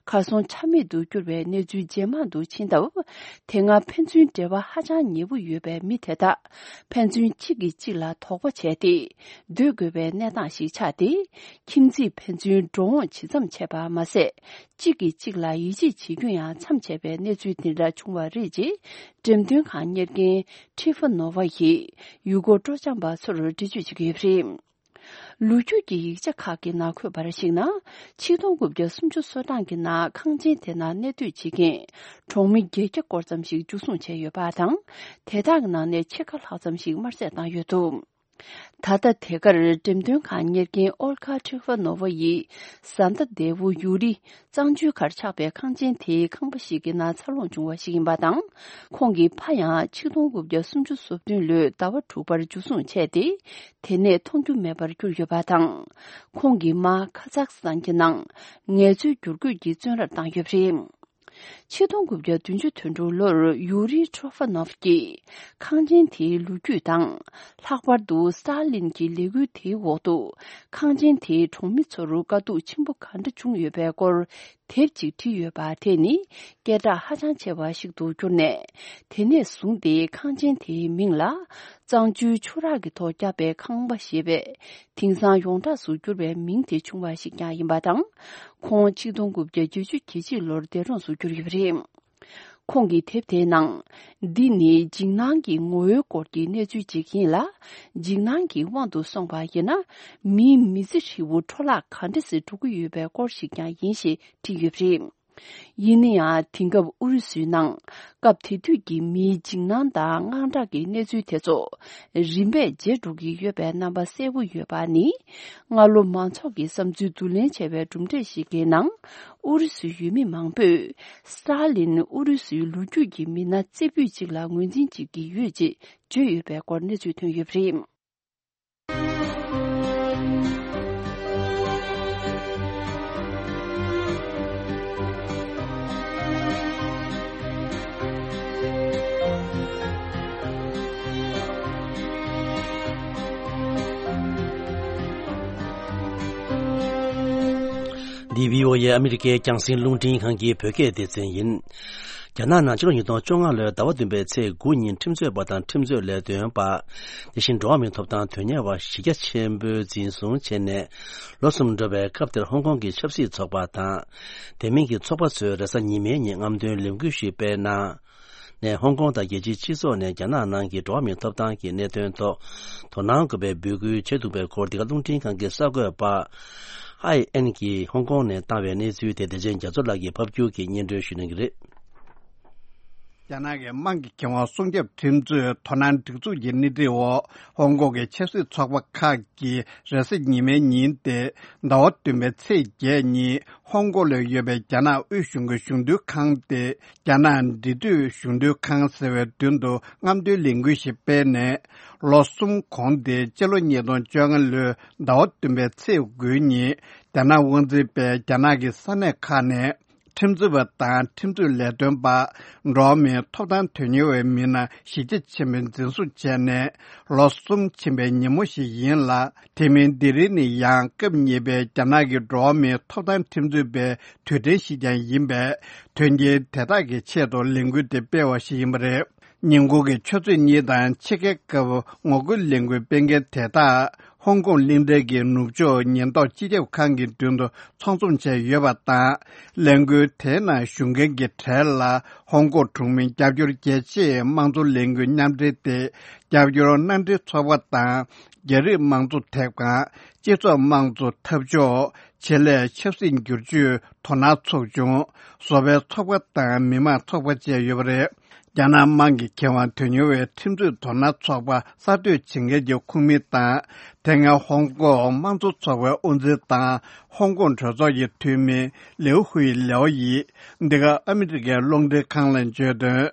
གར་སོང་ཆ་མེད་དུ་གྱུར་བའི་གནས་ཚུལ་ཇེ་མང་དུ་ཕྱིན་སྟབས། དེ་སྔ་ཕན་ཚུན་འབྲེལ་བ་ཧ་ཅང་ཉེ་པོ་ཡོད་པའི་མི་དེ་དག་ཕན་ཚུན་གཅིག་གིས་གཅིག་ལ་དོགས་པ་བྱས་ཏེ། སྡོད་དགོས་པའི་གནས་སྟངས་ཤིག་ཆགས་ཏེ། ཁྱིམ་མཚེས་ཕན་ཚུན་འགྲོ་འོང་ཇི་ཙམ་བྱས་པ་མ་ཟད། གཅིག་གིས་གཅིག་ལ་ཡིད་ཆེས་བྱེད་རྒྱུ་ཡང་མཚམས་ཆད་པའི་གནས་ཚུལ་འདི་འདྲ་བྱུང་བ་རེད་ཅེས། འགྲེམས་སྟོན་ཁང་གཉེར་མཁན་ཁྲི་ཧྥོ་ནོ་ཝ་ཡིས་ཡུལ་སྐོར་སྤྲོ་འཆམ་པ་ཚོར་འགྲེལ་བརྗོད་བྱེད་ཀྱི་ཡོད་པ་རེད། ལོ་རྒྱུས་ཀྱི་ཡིག་ཆ་ཁག་གི་ནང་འཁོད་པར་གཞིགས་ན། ཆིག་སྟོང་དགུ་བརྒྱ་སུམ་ཅུ་སོ་གྲངས་ཀྱི་ནང་ཁང་ཆེན་དེ་ནང་གནས་སྡོད་བྱེད་མཁན་གྲོང་མི་བརྒྱད་བརྒྱ་སྐོར་ཙམ་ཞིག་འཇུ་བཟུང་བྱས་ཡོད་པ་དང་། དེ་དག་གི་ནང་ནས་ཕྱེད་ཀ་ལྷག་ཙམ་ཞིག་དམར་གསོད་བཏང་ཡོད་འདུག་ད་ལྟ་དེ་གར་འགྲེམས་སྟོན་ཁང་གཉེར་མཁན་ཨོལ་ཁ་ཁྲི་ཧྥ་ནོ་ཝ་ཡིས། བཟའ་ཟླ་འདས་པོ་ཡུ་རི་གཙང་ཆུའི་ཁར་ཆགས་པའི་ཁང་ཆེན་དེའི་ཁང་པ་ཞིག་གི་ནང་འཚར་ལོངས་བྱུང་བ་ཞིག་ཡིན་པ་དང་། ཁོང་གི་ཕ་ཡང་ཆིག་སྟོང་དགུ་བརྒྱ་སུམ་ཅུ་སོ་བདུན་ལོའི་ཟླ་བ་དྲུག་པར་འཇུ་བཟུང་བྱས་ཏེ། དེ་ནས་མཐོང་རྒྱུ་མེད་པར་གྱུར་ཡོད་པ་དང་། ཁོང་གི་མ་ཁ་ཛག་སི་ཐན་གྱི་ནང་ངལ་རྩོལ་བསྒྱུར་བཀོད་ཀྱི་བཙོན་རར་བཏང་ཡོད་པ་རེད། ཆིག་སྟོང་དགུ་བརྒྱ་བདུན་ཅུ་དོན་དྲུག་ལོར་ཡུ་རི་ཁྲོ་ཧྥ་ནོབ་ཀྱིས་ཁང་ཆེན་དེའི་ལོ་རྒྱུས་དང་། ལྷག་པར་དུ་སི་ཏཱ་ལིན་གྱི་ལས་འགུལ་དེའི་འོག་ཏུ་ཁང་ཆེན་དེའི་གྲོང་མི་ཚོར་དཀའ་སྡུག་ཆེན་པོ་ག་འདྲ་བྱུང་ཡོད་པའི་སྐོར་དེབ་ཅིག་བྲིས་ཡོད་པ་དེ་ནི་སྐད་གྲགས་ཧ་ཅང་ཆེ་བ་ཞིག་ཏུ་གྱུར་ནས། དེ་ནས་བཟུང་སྟེ་ཁང་ཆེན་དེའི་མིང་ལ་གཙང་ཆུའི་ཆུ་རགས་ཀྱི་ཐོག་བརྒྱབ་པའི་ཁང་པ་ཞེས་པའི་དེང་སང་ཡོངས་གྲགས་སུ་གྱུར་བའི་མིང་དེ་བྱུང་བ་ཞིག་ཀྱང་ཡིན་པ་དང་། ཁོང་ཆིག་སྟོང་དགུ་བརྒྱ་བརྒྱད་ཅུ་གྱ་གཅིག་ལོར་འདས་གྲོངས་སུ་གྱུར་ཡོད་པ་རེད། ཁོང་གི་དེབ་དེའི་ནང་། འདི་ནི་འཇིགས་སྣང་གི་ངོ་བོའི་སྐོར་གྱི་གནས་ཚུལ་ཅིག་ཡིན་ལ། འཇིགས་སྣང་གི་དབང་དུ་སོང་བ་ཡིན་ན། མིའི་མི་ཚེ་ཧྲིལ་བོ་འཕྲོ་བརླག་ག་འདྲ་སེ་འགྲོ་གི་ཡོད་པའི་སྐོར་ཞིག་ཀྱང་ཡིན་ཞེས་བྲིས་ཡོད་པ་རེད། ཡིན་ན་ཡང་། དེང་སྐབས་ཨུ་རུ་སུའི་ནང་སྐབས་དེ་དུས་ཀྱི་མིའི་འཇིགས་སྣང་དང་དངངས་སྐྲག་གི་གནས་ཚུལ་དེ་ཚོ་རིམ་པས་བརྗེད་འགྲོ་གི་ཡོད་པའི་རྣམ་པ་གསལ་པོ་ཡོད་པ་ནི། སྔ་ལོ་མང་ཚོགས་ཀྱི་བསམ་ཚུལ་བསྡུ་ལེན་བྱས་པའི་གྲུབ་འབྲས་ཤིག་གི་ནང་། ཨུ་རུ་སུའི་ཡུལ་མི་མང་པོས་སི་ཏཱ་ལིན་ཨུ་རུ་སུའི་ལོ་རྒྱུས་ཀྱི་མི་སྣ་རྩེ་ཕུད་ཅིག་ལ་ངོས་འཛིན་བྱེད་ཀྱི་ཡོད་ཅེས་བརྗོད་ཡོད་པའི་སྐོར་གནས་ཚུལ་ཐོན་ཡོད་པ་རེད། འདི་བྷི་ཨོ་ཨེ་ཨ་མི་རི་ཀའི་རྒྱང་སྲིང་རླུང་འཕྲིན་ཁང་གི་བོད་སྐད་སྡེ་ཚན་ཡིན། རྒྱ་ནག་ནང་ཕྱི་ལོ་ཉིས་སྟོང་བཅོ་ལྔ་ལོའི་ཟླ་བ་བདུན་པའི་ཚེས་དགུ་ཉིན་ཁྲིམས་རྩོད་པ་དང་ཁྲིམས་རྩོད་ལས་དོན་པ། དེ་བཞིན་འགྲོ་བ་མིའི་ཐོབ་ཐང་དོན་གཉེར་བ་གཞི་རྒྱ་ཆེན་པོས་འཛིན་བཟུང་བྱས་ནས་ལོ་གསུམ་འགྲོ་བའི་སྐབས་དེར་ཧོང་ཀོང་གི་ཆབ་སྲིད་ཚོགས་པ་དང་། དེ་མིན་གྱི་ཚོགས་པ་ཚོས་རེས་གཟའ་ཉི་མའི་ཉིན་རྔམ་སྟོན་ལས་འགུལ་ཞིག་སྤེལ་གནང་། ནས་ཧོང་ཀོང་དང་རྒྱལ་སྤྱིའི་སྤྱི་ཚོགས་ནས་རྒྱ་ནག་ནང་གི་འགྲོ་བ་མིའི་ཐོབ་ཐང་གི་གནད་དོན་ཐོག་དོ་སྣང་དགོས་པའི་འབོད་སྐུལ་བྱས་འདུག་པའི་སྐོར། འདི་ག་རླུང་འཕྲིན་ཁང་གི་གསར་འགོད་པ་ཨའི་ཨེན་གྱིས་ཧོང་ཀོང་ནས་བཏང་བའི་གནས་ཚུལ་དེ་བདེ་ཆེན་རྒྱ་མཚོ་ལགས་ཀྱིས་ཕབ་སྒྱུར་གྱིས་སྙན་སྒྲོན་ཞུ་གནང་གི་རེད། རྒྱ་ནག་གི་དམངས་ཀྱི་ཁེ་དབང་སྲུང་སྐྱོབ་ཁྲིམས་རྩོད་དོ་སྣང་སྒྲིག་འཛུགས་ཀྱི་སྣེ་ཁྲིད་འོག་ཧོང་ཀོང་གི་ཆབ་སྲིད་ཚོགས་པ་ཁག་གིས་རེས་གཟའ་ཉི་མའི་ཉིན་ཏེ་ཟླ་བ་བདུན་པའི་ཚེས་བརྒྱད་ཉིན་ཧོང་ཀོང་ལ་ཡོད་པའི་རྒྱ་ནག་དབུས་གཞུང་གི་གཞུང་དོན་ཁང་སྟེ། རྒྱ་ནག་འབྲེལ་མཐུད་གཞུང་དོན་ཁང་ཟེར་བའི་མདུན་དུ་རྔམ་སྟོན་ལས་འགུལ་ཞིག་སྤེལ་ནས། ལོ་གསུམ་གོང་སྟེ་སྤྱི་ལོ་ཉིས་སྟོང་བཅོ་ལྔ་ལོའི་ཟླ་བ་བདུན་པའི་ཚེས་དགུའི་ཉིན་རྒྱ་ནག་དབང་འཛིན་པས་རྒྱ་ནག་གི་ས་གནས་ཁག་ནས་ཁྲིམས་རྩོད་པ་དང་ཁྲིམས་རྩོད་ལས་དོན་པ། འགྲོ་བ་མིའི་ཐོབ་ཐང་དོན་གཉེར་བའི་མི་སྣ་གཞིས་ཆགས་ཆེན་པོའི་འཛིན་བཟུང་བྱས་ནས་ལོ་གསུམ་ཕྱིན་པའི་ཉིན་མོ་ཞིག་ཡིན་ལ། དེ་མིན་དེ་རིང་ནི་ཡང་སྐབས་གཉིས་པའི་རྒྱ་ནག་གི་འགྲོ་བ་མིའི་ཐོབ་ཐང་ཁྲིམས་རྩོད་པའི་དུས་དྲན་ཞིག་ཀྱང་ཡིན་པས། དོན་རྐྱེན་དེ་དག་གི་ཆེད་དུ་ལས་འགུལ་དེ་སྤེལ་བ་ཞིག་ཡིན་པ་རེད། ཉིན་གུང་གི་ཆུ་ཚོད་གཉིས་དང་ཕྱེད་ཀའི་སྐབས་ངོ་རྒོལ་ལས་འགུལ་སྤེལ་མཁན་དེ་དག་ཧོང་ཀོང་གླིང་ཕྲན་གྱི་ནུབ་ཕྱོགས་ཉེན་རྟོག་སྤྱི་ཁྱབ་ཁང་གི་མདུན་དུ་ཚོགས་འཛོམས་བྱས་ཡོད་པ་དང་། ལས་འགུལ་དེའི་ནང་ཞུགས་མཁན་གྱི་གྲས་ལ་ཧོང་ཀོང་གྲོང་མི་རྒྱབ་སྐྱོར་རྒྱལ་སྤྱིའི་དམངས་གཙོ་ལས་འགུལ་མཉམ་འབྲེལ་ཏེ། རྒྱབ་སྐྱོར་མནའ་འབྲེལ་ཚོགས་པ་དང་། རྒྱ་རིགས་དམངས་གཙོ་དེབ་ཁང་། སྤྱི་ཚོགས་དམངས་གཙོ་འཐབ་ཕྱོགས། ཆེད་ལས་ཆབ་སྲིད་བསྒྱུར་བཅོས་དོ་སྣང་ཚོགས་ཆུང་། བཟོ་པའི་ཚོགས་པ་དང་མི་མང་ཚོགས་པ་བཅས་ཡོད་པ་རེད། རྒྱ་ནག་དམངས་ཀྱི་ཁེ་དབང་དོན་གཉེར་བའི་ཁྲིམས་རྩོད་དོ་སྣང་ཚོགས་པ་གསར་གཏོད་བྱེད་མཁན་གྱི་ཁོངས་མི་དང་། དེ་སྔའི་ཧོང་ཀོང་དམངས་གཙོ་ཚོགས་པའི་དབུ་འཛིན་དང་ཧོང་ཀོང་གྲོས་ཚོགས་ཀྱི་འཐུས་མི་ལིའུ་ཧུའེ་ལེའོ་ཡིས་འདི་ག་ཨ་མི་རི་ཀའི་རླུང་འཕྲིན་ཁང་ལ་བརྗོད་དོན།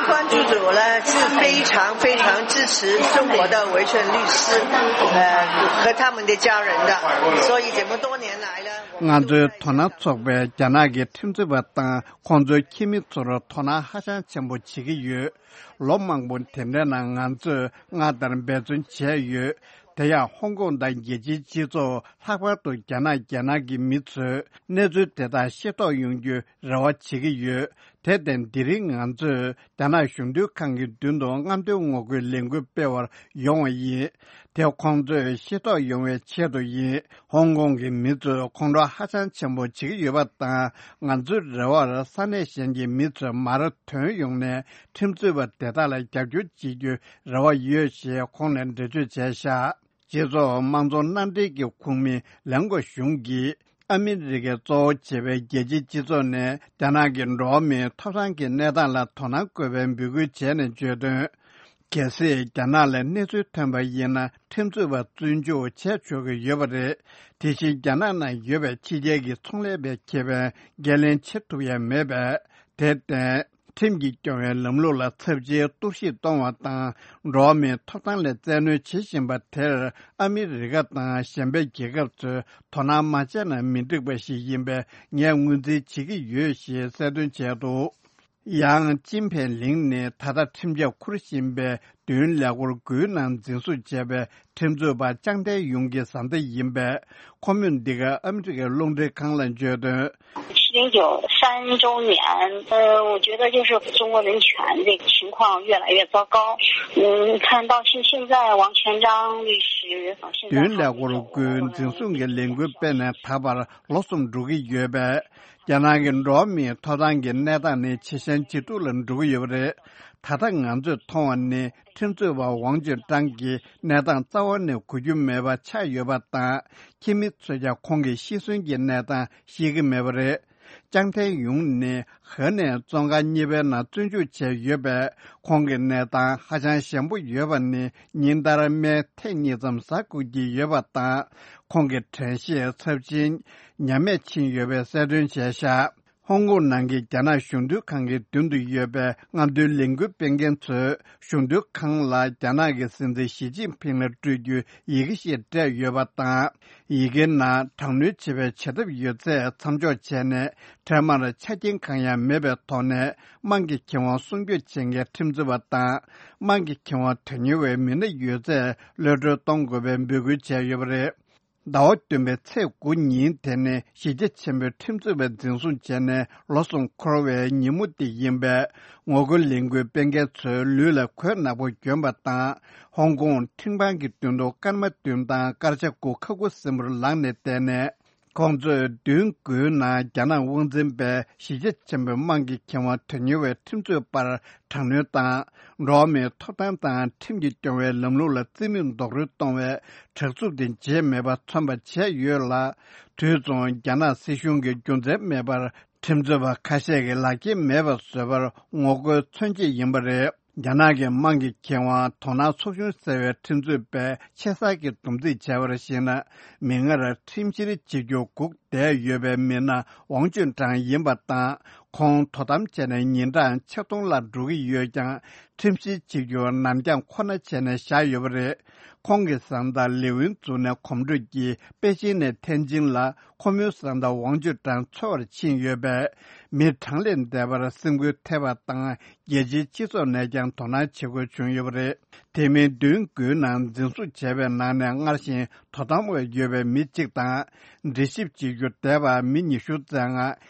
关注者呢是非常非常支持中国的维权律师，呃，和他们的家人的，所以这么多年来呢，我们ང་ཚོའི་དོ་སྣང་ཚོགས་པས་རྒྱ་ནག་གི་ཁྲིམས་རྩོད་པ་དང་ཁོང་ཚོའི་ཁྱིམ་མི་ཚོར་དོ་སྣང་ཧ་ཅང་ཆེན་པོ་བྱེད་ཀྱི་ཡོད། ལོ་མང་པོ་དེ་འདྲའི་ནང་ང་ཚོས་སྔར་ལྟར་འབད་བརྩོན་བྱས་ཡོད། དེ་ཡང་ཧོང་ཀོང་དང་རྒྱལ་སྤྱིའི་སྤྱི་ཚོགས་ལྷག་པར་དུ་རྒྱ་ནག་རྒྱལ་ནང་གི་མི་ཚོས་གནས་ཚུལ་དེ་དག་ཤེས་རྟོགས་ཡོང་རྒྱུའི་རེ་བ་བྱེད་ཀྱི་ཡོད། དེར་བརྟེན་དེ་རིང་ང་ཚོས་རྒྱ་ནག་གཞུང་དོན་ཁང་གི་མདུན་དུ་རྔམ་སྟོན་ངོ་རྒོལ་ལས་འགུལ་སྤེལ་བར་ཡོང་བ་ཡིན། དེ་ཁོང་ཚོས་ཤེས་རྟོགས་ཡོང་བའི་ཆེད་དུ་ཡིན། ཧོང་ཀོང་གི་མི་ཚོས་ཁོང་ཁྲོ་ཧ་ཅང་ཆེན་པོ་བྱེད་ཀྱི་ཡོད་པ་དང་། ང་ཚོའི་རེ་བར་ས་གནས་གཞན་གྱི་མི་ཚོས་མར་ཐོན་ཡོང་ནས་ཁྲིམས་རྩོད་པ་དེ་དག་ལ་རྒྱབ་སྐྱོར་བྱེད་རྒྱུའི་རེ་བ་ཡོད་ཞེས་ཁོང་ནས་འགྲེལ་བརྗོད་བྱས་བཞག་སྤྱི་ཚོགས་དམངས་གཙོ་མནའ་འབྲེལ་གྱི་ཁོངས་མི་ལན་གོ་ཞུང་གིས། ཨ་མི་རི་ཀས་གཙོ་བོ་བྱས་པའི་རྒྱལ་སྤྱིའི་སྤྱི་ཚོགས་ནས་རྒྱ་ནག་གི་འགྲོ་བ་མིའི་ཐོབ་ཐང་གི་གནས་སྟངས་ལ་དོ་སྣང་དགོས་པའི་འབོད་སྐུལ་བྱས་ནས་བརྗོད་དོན། གལ་སྲིད་རྒྱ་ནག་ལ་གནས་ཚུལ་ཐོན་པ་ཡིན་ན་ཁྲིམས་རྩོད་པ་བཙོན་འཇུག་བྱས་ཆོག་གི་ཡོད་པ་རེད། དེ་བཞིན་རྒྱ་ནག་ནང་ཡོད་པའི་ཕྱི་རྒྱལ་གྱི་ཚོང་ལས་པའི་ཁེ་ཕན་འགན་ལེན་བྱེད་ཐུབ་ཡ་མེད་པས། དེར་བརྟེན། ཁྲིམས་ཀྱིས་སྐྱོང་བའི་ལམ་ལུགས་ལ་ཚབས་ཆེའི་གཏོར་བཤིག་གཏོང་བ་དང་། འགྲོ་བ་མིའི་ཐོབ་ཐང་ལ་བཙན་གནོན་བྱེད་བཞིན་པ་དེར་ཨ་མི་རི་ཀ་དང་གཞན་པའི་རྒྱལ་ཁབ་ཚོས་དོ་སྣང་མ་བྱས་ན་མི་འགྲིག་པ་ཞིག་ཡིན་པས་ངས་ངོས་འཛིན་བྱེད་ཀྱི་ཡོད་ཞེས་གསལ་སྟོན་བྱས་འདུག་ཡང་ཅིན་ཕེང་ལིང་ནི་ད་ལྟ་ཁྲིམས་ཆད་འཁུར་བཞིན་པའི་མདུན་ལས་འཁོར་དགུའི་ནང་འཛིན་བཟུང་བྱས་པའི་ཁྲིམས་རྩོད་པ་ཅང་ཐའེ་ཡུང་གི་བཟའ་ཟླ་ཡིན་པས། ཁོ་མོས་འདི་ག་ཨ་མི་རི་ཀའི་རླུང་འཕྲིན་ཁང་ལ་བརྗོད་དོན། 七零九三周年，呃，我觉得就是中国人权这个情况越来越糟糕。嗯，看到现现在王全章律师，现在 མདུན་ལས་འཁོར་དགུའི་འཛིན་བཟུང་གི་ལས་འགུལ་སྤེལ་ནས་ད་བར་ལོ་གསུམ་འགྲོ་གི་ཡོད་པས། རྒྱ་ནག་གི་འགྲོ་བ་མིའི་ཐོབ་ཐང་གི་གནས་སྟངས་ནི་ཇེ་ཞན་ཇེ་སྡུག་ལ་འགྲོ་གི་ཡོད་པ་རེད། ད་ལྟ་ང་ཚོས་མཐོང་བ་ནི་ཁྲིམས་རྩོད་པ་ཝང་ཅུན་ཀྲང་གི་གནས་སྟངས་རྩ་བ་ནས་གོ་རྒྱུ་མེད་པ་ཆགས་ཡོད་པ་དང་། ཁྱིམ་མི་ཚོས་ཀྱང་ཁོང་གི་ཤི་གསོན་གྱི་གནས་སྟངས་ཤེས་ཀྱི་མེད་པ་རེད། ཅང་ཐའེ་ཡུང་ནི་ཧེ་ནན་བཙོན་ཁང་གཉིས་པའི་ནང་བཙོན་འཇུག་བྱས་ཡོད་པས། ཁོང་གི་གནས་སྟངས་ཧ་ཅང་ཞན་པོ་ཡོད་པ་ནི་ཉིན་ལྟར་སྨན་ཐེངས་གཉིས་ཙམ་ཟ་དགོས་ཀྱི་ཡོད་པ་དང་། ཁོང་གི་དྲན་ཤེས་ཚབས་ཆེན་ཉམས་མེད་ཕྱིན་ཡོད་པའི་གསལ་སྟོན་བྱས་བཞག་ཧོང་ཀོང་ནང་གི་རྒྱ་ནག་གཞུང་དོན་ཁང་གི་མདུན་དུ་ཡོད་པའི་རྔམ་སྟོན་ལས་འགུལ་སྤེལ་མཁན་ཚོས་གཞུང་དོན་ཁང་ལ་རྒྱ་ནག་གི་སྲིད་འཛིན་ཞི་ཅིན་ཕིང་ལ་སྤྲོད་རྒྱུའི་ཡི་གེ་ཞིག་སྤྲད་ཡོད་པ་དང་། ཡི་གེའི་ནང་དྲག་གནོན་བྱེད་པའི་བྱ་ཐབས་ཡོད་ཚད་མཚམས་འཇོག་བྱས་ནས། འཕྲལ་མར་ཆ་རྐྱེན་གང་ཡང་མེད་པའི་ཐོག་ནས། དམངས་ཀྱི་ཁེ་དབང་སྲུང་སྐྱོབ་བྱེད་མཁན་ཁྲིམས་རྩོད་པ་དང་། དམངས་ཀྱི་ཁེ་དབང་དོན་གཉེར་བའི་མི་སྣ་ཡོད་ཚད་གློད་གྲོལ་གཏོང་དགོས་པའི་འབོད་སྐུལ་བྱས་ཡོད་པ་རེད། ཟླ་བ་བདུན་པའི་ཚེས་དགུ་ཉིན་དེ་ནི་གཞིས་ཆགས་ཆེན་པོའི་ཁྲིམས་རྩོད་པ་འཛིན་བཟུང་བྱས་ནས་ལོ་གསུམ་འཁོར་བའི་ཉིན་མོ་དེ་ཡིན་པས། ངོ་རྒོལ་ལས་འགུལ་སྤེལ་མཁན་ཚོའི་ལུས་ལ་གོས་ནག་པོ་གྱོན་པ་དང་། ཧོང་ཀོང་ཁྲིམས་ཁང་གི་མདུན་དུ་སྐར་མ་བདུན་དང་སྐར་ཆ་དགུ་ཁ་ཁུ་སིམ་པོར་ལངས་ནས་བསྡད་ནས། ཁོང་ཚོས་མདུན་དགུའི་ནང་རྒྱ་ནག་དབང་འཛིན་པས་གཞིས་ཆགས་ཆེན་པོའི་དམངས་ཀྱི་ཁེ་དབང་དོན་གཉེར་བའི་ཁྲིམས་རྩོད་པར་དྲག་གནོན་དང་། འགྲོ་བ་མིའི་ཐོབ་ཐང་དང་ཁྲིམས་ཀྱིས་སྐྱོང་བའི་ལམ་ལུགས་ལ་རྩིས་མེད་རྡོག་རོལ་གཏོང་བའི་དྲག་རྩུབ་དེ་བརྗེད་མེད་པར་མཚོན་པ་བྱས་ཡོད་ལ། དུས་མཚུངས་རྒྱ་ནག་སྲིད་གཞུང་གིས་རྒྱུ་མཚན་མེད་པར་ ཁྲིམས་རྩོད་པ་ཁ་ཤས་ཀྱིས་ལག་འཁྱེར་མེད་པ་བཟོས་པར་ངོ་རྒོལ་མཚོན་ཆེད་ཡིན་པ་རེད། རྒྱ་ནག་གི་དམངས་ཀྱི་ཁེ་དབང་དོ་སྣང་ཚོགས་ཆུང་ཟེར་བའི་ཁྲིམས་རྩོད་པས་ཆེ་སར་གྱིས་སྡོམ་རྩིས་བྱས་པར་གཞིགས་ན། མིག་སྔར་ཁྲིམས་བཤེར་བྱེད་རྒྱུ་སྒུག་བསྡད་ཡོད་པའི་མི་སྣ་ཝང་ཅུན་ཀྲང་ཡིན་པ་དང་། ཁོང་དོ་དམ་བྱས་ནས་ཉིན་གྲངས་ཆིག་སྟོང་ལྷག་འགྲོ་གི་ཡོད་ཀྱང་། ཁྲིམས་བཤེར་བྱེད་རྒྱུ་ནར་འགྱངས་ཁོ་ན་བྱས་ནས་བཞག་ཡོད་པ་རེད། ཁོང་གི་བཟའ་ཟླ་ལི་ཝུན་ཙུའུ་ནས་གོམ་བགྲོད་ཀྱིས་པེ་ཅིན་ནས་ཐེན་ཅིན་ལ། ཁོ་མོའི་བཟའ་ཟླ་ཝང་ཅུན་ཀྲང་འཚོལ་བར་ཕྱིན་ཡོད་པས། མི་གྲངས་ལས་འདས་པར་སེམས་འགུལ་ཐེབས་པ་དང་། རྒྱལ་སྤྱིའི་སྤྱི་ཚོགས་ནས་ཀྱང་དོ་སྣང་བྱེད་དགོས་བྱུང་ཡོད་པ་རེད། དེ་མིན་བདུན་དགུའི་ནང་འཛིན་བཟུང་བྱས་པའི་ནང་ནས་སྔར་བཞིན་དོ་དམ་འོག་ཡོད་པའི་མི་གཅིག་དང་། འདྲི་ཞིབ་བྱེད་རྒྱུ་འདས་པ་མི་ཉི་ཤུ་རྩ་ལྔ།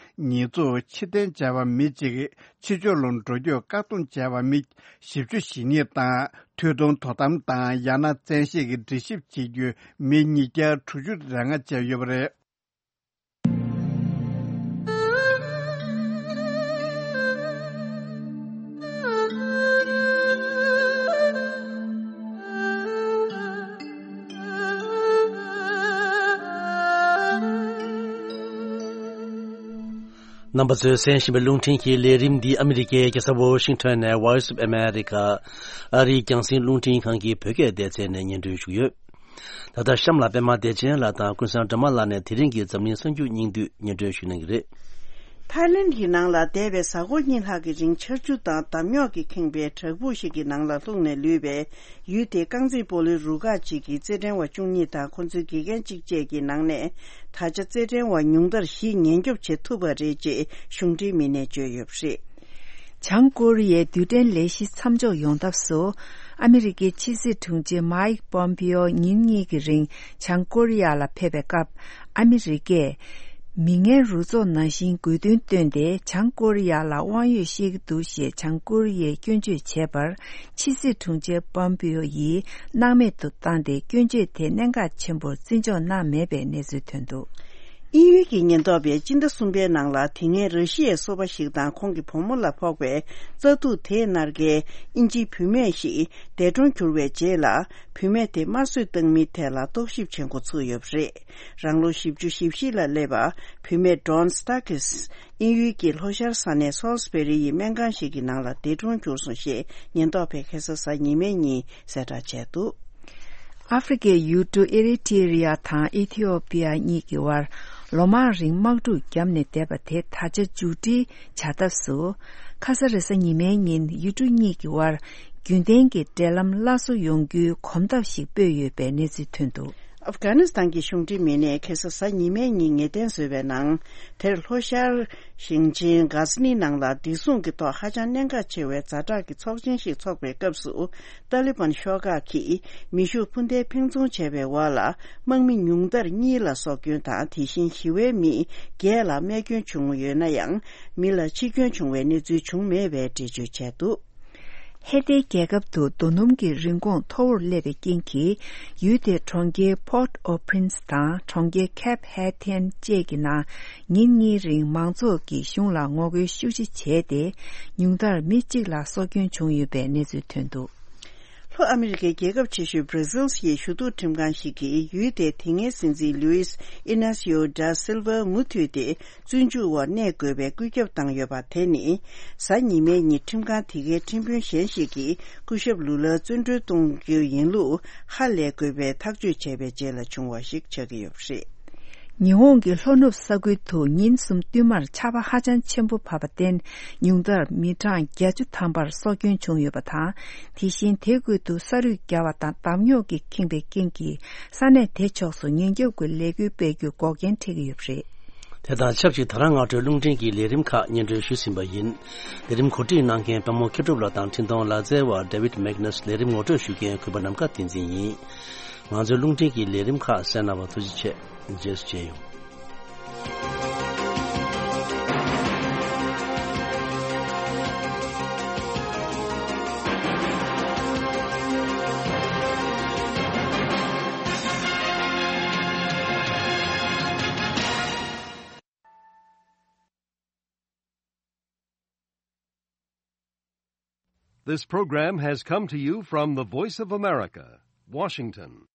ཉེས་འཛུགས་ཕྱིར་འཐེན་བྱས་པ་མི་གཅིག། ཕྱི་ཕྱོགས་ལ་འགྲོ་སྐྱོད་བཀག་སྡོམ་བྱས་པ་མི་བཞི་བཅུ་ཞེ་གཉིས་དང་། མཐུན་གཏོང་དོ་དམ་དང་ཡང་ན་བཙན་ཤེད་ཀྱིས་འདྲི་ཞིབ་བྱེད་རྒྱུ་མི་ཉིས་བརྒྱ་དྲུག་ཅུ་རེ་ལྔ་བཅས་ཡོད་པ་རེད། རྣམ་པ་ཚོས་གསན་བཞིན་པའི་རླུང་འཕྲིན་གྱི་ལས་རིམ་འདི་ཨ་མི་རི་ཀའི་རྒྱལ་ས་ཝོ་ཤིང་ཊོན་ནས་Voice of America ཨ་རིའི་རྒྱང་སྲིང་རླུང་འཕྲིན་ཁང་གི་བོད་སྐད་སྡེ་ཚན་ནས་སྙན་སྒྲོན་ཞུ་གི་ཡོད། ད་ལྟ་གཤམ་ལ་པད་མ་བདེ་ཆེན་ལགས་དང་ཀུན་བཟང་སྒྲོལ་མ་ལགས་ནས་དེ་རིང་གི་འཛམ་གླིང་གསར་འགྱུར་སྙིང་བསྡུས་སྙན་སྒྲོན་ཞུ་གནང་གི་རེད། ཐའི་ལེན་གྱི་ནང་ལ་འདས་པའི་གཟའ་འཁོར་གཉིས་ལྷག་གི་རིང་ཆར་ཆུ་དང་འདམ་རྙོག་གིས་ཁེངས་པའི་བྲག་ཕུག་ཞིག་གི་ནང་ལ་ལྷུང་ནས་ལུས་པའི་ཡུལ་དེའི་རྐང་རྩེད་སྤོ་ལོའི་རུ་ཁག་ཅིག་གི་རྩེད་འགྲན་བ་བཅུ་གཉིས་དང་ཁོ་ཚོའི་དགེ་རྒན་གཅིག་བཅས་ཀྱི་ནང་ནས། ད་ཆ་རྩེད་འགྲན་བ་ཉུང་མཐར་བཞི་ཉེན་སྐྱོབ་བྱེད་ཐུབ་པ་རེད་ཅེས་གཞུང་འབྲེལ་མི་སྣས་བརྗོད་ཡོད་པ་རེད། བྱང་ཀོ་རི་ཡའི་རྡུལ་ཕྲན་ལས་གཞི་མཚམས་འཇོག་ཡོང་ཐབས་སུ། ཨ་མི་རི་ཀའི་ཕྱི་སྲིད་དྲུང་ཆེ་མཱིག་པོམ་པིའོ་ཉིན་གཉིས་ཀྱི་རིང་བྱང་ཀོ་རི་ཡ་ལ་ཕེབས་པའི་སྐབས། ཨ་མི་རི་ཀས་མི་ངན་རུ་ཚོགས་ནང་བཞིན་དགོས་འདུན་བཏོན་ཏེ། བྱང་ཀོ་རི་ཡ་ལ་དབང་ཡོད་བཤད་ཀྱི་འདུག་ཞེས་བྱང་ཀོ་རི་ཡས་སྐྱོན་བརྗོད་བྱས་པར། ཕྱི་སྲིད་དྲུང་ཆེ་པོམ་པིའོ་ཡིས་སྣང་མེད་དུ་བཏང་སྟེ། སྐྱོན་བརྗོད་དེ་གནད་འགག་ཆེན་པོར་བརྩི་འཇོག་གནང་མེད་པའི་གནས་ཚུལ་ཐོན་འདུག། དབྱིན་ཡུལ་གྱི་ཉེན་རྟོག་པས་སྤྱི་ཟླ་གསུམ་པའི་ནང་ལ། དེ་སྔའི་ར་ཤི་ཡའི་སོ་པ་ཞིག་དང་ཁོང་གི་བུ་མོ་ལ་ཕོག་པའི་བཙག་འཐུ་དེའི་མནར་གཅོད། དབྱིན་ཇིའི་བུད་མེད་ཞིག་འདས་གྲོངས་གྱུར་བའི་རྗེས་ལ། བུད་མེད་དེ་དམར་གསོད་བཏང་མིན་ཐད་ལ་རྟོག་ཞིབ་བྱེད་འགོ་ཚུགས་ཡོད་པ་རེད། རང་ལོ་བཞི་བཅུ་ཞེ་བཞི་ལ་སླེབས་པ། བུད་མེད་ཌོན་སྟ་ཀིས། དབྱིན་ཡུལ་གྱི་ལྷོ་ཤར་ས་གནས་སོལ་སི་བེ་རི་ཡི་སྨན་ཁང་ཞིག་གི་ནང་ལ་འདས་གྲོངས་གྱུར་སོང་ཞེས་ཉེན་རྟོག་པས་ཁ་སང་གཟའ་ཉི་མའི་ཉིན་གསལ་བསྒྲགས་བྱས་འདུག། ཨ་ཧྥེ་རི་ཁའི་ཡུལ་གྲུ་ཨེ་རི་ཊི་རི་ཡ་དང་ཨི་ཐི་ཡོ་པི་ཡ་གཉིས་ཀྱི་དབར་ལོ་མང་རིང་དམག་འཁྲུག་བརྒྱབ་ནས་བསྡད་པ་དེ་ད་ཆ་མཇུག་སྒྲིལ་བྱ་ཐབས་སུ། ཁ་ས་རེས་གཟའ་ཉི་མའི་ཉིན་ཡུལ་གྲུ་གཉིས་ཀྱི་དབར་རྒྱུན་ལྡན་གྱི་འབྲེལ་ལམ་སླར་གསོ་ཡོང་རྒྱུའི་གོམ་སྟབས་ཤིག་སྤོས་ཡོད་པའི་གནས་ཚུལ་ཐོན་འདུག། ཨབ་གྷ་ནི་སི་ཐན་གྱི་གཞུང་འབྲེལ་མི་སྣས་ཁ་སང་གཟའ་ཉི་མའི་ཉིན་ངེས་གཏན་བཟོས་པའི་ནང་། དེར་ལྷོ་ཤར་ཞིང་ཆེན་གྷ་ཟི་ནི་ནང་ལ་བདེ་སྲུང་གི་ཐོག་ཧ་ཅང་གནད་འགག་ཆེ་བའི་ཛ་དྲག་གི་ཚོགས་ཆེན་ཞིག་འཚོགས་པའི་སྐབས་སུ། ཏཱ་ལི་བན་ཤོག་ཁག་གིས་མེ་ཤུགས་འཕུར་མདེལ་འཕེན་རྫོང་བྱས་པའི་འོག་ལ། དམག་མི་ཉུང་མཐར་གཉིས་ལ་སྲོག་སྐྱོན་དང་། དེ་བཞིན་ཞི་བའི་མི་བརྒྱད་ལ་རྨས་སྐྱོན་བྱུང་ཡོད་ན་ཡང་། མི་ལ་འཆི་སྐྱོན་བྱུང་བའི་གནས་ཚུལ་བྱུང་མེད་པའི་འགྲེལ་བརྗོད་བྱས་འདུག། ཧེ་ཏེ་རྒྱལ་ཁབ་ཏུ་རྡོ་སྣུམ་གྱི་རིན་གོང་མཐོ་བོར་སླེབས་པའི་རྐྱེན་གྱིས། ཡུལ་དེའི་གྲོང་ཁྱེར་Port-au-Prince དང་གྲོང་ཁྱེར་Cap Haïtien བཅས་ཀྱི་ནང་ཉིན་གཉིས་རིང་མང་ཚོགས་ཀྱིས་གཞུང་ལ་ངོ་རྒོལ་ཤུགས་ཆེ་བྱས་ཏེ། ཉུང་མཐར་མི་གཅིག་ལ་སྲོག་སྐྱོན་བྱུང་ཡོད་པའི་གནས་ཚུལ་ཐོན་འདུག། ལྷོ་ཨ་མི་རི་ཀའི་རྒྱལ་ཁབ་ཆེ་ཤོས་Brazil ཡི་ཞུ་གཏུག་ཁྲིམས་ཁང་ཞིག་གིས། ཡུལ་དེའི་དེ་སྔའི་སྲིད་འཛིན་Luiz Inácio da Silva མུ་མཐུད་དེ། བཙོན་འཇུག་འོག་གནས་དགོས་པའི་བཀོད་ཁྱབ་བཏང་ཡོད་པ་དེ་ནི། གཟའ་ཉི་མའི་ཉིན་ཁྲིམས་ཁང་དེ་གའི་ཁྲིམས་དཔོན་གཞན་ཞིག་གིས་སྐུ་ཞབས་ལུ་ལར་བཙོན་གྲོལ་གཏོང་རྒྱུ་ཡིན་ལུགས་ཧ་ལས་དགོས་པའི་ཐག་གཅོད་བྱས་པའི་རྗེས་ལ་བྱུང་བ་ཞིག་ཆགས་ཀྱི་ཡོད་པ་རེད། ཉི་ཧོང་གི་ལྷོ་ནུབ་ས་ཁུལ་དུ་ཉིན་གསུམ་བསྟུད་མར་ཆར་པ་ཧ་ཅང་ཆེན་པོ་བབས་པར་བརྟེན། ཉུང་མཐར་མི་གྲངས་བརྒྱད་ཅུ་ཐམ་པར་སྲོག་སྐྱོན་བྱུང་ཡོད་པ་དང་། དེ་བཞིན་དེ་ཁུལ་དུ་ས་རུད་བརྒྱབ་པ་དང་འདམ་རྙོག་གིས་ཁེངས་པའི་རྐྱེན་གྱིས། ས་གནས་དེ་ཕྱོགས་སུ་ཉེན་སྐྱོབ་ཀྱི་ལས་འགུལ་སྤེལ་རྒྱུའི་འགོག་རྐྱེན་འཕྲད་ཀྱི་ཡོད་པ་རེད། དེ་དང་ཆབས་ཅིག་ད་རང་སྔ་དྲོའི་རླུང་འཕྲིན་གྱི་ལས་རིམ་ཁག་སྙན་སྒྲོན་ཞུས་ཟིན་པ་ཡིན། ལས་རིམ་གོ་སྒྲིག་གནང་མཁན་པདྨོ་མཁས་གྲུབ་ལགས་དང་འཕྲིན་གཏོང་ལག་རྩལ་བ་David Magnus། ལས་རིམ་ངོ་སྤྲོད་ཞུ་མཁན་གུས་པ་ནམ་མཁའ་བསྟན་འཛིན་ཡིན། ང་ཚོའི་རླུང་འཕྲིན་གྱི་ལས་རིམ་ཁག་གསན་གནང་བར་ཐུགས་རྗེ་ཆེ། རྗེས་སུ་མཇལ་ཡོང་། This program has come to you from the Voice of America, Washington.